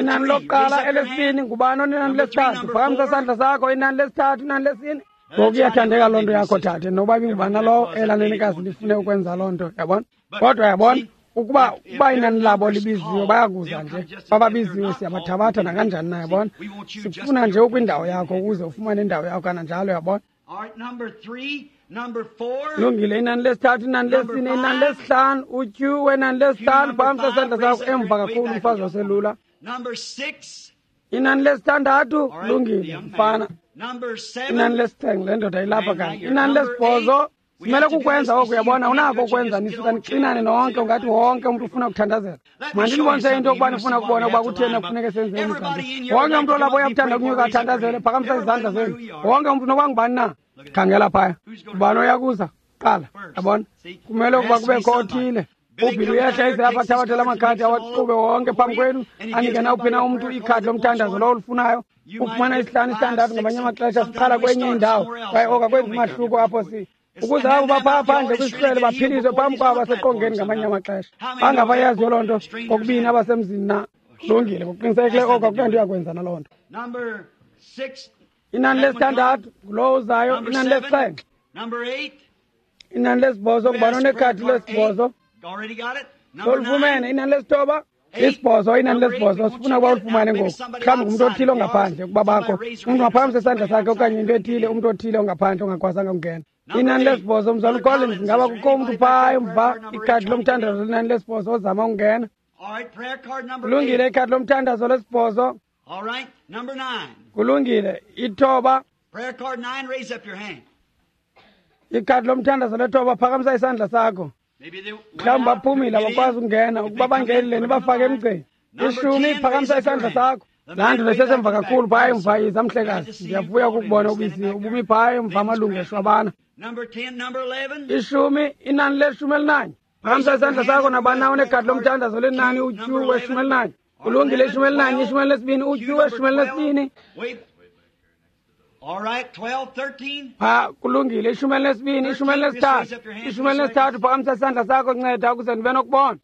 Inani lokuqala, elesibini, ngubani onenani lesithathu? Phakamisa isandla sakho. Inani lesithathu, inani lesine. Ngoku iyathandeka loo nto yakho thathe, nokuba ibingubani nalowo elaa nenekazi lifune ukwenza loo nto, yabona. Kodwa yabona, ukuba inani labo libiziwe, bayakuza nje. Bababiziwe, siyabathabatha nakanjani na, yabona. Sifuna nje ukwindawo yakho ukuze ufumane indawo yakho kananjalo, yabona. Lungile, inani lesithathu, inani lesine, inani lesihlanu, utyhu wenani lesihlanu, phakamisa isandla sakho emva kakhulu, umfazi oselula. Inani lesithandathu, lungile, mfana. Inani lesixhenxe, le ndoda ilapha kanye. Inani lesibhozo, simele kukwenza oku, uyabona, unako ukwenza, nisuka nixinane nonke, ungathi wonke umntu ufuna ukuthandazela. Mandinibonise into yokuba nifuna ukubona ukuba kutheni kufuneke senze umgca. Wonke umntu olapho uyakuthanda ukunyuka athandazele, phakamisa izandla zenu. Wonke umntu nokuba ngubani na. Khangela phaya. Ubani oyakuza kuqala, yabona. Kumele ukuba kubekho othile. UBhili uyehla eze apha athabathele amakhadi awaqhube wonke phambi kwenu, anike nawuphi na umntu ikhadi lomthandazo lowo olufunayo. Ufumana isihlanu, isithandathu ngamanye amaxesha siqala kwenye indawo kwaye oka kwenza umahluko apho si ukuze abo baphaa phandle kwisihlwele baphiliswe phambi kwabo baseqongeni ngamanye amaxesha. Bangabayaziyo loo nto kokubini abasemzini na. Kulungile, ngokuqinisekileyo oko akukho nto yakwenza naloo nto. Inani lesithandathu ngulowo uzayo. Inani lesixhenxe. Inani lesibhozo ngubani onekhadi lesibhozo? Solifumene. Inani lesithoba. Isibhozo, inani lesibhozo. Sifuna ukuba ulifumane ngoku. Mhlawumbi ngumntu othile ongaphandle ukuba bakho. Umntu ungaphakamisa isandla sakhe okanye into ethile, umntu othile ongaphhandle ongakwazanga ukungena. Inani lesibhozo, Mzalwana uCollins, ngaba kukho umntu phaa emva ikhadi lomthandazo linani lesibhozo ozama ukungena? Kulungile, ikhadi lomthandazo lesibhozo. Kulungile, ithoba. Ikhadi lomthandazo lethoba, phakamisa isandla sakho. Mhlawumbi baphumile, abakwazi ukungena. Ukuba bangenile, nibafake emgceni. Ishumi, phakamisa isandla sakho. Laa nto lesesemva kakhulu phaya emva, yiza mhlekazi. Ndiyavuya ukukubona ubisi ubumi phaya emva amalungu eshwabana. Ishumi, inani leshumi elinanye. Phakamisa isandla sakho nabani na onekhadi lomthandazo lenani utyhu weshumi elinanye. Kulungile, ishumi elinanye, ishumi elinesibini, utyhu weshumi elinesibini. Pha, kulungile, ishumi elinesibini, ishumi elinesithathu, ishumi elinesithathu. Phakamisa isandla sakho, nceda ukuze ndibe nokubona.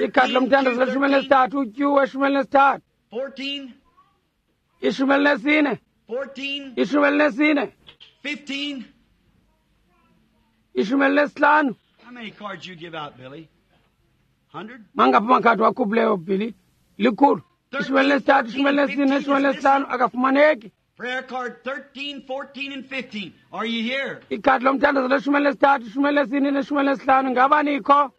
Ikhadi lomthandazo leshumi elinesithathu, utyhu weshumi elinesithathu. Ishumi elinesine, ishumi elinesine, ishumi elinesihlanu. Mangaphi amakhadi wakhuphileyo, Billy? Likhulu. Ishumi elinesithathu, ishumi elinesine, ishumi elinesihlanu, akafumaneki. Ikhadi lomthandazo leshumi elinesithathu, ishumi elinesine, neshumi elinesihlanu, ngaba nikho?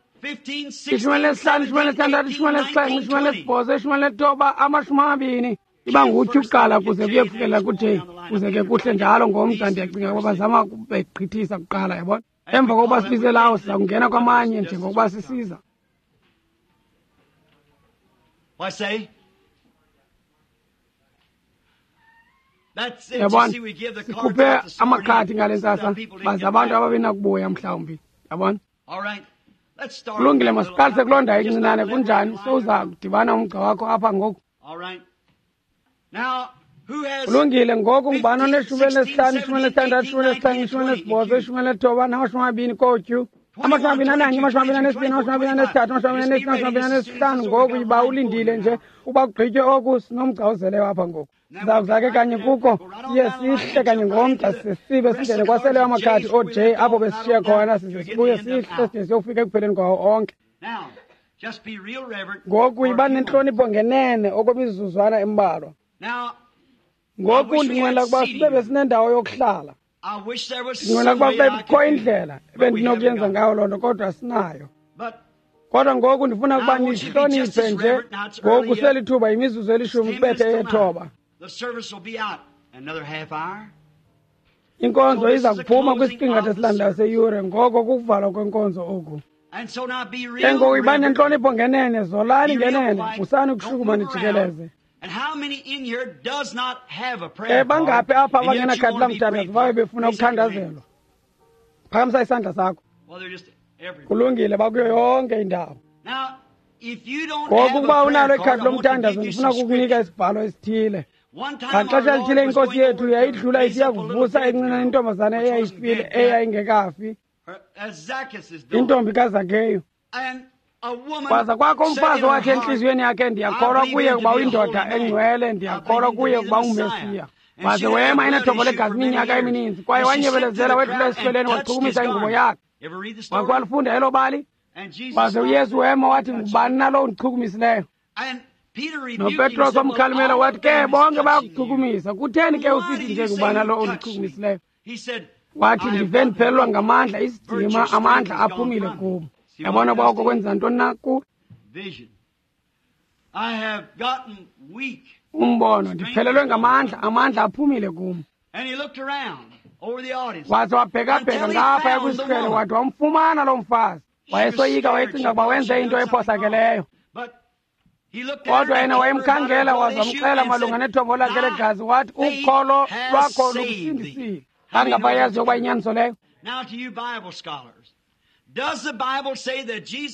Ishumi elinesihlanu, ishumi elinesithandathu, ishumi elinesixhenxe, ishumi elinesibhozo, ishumi elinethoba, 20. Iba ngutyhu kuqala kuze kuye kufikelela kuJ, kuze ke kuhle njalo ngomgca. Ndiyacinga ukuba bazama ukubegqithisa kuqala, yabona. Emva kokuba sibize lawo, siza kungena kwamanye njengokuba sisiza. Yabona, sikhuphe amakhadi ngale ntsasa, baze abantu ababenakubuya mhlawumbi, yabona. Kulungile, masiqalise kuloo ndawo encinane. Kunjani? Sowuza kudibana umgca wakho apha ngoku. Kulungile, ngoku ngubani oneshumi elinesihlanu, ishumi elinesithandathu, ishumi elinesixhenxe, ishumi elinesibhozo, ishumi elinethoba nama-20 kotyu? 21, 22, 23, 24, 25. Ngoku yiba ulindile nje uba kugqitywe oku, sinomgca ozeleyo apha ngoku. Siza kuza ke kanye kuko, siye sihle kanye ngomgca, sisibe singene kwaseleyo amakhadi oo-J apho besishiye khona, size sibuye sihle side siyofika ekupheleni kwawo onke. Ngoku yiba nentlonipho ngenene okwemizuzwana embalwa. Ngoku ndinqwenela ukuba sibe besinendawo yokuhlala. Ndinqwenela ukuba kube kukho indlela ebendinokuyenza ngayo loo nto, kodwa sinayo. Kodwa ngoku ndifuna ukuba nihloniphe nje. Ngoku selithuba yimizuzu elishumi kubethe eyethoba. Inkonzo iza kuphuma kwisiqingatha esilandelayo seyure, ngoko kukuvalwa kwenkonzo oku. Ke ngoku yiba nentlonipho ngenene, zolani ngenene, musani ukushukuma nijikeleze. Bangaphi apha abangenakhadi lamthandazo babe befuna ukuthandazelwa? Phakamisa isandla sakho. Kulungile, bakuyo yonke indawo. Ngoku ukuba unalo ikhadi lomthandazo, ndifuna ukukunika isibhalo esithile. Ngaxesha elithile inkosi yethu yayidlula isiya kuvusa encinane intombazana eyayifile, eyayingekafi, intombi kaZakeyu. Kwaza kwakho umfazi wathi entliziyweni yakhe, ndiyakholwa kuye ukuba uyindoda engcwele, ndiyakholwa kuye ukuba unguMesiya. Waze wema enethobo legazi iminyaka emininzi, kwaye wanyebelezela wedlula esihlweleni, wachukumisa ingubo yakhe. Wakhe walifunda elo bali? Waze uYesu wema wathi, ngubani na lo undichukumisileyo? NoPetros wamkhalimela wathi, ke bonke bayakuchukumisa, kutheni ke usithi nje ngubani na lo undichukumisileyo? Wathi, ndive ndiphelelwa ngamandla, isidima, amandla aphumile kum. Yabona uba oko kwenza ntoni na ku? Umbono, ndiphelelwe ngamandla, amandla aphumile kum. Waze wabhekabheka ngaphaya kwisihlwele, wathi wamfumana loo mfazi. Wayesoyika, wayecinga ukuba wenze into ephosakeleyo. Kodwa yena wayemkhangela, waze wamxela malunga nethobo lakhe legazi, wathi ukholo lwakho lukusindisile. Angabayazi yokuba inyaniso leyo.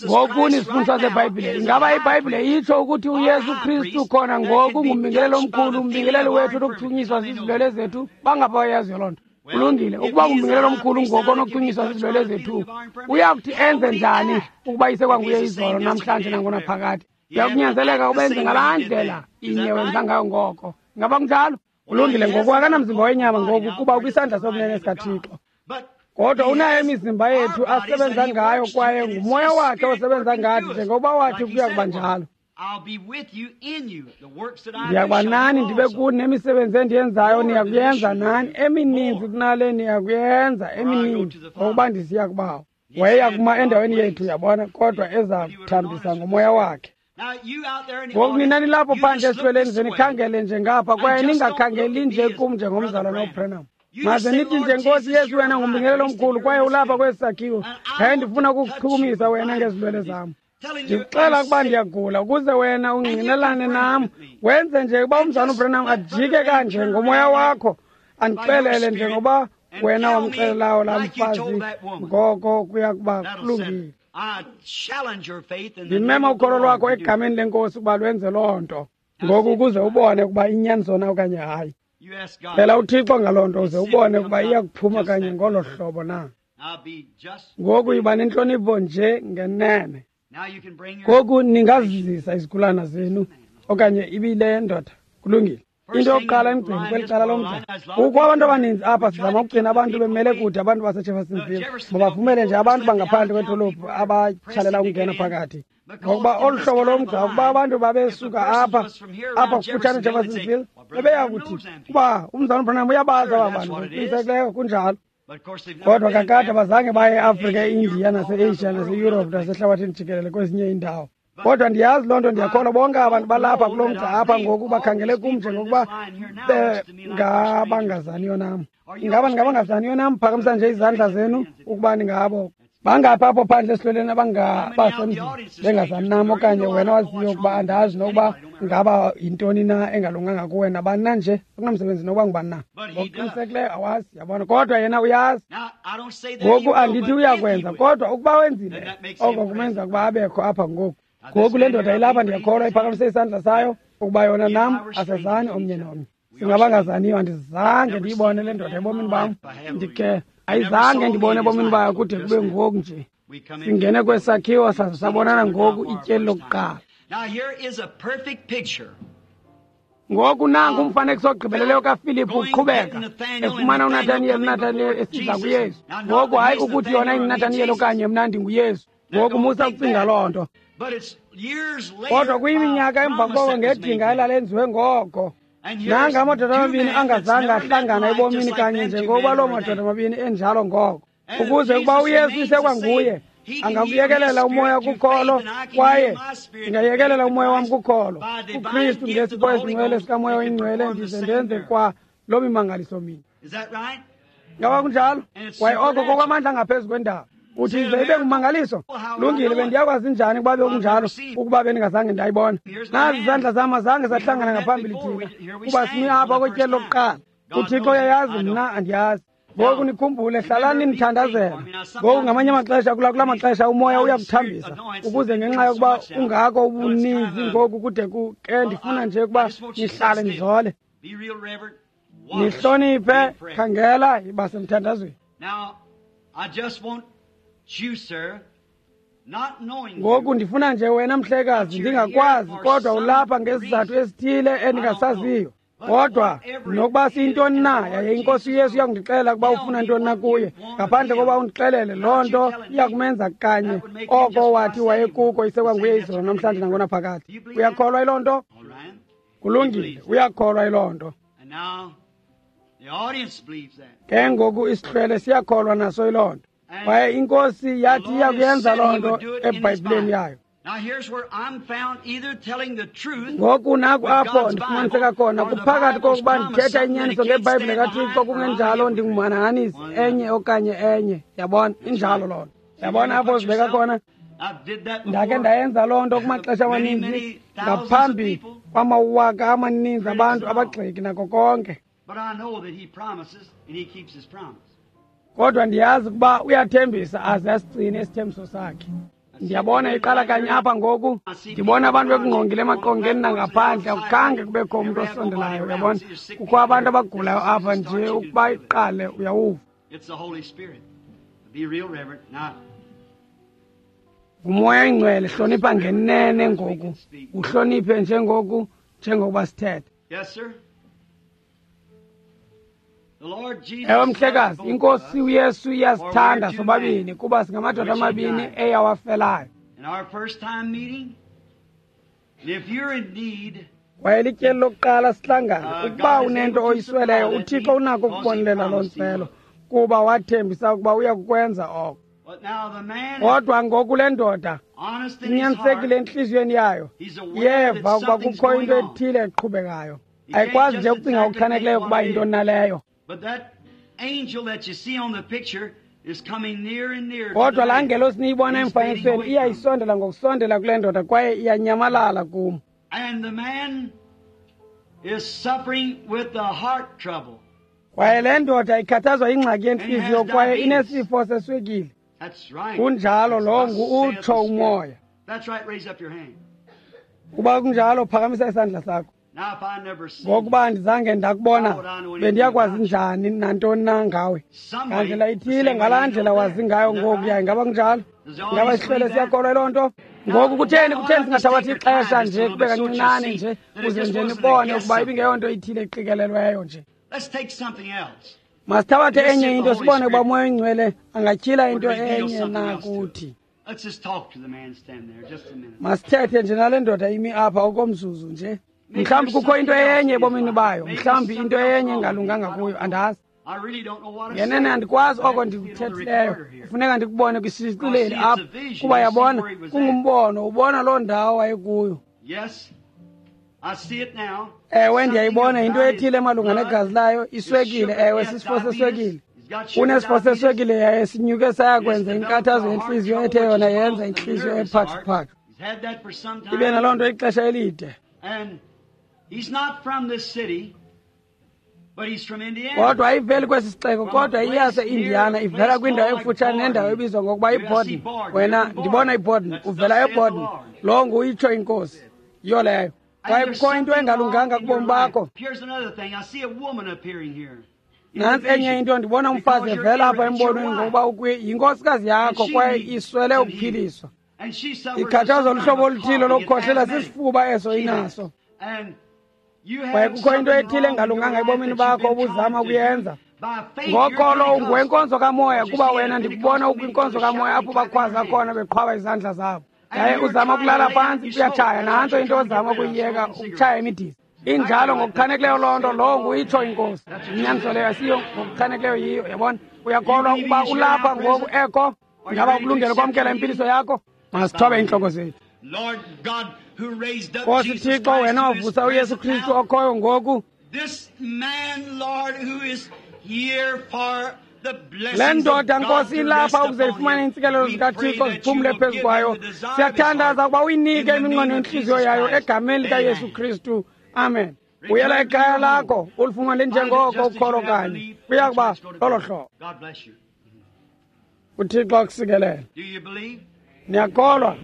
Ngoku nisifundiswa zeBhayibhile, ingaba iBhayibhile itsho ukuthi uYesu Kristu khona ngoku ngumbingeleli omkhulu, umbingeleli wethu onokuchunyiswa zizilwele zethu? Bangabayaziyo loo nto. Kulungile, ukuba ngumbingeleli omkhulu ngoku onokuchunyiswa zizilwele zethu, uyakuthi enze njani ukuba isekwanguye izolo, namhlanje, nangonaphakade? Uyakunyanzeleka ubenze ngalaa ndlela inye wenza ngayo ngoko. Ngaba kunjalo? Kulungile, ngoku akanamzimba wenyama ngoku kuba ukwisandla sokunene sikaThixo. Kodwa unayo imizimba yethu asebenza ngayo kwaye ngumoya wakhe osebenza ngathi njengoba wathi kuya kuba njalo. Ndiyakuba nani ndibe kuni nemisebenzi endiyenzayo niyakuyenza nani, emininzi kunale niyakuyenza, emininzi ngokuba ndisiya kubawo. Wayeya kuma endaweni yethu, yabona, kodwa eza kuthambisa ngomoya wakhe. Ngoku nina nilapho phandle esihlweleni ze nikhangele nje ngapha kwaye ningakhangeli nje kum njengomzalwana uBranham. Maze nithi nje, Nkosi Yesu, wena ngumbingelelo omkhulu kwaye ulapha kwesi sakhiwo, yaye ndifuna ukukuchukumisa wena ngezilwele zam. Ndikuxela ukuba ndiyagula ukuze wena ungqinelane nam, wenze nje ukuba umzalwana uBranham ajike kanje ngomoya wakho, andixelele njengoba wena wamxelelayo laa mfazi, ngoko kuya kuba kulungile. Ndimema ukholo lwakho egameni lenkosi ukuba lwenze loo nto ngoku ukuze ubone ukuba inyaniso na okanye hayi. Cela uThixo ngaloo nto uze ubone ukuba iya kuphuma kanye ngolo hlobo na. Ngoku yiba nentlonipho nje ngenene. Ngoku ningazizisa izigulana zenu okanye ibile ndoda. Kulungile. Into yokuqala emgcini kweli cala lomgca, kukho abantu abaninzi apha. Sizama ukugcina abantu bemele kude, abantu baseJeffersonville mabavumele nje abantu bangaphandle kwedolophu abatshalela ukungena phakathi, ngokuba olu hlobo lomgca, ukuba abantu babesuka apha kufutshane Jeffersonville, bebeya kuthi kuba umzalwana uBranham uyabazi aba bantu. Ngokuqinisekileyo kunjalo, kodwa kakade abazange baye eAfrika, eIndiya, naseAsia, naseYurophu, nasehlabathini jikelele kwezinye iindawo. Kodwa ndiyazi loo nto, ndiyakholwa bonke abantu balapha kulo mgca apha ngoku bakhangele kum njengokuba bengabangazaniyo nam. Ingaba ningabangazaniyo nam? Phakamisa nje izandla zenu ukuba ningabo. Bangaphi apho phandle esihlweleni abangabasemzini bengazani nam okanye wena waziyo ukuba andazi nokuba ngaba yintoni na engalunganga kuwe nabani na nje, akunamsebenzi nokuba ngubani na. Ngokuqinisekileyo awazi, yabona, kodwa yena uyazi. Ngoku andithi uyakwenza, kodwa ukuba wenzile oko kumenza ukuba abekho apha ngoku. Ngoku le ndoda ilapha, ndiyakholwa iphakamise isandla sayo ukuba yona nam asazani omnye nomnye. Singabangazaniyo, andizange ndiyibone le ndoda ebomini bam. Ndike ayizange ndibone ebomini bayo kude kube ngoku nje. Singene kwesakhiwo saze sabonana ngoku ityeli lokuqala. Ngoku nanku umfanekiso ogqibeleleyo kaFilipu uqhubeka efumana uNathaniyeli, uNathaniyeli esiza kuYesu. Ngoku hayi ukuthi yona inguNathaniyeli okanye mna ndinguYesu. Ngoku musa ukucinga loo nto. Kodwa kuyiminyaka emva koko ngedinga elalenziwe ngoko. Nanga amadoda amabini angazange ahlangana ebomini kanye njengokuba loo madoda amabini enjalo ngoko. Ukuze ukuba uYesu isekwanguye, angakuyekelela umoya kukholo, kwaye ndingayekelela umoya wam kukholo kuKristu ngesipho esingcwele sikamoya oyingcwele, ndize ndenze kwa loo mimangaliso mini. Ngaba kunjalo? Kwaye oko kokwamandla angaphezu kwendalo. Uthi ize ibe ngumangaliso? Lungile, bendiyakwazi njani ukuba bekunjalo ukuba bendingazange ndayibona? Nazi izandla zam azange sahlangana ngaphambili thina, kuba simi apha kwetyeli lokuqala. UThixo uyayazi, mna andiyazi. Ngoku nikhumbule, hlalani nithandazela. Ngoku ngamanye amaxesha, kula maxesha umoya uyakuthambisa ukuze ngenxa yokuba ungako ubuninzi ngoku kude ke ndifuna nje ukuba nihlale nizole, nihloniphe. Khangela, yiba semthandazweni. Ngoku ndifuna nje wena mhlekazi, ndingakwazi, kodwa ulapha ngesizathu esithile endingasaziyo. Kodwa nokuba siyintoni na, yaye iNkosi uYesu iyakundixelela ukuba ufuna ntoni na kuye, ngaphandle kokuba undixelele loo nto iyakumenza kanye oko wathi wayekuko, isekwanguye izolo namhlanje nangonaphakade. Uyakholwa yiloo nto? Kulungile, uyakholwa yiloo nto. Ke ngoku isihlwele siyakholwa naso yiloo nto. Kwaye iNkosi yathi iyakuyenza loo nto eBhayibhileni yayo. Ngoku naku apho ndifumaniseka khona, kuphakathi kokuba ndithetha inyaniso ngeBhayibhile kaThixo, kungenjalo ndingumhanahanisi enye okanye enye. Yabona, injalo loo nto. Yabona apho uzibeka khona? Ndakhe ndayenza loo nto kumaxesha amaninzi ngaphambi kwamawaka amaninzi abantu, abagxeki nako konke. Kodwa ndiyazi ukuba uyathembisa aze asigcine isithembiso sakhe. Ndiyabona iqala kanye apha ngoku, ndibona abantu bekungqongile emaqongeni nangaphandle, akukhange kubekho umntu osondelayo. Uyabona, kukho abantu abagulayo apha nje, ukuba iqale uyawuva. Ngumoya oyingcwele. Hlonipha ngenene ngoku, uhloniphe njengoku njengokuba sithetha. Yes, sir. The Lord Jesus Ewe mhlekazi, loved both inkosi of us. uYesu iyasithanda sobabini kuba singamadoda amabini eyawafelayo. In our first time meeting, and if you're in need, Kwaye lityeli lokuqala sihlangana. Ukuba unento oyisweleyo, uThixo unako ukubonelela loo ntswelo kuba wathembisa ukuba uya kukwenza oko. but now the man is Kodwa ngoku le ndoda honest in his heart. inyanisekile entliziyweni yayo, He's aware that yeva ukuba something's kukho into going on. ethile eqhubekayo. He can't Ayikwazi nje just ukucinga exactly ngokuchanekileyo think ukuba what it yintoni is. naleyo. But that angel that you see on the picture is coming near and near to Kodwa the laa man. ngelosi niyibona He's fading emfanekisweni away from him. iyayisondela ngokusondela kule ndoda kwaye iyanyamalala kum. And the man is suffering with the heart trouble. Kwaye le ndoda ikhathazwa yingxaki yentliziyo And has kwaye diabetes. inesifo seswekile. That's right. Kunjalo, lo Thus ngu saith the utsho Spirit. umoya. That's right. Raise up your hand. Kuba kunjalo, phakamisa isandla sakho. Now, if I never see Ngokuba andizange ndakubona, bendiyakwazi njani nantoni na ngawe? somebody, Ngandlela ithile, ngalaa ndlela wazi ngayo ngokuya. Ingaba kunjalo? Ingaba isihlwele siyakholwa yiloo nto? Ngoku kutheni singathabathi ixesha nje kube kancinane nje kuze nje nibone ukuba ibingeyonto ithile eqikelelweyo nje. Let's take something else. Masithabathe enye into sibone ukuba umoya oyingcwele angatyhila into enye na kuthi. Let's just talk to the man standing there just a minute. Masithethe nje nale ndoda imi apha okomzuzu nje. Mhlawumbi kukho into enye ebomini bayo, mhlawumbi into enye engalunganga kuyo, andazi. I really don't know what I'm Ngenene saying. andikwazi I oko have to see it on the ndikuthethileyo, recorder here. kufuneka ndikubone kwisicileli apha kuba yabona kungumbono, ubona loo ndawo wayekuyo. Yes, I see it now. Ewe, ndiyayibona Something yinto about ethile his malunga blood negazi layo, is iswekile. sugar. Ewe, Yes, sisifo diabetes. seswekile. He's got sugar Unesifo diabetes. seswekile yaye sinyuke saya kwenza It's inkathazo developed a heart yentliziyo trouble, ethe which yona is yenza both the intliziyo nervous heart. ephathuphathu. He's had that for some time. Ibe naloo nto ixesha elide. And he's not from this city, but he's from Indiana. Kodwa ayiveli kwesi sixeko, kodwa iyase-Indiana, ivela kwindawo ekufutshane nendawo ebizwa ngokuba yiBorden. Wena ndibona iBorden, uvela eBorden. Lo nguyitsho inkosi, yiyo leyo. And Kwaye there's kukho into something engalunganga wrong in your kubomi bakho. life. Here's another thing. I see a woman appearing here. In the Nantsi enye vision. into, ndibona umfazi Because you're evela apha ignorant, it's your embonweni wife. ngokuba yinkosikazi yakho And she kwaye needs iswele some ukuphiliswa. healing. And she suffers Ikhathazwa some luhlobo kind of oluthile coughing. It's lokukhohlela, asthmatic. sisifuba eso She has. inaso. And you Kwaye have kukho into something ethile wrong in your engalunganga life ebomini that you've bakho been obuzama trying to do. ukuyenza. By faith, Ngokholo you're ungowenkonzo kamoya, Because kuba you see, wena the ndikubona Pentecostal ukwinkonzo meeting, kamoya apho shouting, clapping bakhwaza their khona hands. beqhwaba izandla zabo. And Yaye you're uzama trying to ukulala lay down, phantsi you uyatshaya, smoke. nantso That's into what you're ozama trying to get rid of, ukuyiyeka, smoking ukutshaya cigarettes. imidiza. Injalo ngokuchanekileyo loo nto, lowo nguyitsho inkosi. Inyaniso leyo asiyo ngokuchanekileyo yiyo, yabona. Uyakholwa ukuba ulapha ngoku ekho? Ingaba ukulungele ukwamkela impiliso yakho? Masithobe iintloko zethu. Lord God, who raised up Nkosi Jesus Thixo, Christ, wena who is wavusa uYesu present Kristu now, okhoyo ngoku, this man, Lord, who is here for the blessings le of ndoda God nkosi to ilapha rest ukuze upon ifumane him. iintsikelelo We pray zikaThixo that you ziphumle will phezu give kwayo. him the desire of his Siyathandaza heart ukuba uyinike in the iminqweno name of yentliziyo Jesus yayo Christ. egameni likaYesu Amen. Kristu. Amen. Return Buyela to ekhaya your lakho home. ulifumane Find it njengoko just as you ukholo have kanye. believed. Kuya That's kuba where it's going to lolo be. hlobo. God bless you. UThixo akusikelele. Do you believe? Niyakholwa?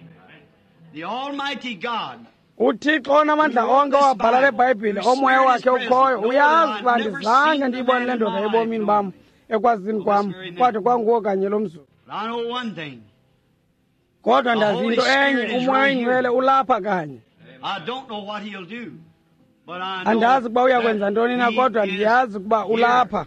The Almighty God uThixo onamandla onke owabhala le Bhayibhile, omoya wakhe ukhoyo, uyazi uba ndizange ndiyibone le ndoda ebomini bam, ekwazini kwam, kwade kwanguwo kanye lo mzuzu. But I know one thing. Kodwa ndazi into enye, umoya oyingcwele ulapha kanye. I don't know what he'll do, but I know Andazi ukuba uya kwenza that ntoni na, he kodwa is ndiyazi ukuba here. ulapha.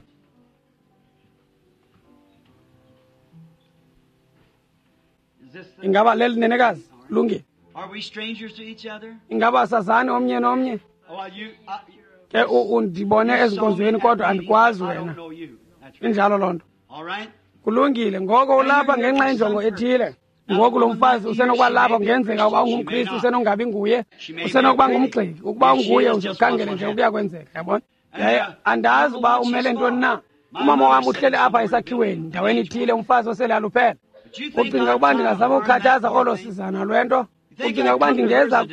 Is this the- Ingaba leli nenekazi? Lungile. Are we strangers to each other? Ingaba sazani omnye nomnye? Well, you, I, Ke undibone you saw me ezinkonzweni at kodwa meeting, andikwazi I don't wena. know you. That's right. Injalo loo nto. All right? Kulungile. Ngoko ulapha ngenxa yenjongo ethile. Ngoku lo mfazi usenokuba lapha, kungenzeka ukuba ungumKristu, usenongabi nguye, usenokuba ngumgxeki. Ukuba unguye, uzikhangele nje ukuya kwenzeka, yabona. Yaye andazi uba umele ntoni na. Umama wam uhleli apha esakhiweni ndaweni ithile, umfazi osele aluphela. But you think Ucinga I'd ukuba try to ndingazama harm ukukhathaza that olo poor thing? sizana lwento? Ucinga ukuba ndingeza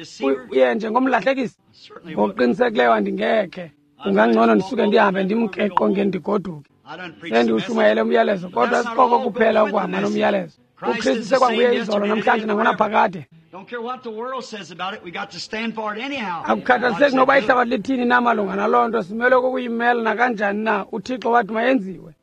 kuye njengomlahlekisi? Certainly wouldn't. Ngokuqinisekileyo andingekhe. Kungangcono ndisuke ndihambe ndimke eqongeni ndigoduke. I done preached the message. Sendiwushumayele umyalezo, kodwa sikoko kuphela ukuhamba nomyalezo. UKristu sekwanguye izolo, namhlanje nangonaphakade. Don't care what the world says about it, we got to stand for it anyhow. Akukhathaliseki noba ihlabathi lithini na malunga naloo nto, simele kukuyimela nakanjani na. UThixo wathi mayenziwe.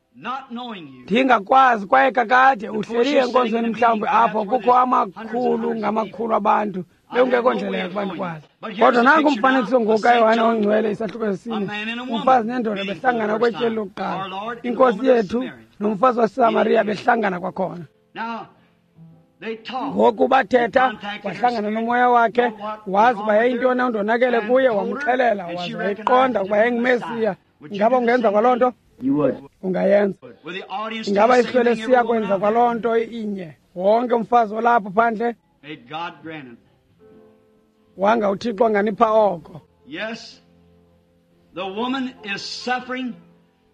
Ndingakwazi kwaye kakade uhleli enkonzweni mhlawumbi apho kukho amakhulu ngamakhulu abantu bekungekho ndlela yakuba ndikwazi. Kodwa nanku umfanekiso ngoku kaYohane oNgcwele isahluko sesine, umfazi nendoda behlangana kwetyeli lokuqala, inkosi yethu nomfazi waseSamariya behlangana kwakhona. Ngoku bathetha, wahlangana nomoya wakhe, wazi uba yayintoni undonakele kuye, wamxelela, waze wayiqonda ukuba yayinguMesiya. Ingaba ungenza kwaloo nto? Ungayenza. Ingaba isihlwele siya kwenza kwaloo nto inye? Wonke umfazi olapho phandle, wanga uThixo anganipha oko.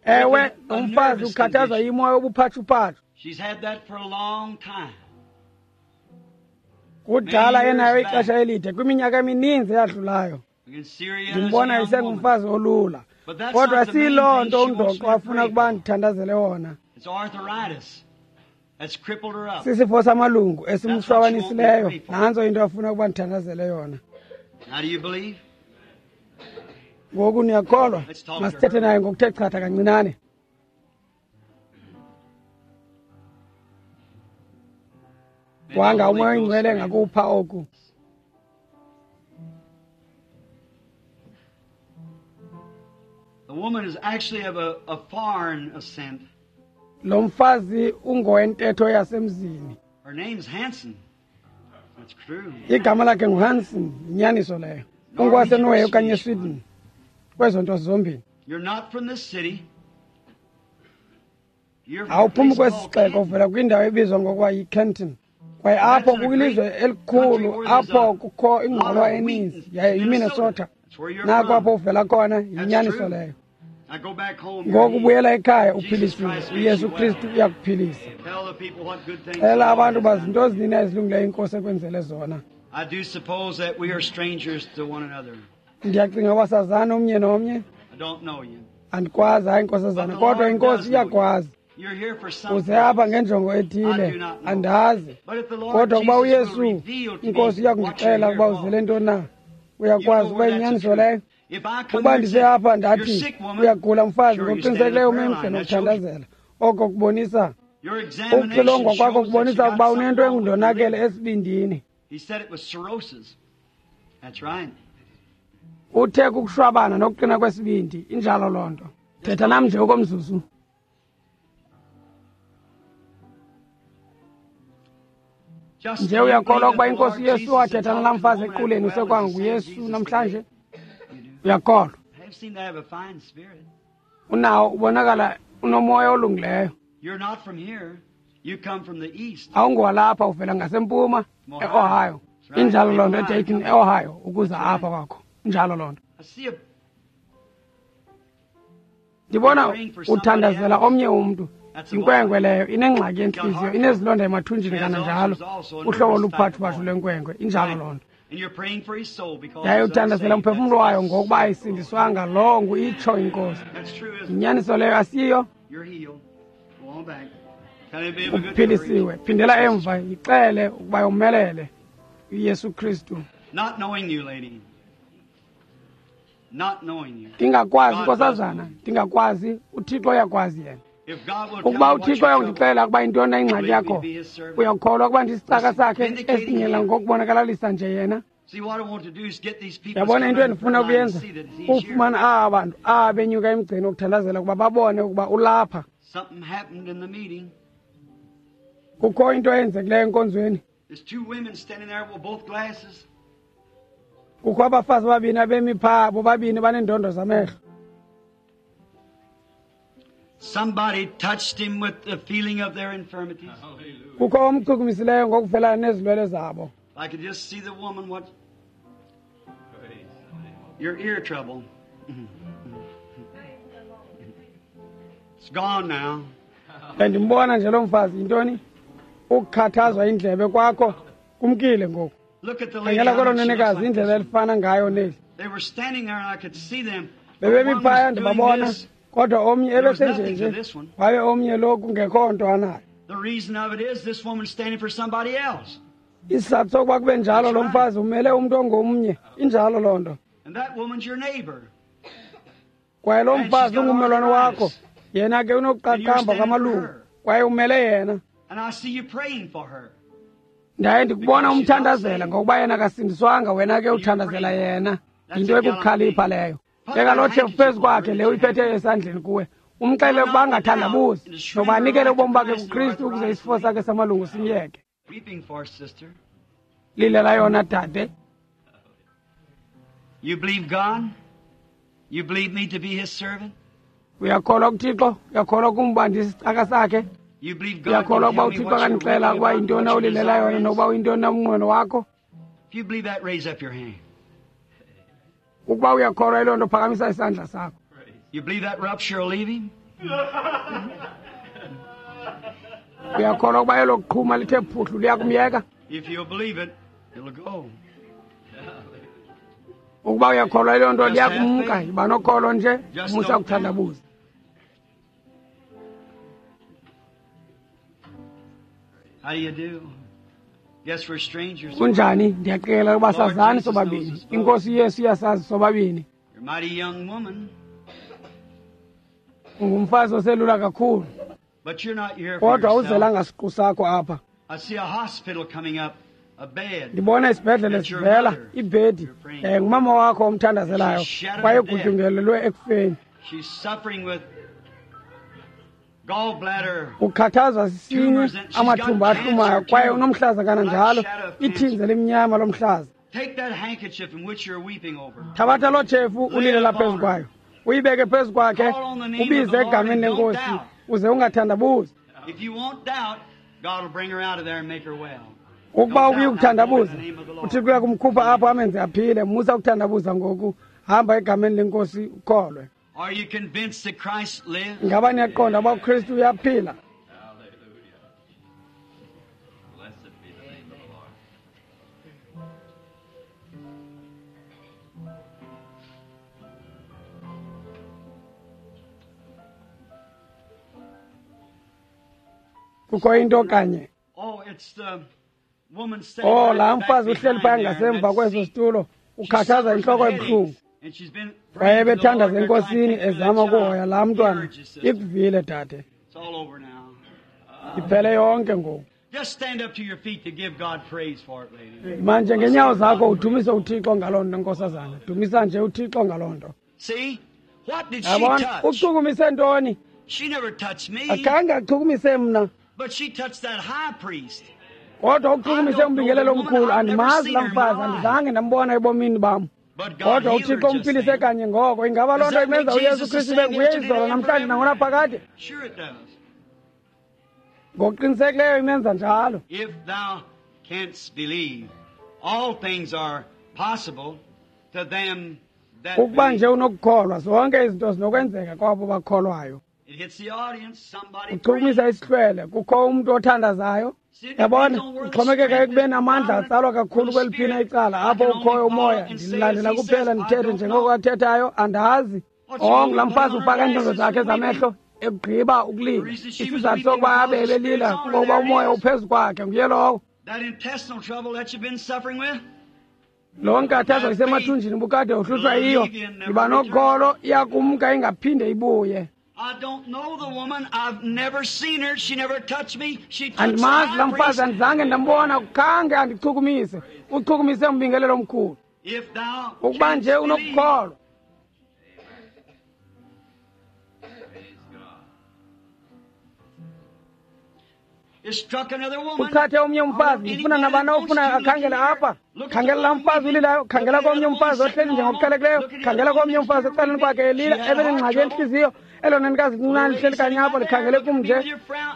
Ewe, umfazi ukhathazwa yimoya obuphathuphathu. Kudala enayo ixesha elide, kwiminyaka emininzi eyadlulayo. Ndimbona isengumfazi olula. Kodwa siyiloo nto undoqo afuna ukuba ndithandazele wona. Sisifo samalungu esimshwabanisileyo, nantso into afuna ukuba ndithandazele yona. Ngoku niyakholwa? Masithethe naye ngokuthe chatha kancinane. Wanga uMoya oyiNgcwele ngakupha oku. The woman is actually of a foreign ascent. Lo mfazi ungowentetho yasemzini. Her name's Hansen. That's true. Igama lakhe nguHansen, yinyaniso leyo. UngwaseNorway okanye eSweden. Kwezo nto zombini. You're not from this city. Awuphumi kwesi sixeko, uvela kwindawo ebizwa ngokuba yiKenton. Kwaye apho kukwilizwe elikhulu apho kukho ingqolowa eninzi, yaye yiMinnesota. Nako apho uvela khona, yinyaniso leyo. Ngoku buyela ekhaya uphilisiwe. uYesu Kristu uyakuphilisa. Xelela abantu uba zinto ezinini ezilungileyo inkosi ekwenzele zona. Ndiyacinga uba sazana omnye nomnye. Andikwazi, hayi nkosazana, kodwa inkosi iyakwazi. Uze apha ngenjongo ethile, andazi. Kodwa ukuba uYesu inkosi iyakundixelela ukuba uzele ntoni na, uyakwazi ukuba yinyaniso leyo. Ukuba ndise apha ndathi uyagula mfazi, ngokuqinisekileyo umemhle nokuthandazela. Oko kubonisa ukuxilongwa kwakho kubonisa ukuba unento engundonakele esibindini. Uthe kukushwabana nokuqina kwesibindi, injalo loo nto. Thetha nam nje okomzuzu. Nje uyakholwa ukuba inkosi uYesu wathetha nalaa mfazi equleni usekwanguYesu namhlanje? Uyakholwa? Unawo, ubonakala unomoya olungileyo. Awungowalapha, uvela ngasempuma eOhio. Injalo loo nto, eDayton eOhio, ukuza apha kwakho. Injalo loo nto. Ndibona uthandazela omnye umntu. Inkwenkwe leyo inengxaki yentliziyo, inezilonda emathunjini kananjalo, uhlobo oluphathuphathu lwenkwenkwe. Injalo loo nto. Yaye uthandazela umphefumlo wayo ngokuba ayisindiswanga, loo ngu itsho inkosi. Yinyaniso leyo, asiyo? Uphilisiwe. Phindela emva, yixele ukuba yomelele uYesu Kristu. Ndingakwazi nkosazana, ndingakwazi, uThixo uyakwazi yena. Ukuba uThixo uyakundixelela ukuba yintoni na ingxaki yakho, uyakholwa ukuba ndisicaka sakhe esinyela ngokubonakalalisa nje yena? Yabona into endifuna ukuyenza, kufumana aba bantu aba benyuka emgceni wokuthandazela ukuba babone ukuba ulapha. Kukho into eyenzekileyo enkonzweni. Kukho abafazi ababini abemi phaa, bobabini baneendondo zamehlo. Somebody touched him with the feeling of their infirmities. Kukho omchukumisileyo ngokuvelana nezilwele zabo. I could just see the woman, what your ear trouble. It's gone now. Bendimbona nje lo mfazi, yintoni? Ukukhathazwa indlebe kwakho kumkile ngoku. Look at the lady. Khangela kwelo nenekazi indlela elifana ngayo neli. They were standing there and I could see them. Bebemi phaya ndibabona, kodwa omnye ebesenjenje, waye omnye lo kungekho nto anayo. The reason of it is this woman's standing for somebody else. Isizathu sokuba kube njalo, lo mfazi umele umntu ongomnye. Injalo loo nto. And that woman's your neighbor. Kwaye lo mfazi ungummelwane wakho, Yena ke unokuqaqamba kwamalungu kwaye umele yena. And I see you praying for her. Ndaye ndikubona umthandazela ngokuba yena akasindiswanga, wena ke uthandazela yena. Yinto ekukukhalipha leyo. Beka loo tshefu phezu kwakhe le uyiphetheyo esandleni kuwe. Umxelele ukuba angathandabuzi noba anikele ubomi bakhe kuKristu ukuze isifo sakhe samalungu simyeke. Weeping for, sister. Lilela yona dade. You believe God? You believe me to be his servant? Uyakholwa kuThixo? Uyakholwa kumba ndisicaka sakhe? You believe God Uyakholwa can ukuba tell me uThixo what you're akandixela weeping ukuba about, yintoni what your ulilela desire yona is? nokuba uyintoni na umnqweno wakho? If you believe that, raise up your hand. Ukuba uyakholwa yiloo nto, phakamisa isandla sakho. You believe that rupture will leave him? Uyakholwa ukuba elo qhuma lithe phuhlu liyakumyeka? If you'll believe it, it'll go. Ukuba uyakholwa yiloo nto liyakumka. Yiba nokholo nje, musa ukuthandabuza. How do you do? Guess we're strangers. Kunjani? Ndiyaqikelela ukuba sazani sobabini. INkosi Yesu iyasazi sobabini. You're a mighty young woman, Ungumfazi oselula kakhulu, but you're not here for kodwa yourself. awuzelanga siqu sakho apha. I see a hospital coming up, a bed. Ndibona isibhedlele sivela, ibhedi. Ngumama wakho omthandazelayo kwaye ugutyungelelwe ekufeni. She's suffering with gallbladder. Ukhathazwa sisinyi, amathumba ahlumayo, kwaye unomhlaza kananjalo, ithinzi elimnyama lomhlaza. Take that handkerchief in which you're weeping over. Thabatha loo tshefu ulilela phezu kwayo, uyibeke phezu kwakhe, ubize egameni lenkosi, uze ungathandabuzi. If you won't doubt, God will bring her out of there and make her well. Ukuba ubuye ukuthandabuza, uThixo uyakumkhupha apho amenze aphile. Musa ukuthandabuza ngoku, hamba egameni lenkosi ukholwe. Are you convinced that Christ lives? Ngaba niyaqonda uba uKristu uyaphila? Hallelujah. Blessed be the name of the Lord. Kukho into kanye. Oh, it's the woman sitting Oh, right laa back mfazi uhleli phaya behind there in ngasemva that kweso seat. situlo She ukhathaza suffers intloko with ebuhlungu. headaches, and she's been Waye praying to the bethandaza Lord. They're trying to enkosini take care of that ezama ukuhoya child. laa He mntwana. urges, sister. Ikuvile dade, It's all over now. iphele yonke ngoku. Just stand up to your feet to give God praise for it, lady. Manje ngeenyawo zakho udumise uThixo ngaloo nto, nkosazana. Dumisa nje uThixo ngaloo nto. See? What did she Yabona, touch? uchukumise ntoni? She never touched me, Akhange achukumise mna, but she touched that high priest. kodwa uchukumise umbingelelo omkhulu. Andimazi laa mfazi, andizange ndambona ebomini bam. But God Kodwa healed her uThixo just umphilise then. kanye ngoko. Ingaba loo nto imenza uYesu Kristu ibe nguye izolo namhlanje nangonaphakade? Sure it does. Ngokuqinisekileyo imenza njalo. If thou canst believe, all things are possible to them that Ukuba believe. nje unokukholwa, zonke izinto zinokwenzeka kwabo bakholwayo. It hits the audience, somebody Uchukumisa praying. isihlwele, kukho umntu othandazayo. Yabona, uxhomekeka ekubeni amandla atsalwa kakhulu kweliphina icala apho ukhoyo umoya. Ndilandela kuphela ndithethe njengoko athethayo, andazi. Oh, ngulaa mfazi ufaka iintonzo zakhe zamehlo ekugqiba ukulila. Isizathu sokuba abe ebelila kungokuba umoya uphezu kwakhe, nguye lowo. That intestinal trouble that you've been suffering with, Loo nkathazo isemathunjini bukade uhlutshwa yiyo. Yiba nokholo, iyakumka ingaphinde ibuye. I don't know the woman. I've never seen her. She never touched me. She touched the Andimazi laa high mfazi, priest. andizange ndambona, khange andichukumise. Uchukumise umbingelelo omkhulu. If thou Ukuba canst nje believe, unokukholwa. Praise God. it struck another woman. Uchathe omnye umfazi, ndifuna nabani ofuna akhangele apha. Khangela laa mfazi ulilayo, khangela komnye umfazi ohleli njengokuqhelekileyo, khangela komnye umfazi ecaleni kwakhe elila, ebenengxaki yentliziyo. Elo nenikazi lincinane lihleli kanye apho likhangele kum nje.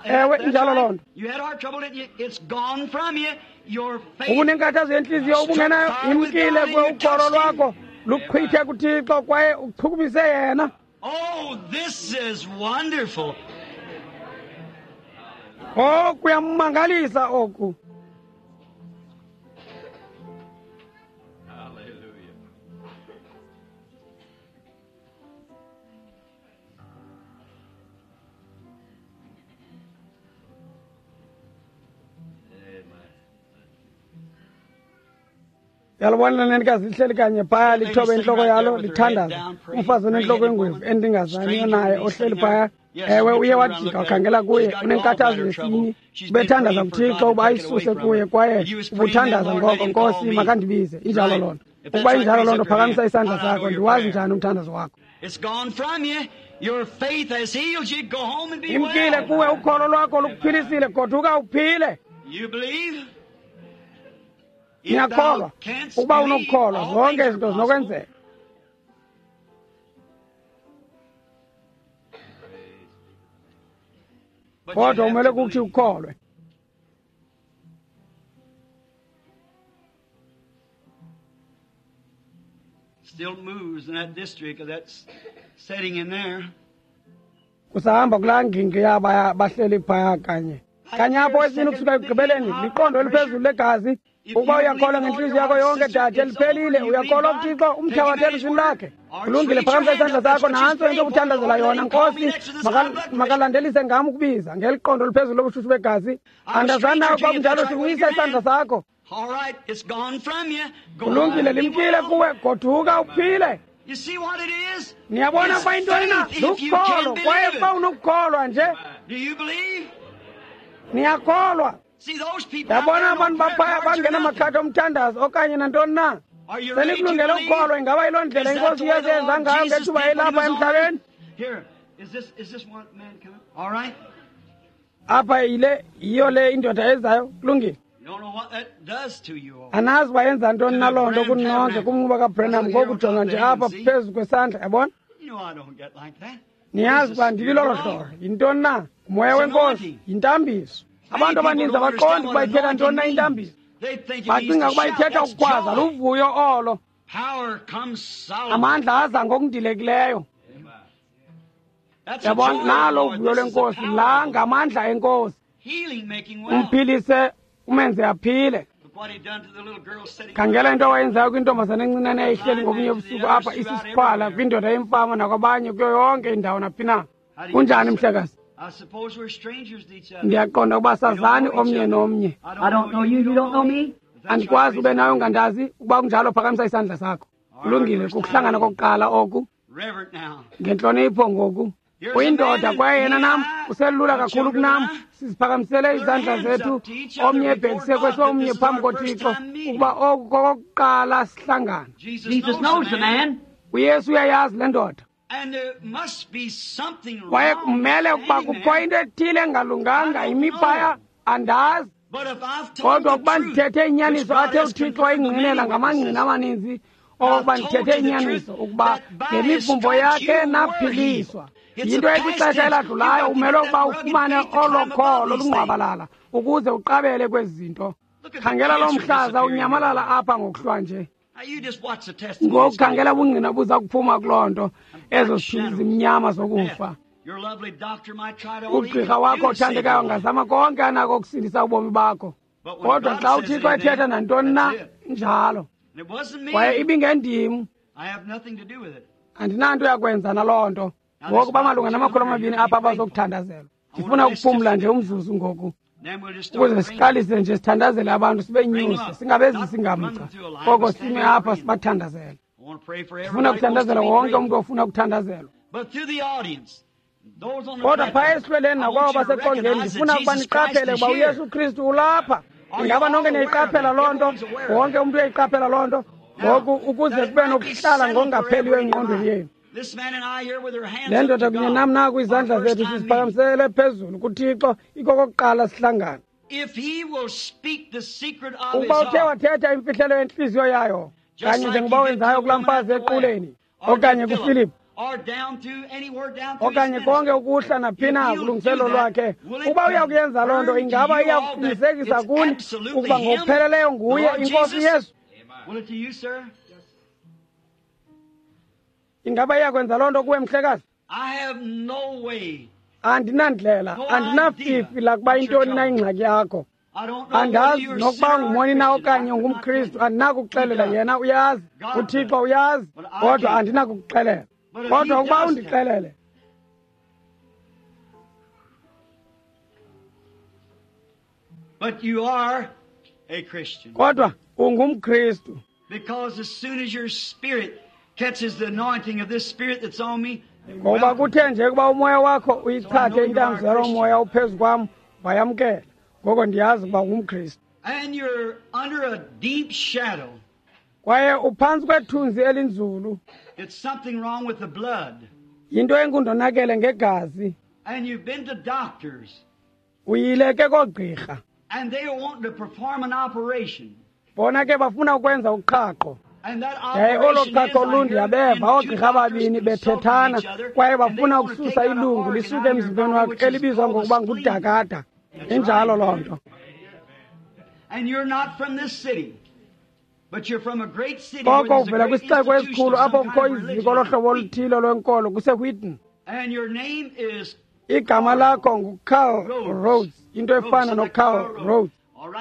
Ewe, injalo loo nto. You had heart trouble, didn't you? It's gone from you. Your faith Ubunenkathazo yentliziyo ubungenayo, imkile kuwe ukholo lwakho luqhwithe kuThixo kwaye uchukumise yena. Oh, this is wonderful. Oh, kuyamangalisa oku. Hallelujah. Amen. Yalibona lenenikazi lihleli kanye phaya lithobe intloko yalo lithandaza. Umfazi onentloko engwevu endingazaniyo naye ohleli phaya Ewe, uye wajika wakhangela kuye, unenkathazo yesini. Ubethandaza kuThixo uba ayisuse kuye, kwaye ubuthandaza ngoko, Nkosi, makandibize. Injalo loo nto. Ukuba injalo loo nto, phakamisa isandla sakho. Ndiwazi njani umthandazo wakho? Imkile kuwe, ukholo lwakho lukuphilisile. Goduka uphile. Niyakholwa? Ukuba unokukholwa, zonke izinto zinokwenzeka. Kodwa umele kuthi ukholwe. Still moves in that district of that setting in there. Kusahamba kulaa ngingqi yaba bahleli phaya kanye. Kanye apho esini ukusuka ekugqibeleni, liqondo eliphezulu legazi. Ukuba uyakholwa ngentliziyo yakho yonke, dade, liphelile. Uyakholwa kuThixo, umthabathe elizwini lakhe. Kulungile, phakamisa isandla sakho. Nantso into obuthandazela yona. Nkosi, makalandelise ngam ukubiza ngeli qondo eliphezulu lobushushu begazi. Andazani nawe ukuba kunjalo, siwisa isandla sakho. Kulungile, limkile kuwe. Goduka uphile. Niyabona ukuba intoni na? Lukholo, kwaye ukuba unokukholwa nje. Niyakholwa. Yabona abantu baphaya bangenamakhadi omthandazo okanye nantoni na. Senikulungele ukukholwa. Ingaba yiloo ndlela iNkosi uYesu yenza ngayo ngethuba elapha emhlabeni? Apha yile yiyo le indoda ezayo. Kulungile. Anazi uba yenza ntoni na loo nto kuninonke kumnquba kaBranham ngokujonga nje apha phezu kwesandla, yabona? Niyazi uba ndibilolo hlobo. Yintoni na? Ngumoya weNkosi, yintambiso. Abantu abaninzi abaqondi ukuba ithetha ntoni na intambiso. Bacinga ukuba ithetha ukukhwaza, luvuyo olo. Amandla aza ngokundilekileyo. Yabona, nalo uvuyo lwenkosi, la ngamandla enkosi. Umphilise, umenze aphile. Khangela into awayenzayo kwintombazana encinane eyayihleli ngobunye ubusuku apha isisiqhwala, kwindoda yemfama nakwabanye kuyo yonke indawo naphi na. Kunjani, mhlekazi? Ndiyaqonda ukuba sazani omnye nomnye. Andikwazi ube nawe ungandazi. Ukuba kunjalo, phakamisa isandla sakho. Kulungile, kukuhlangana kokuqala oku. Ngentlonipho ngoku. Uyindoda kwaye yena nam uselula kakhulu kunam. Siziphakamisele izandla zethu omnye ebhekise kwesomnye phambi koThixo ukuba oku kokokuqala sihlangana. uYesu uyayazi le ndoda. Kwaye kumele ukuba kukho into ethile engalunganga imiphaya, andazi. Kodwa ukuba ndithethe inyaniso athe uThixo wayingqinela ngamangqina amaninzi, okokuba ndithethe inyaniso ukuba ngemivumbo yakhe naphiliswa. Yinto ekwixesha eladlulayo, umele ukuba ufumane olo kholo lungqwabalala ukuze uqabele kwezi zinto. Khangela lo mhlaza unyamalala apha ngokuhlwa nje. Ngoku khangela ubungqina buza kuphuma kuloo nto, ezo zithunzi zimnyama zokufa. Ugqirha wakho othandekayo angazama konke anako ukusindisa ubomi bakho, kodwa xa uThixo ethetha nantoni na, njalo. Kwaye ibingendim, andinanto yakwenza naloo nto. Ngoku bamalunga na200 apha abazokuthandazelwa. Ndifuna ukuphumla nje umzuzu ngoku, ukuze siqalise nje sithandazele abantu, sibenyuse, singabezisi ngamgca, koko sime apha sibathandazele. Ndifuna ukuthandazela wonke umntu ofuna ukuthandazelwa. Kodwa phaya esihlweleni nakwabo baseqongeni, ndifuna ukuba niqaphele ukuba uYesu Kristu ulapha. Ingaba nonke niyayiqaphela loo nto? Wonke umntu uyayiqaphela loo nto? Ngoku ukuze kube nokuhlala ngokungapheliyo engqondweni yenu. Le ndoda kunye nam naku izandla zethu siziphakamisele phezulu kuThixo, ikokokuqala sihlangana. Ukuba uthe wathetha imfihlelo yentliziyo yayo, kanye njengoba wenzayo kulaa mfazi equleni, okanye kuFilip, okanye konke ukuhla naphi na kulungiselelo lwakhe, ukuba uya kuyenza loo nto, ingaba iya kuqinisekisa kuni ukuba ngokupheleleyo nguye iNkosi Yesu? Ingaba iya kwenza loo nto kuwe, mhlekazi? Andinandlela, andinafifi lakuba intoni na ingxaki yakho. Andazi nokuba ungumoni na okanye ungumKristu, andinakukuxelela. Yena uyazi, uThixo uyazi, kodwa andinakukuxelela. Kodwa ukuba undixelele, But you are a Christian. Kodwa ungumKristu. Because as soon as your spirit catches the anointing of this spirit that's on me, Ngoba kuthe nje kuba umoya wakho uyichathe intambiso yaloo moya uphezu kwam, wayamkela. Ngoko ndiyazi ukuba ungumKristu. And you're under a deep shadow. Kwaye uphantsi kwethunzi elinzulu. It's something wrong with the blood. Yinto engundonakele ngegazi. And you've been to doctors. Uyile ke koogqirha. And they are wanting to perform an operation. Bona ke bafuna ukwenza uqhaqho. And that Yaye olo operation is, qhaqho I hear lundiyabeva in two oogqirha doctors ababini consulting bethethana each other, kwaye and they bafuna want to ukususa take out an ilungu organ lisuke out of your emzimbeni body, wakho which is elibizwa called the ngokuba spleen. ngudakada. Injalo loo nto. And you're not from this city, but you're from a great city where Koko there's a uvela great kwisixeko institution esikhulu of apho some kukho kind of iziko lohlobo religion. oluthile lwenkolo kuseWheaton. And your name is Igama lakho nguCarl Rhodes, into efana noCarl Rhodes.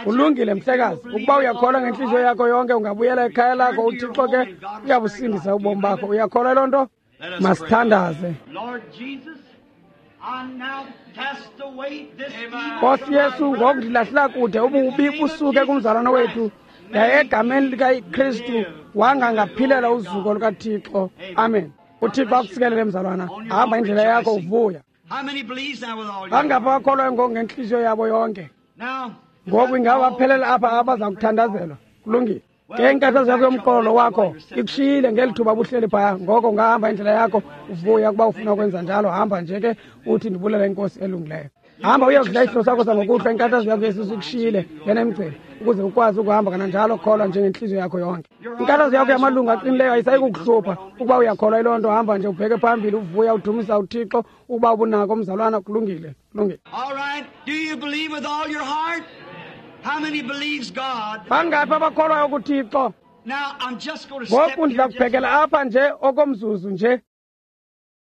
Kulungile mhlekazi, ukuba uyakholwa ngentliziyo yakho yonke ungabuyela ekhaya lakho, uThixo ke uyabusindisa ubomi bakho. Uyakholwa loo nto? Masithandaze. Lord Jesus, I now cast away this evil Nkosi from my Yesu, brother. ngoku ndilahlela kude ububi busuke kumzalwana wethu. Yaye egameni likaKristu wangangaphilela uzuko lukaThixo. Amen. uThixo akusikelele mzalwana. Hamba indlela yakho uvuya. How many believes now with all your Bangaphi heart? abakholwayo ngoku ngentliziyo yabo yonke? Now, Ngoku ingaba baphelele apha abaza kuthandazelwa. Kulungile. Ke inkathazo yakho yomqolo wakho ikushiyile ngeli thuba buhleli phaya. Ngoko ungahamba indlela yakho uvuya ukuba ufuna ukwenza njalo. Hamba nje ke uthi ndibulela inkosi elungileyo. Hamba uyokudla isidlo sakho sangokuhlwa, inkathazo yakho yesisu ikushiyile ngena emgceni ukuze ukwazi ukuhamba kananjalo. Kholwa njengentliziyo yakho yonke. Inkathazo yakho yamalungu aqinileyo ayisayi kukuhlupha ukuba uyakholwa yiloo nto. Hamba nje ubheke phambili uvuya udumisa uThixo ukuba ubunako mzalwana. Kulungile, kulungile. All right. Do you believe with all your heart? How many believes God? Bangaphi abakholwayo kuThixo? Now, I'm just going to step Ngoku here ndiza just kubhekela apha nje okomzuzu nje.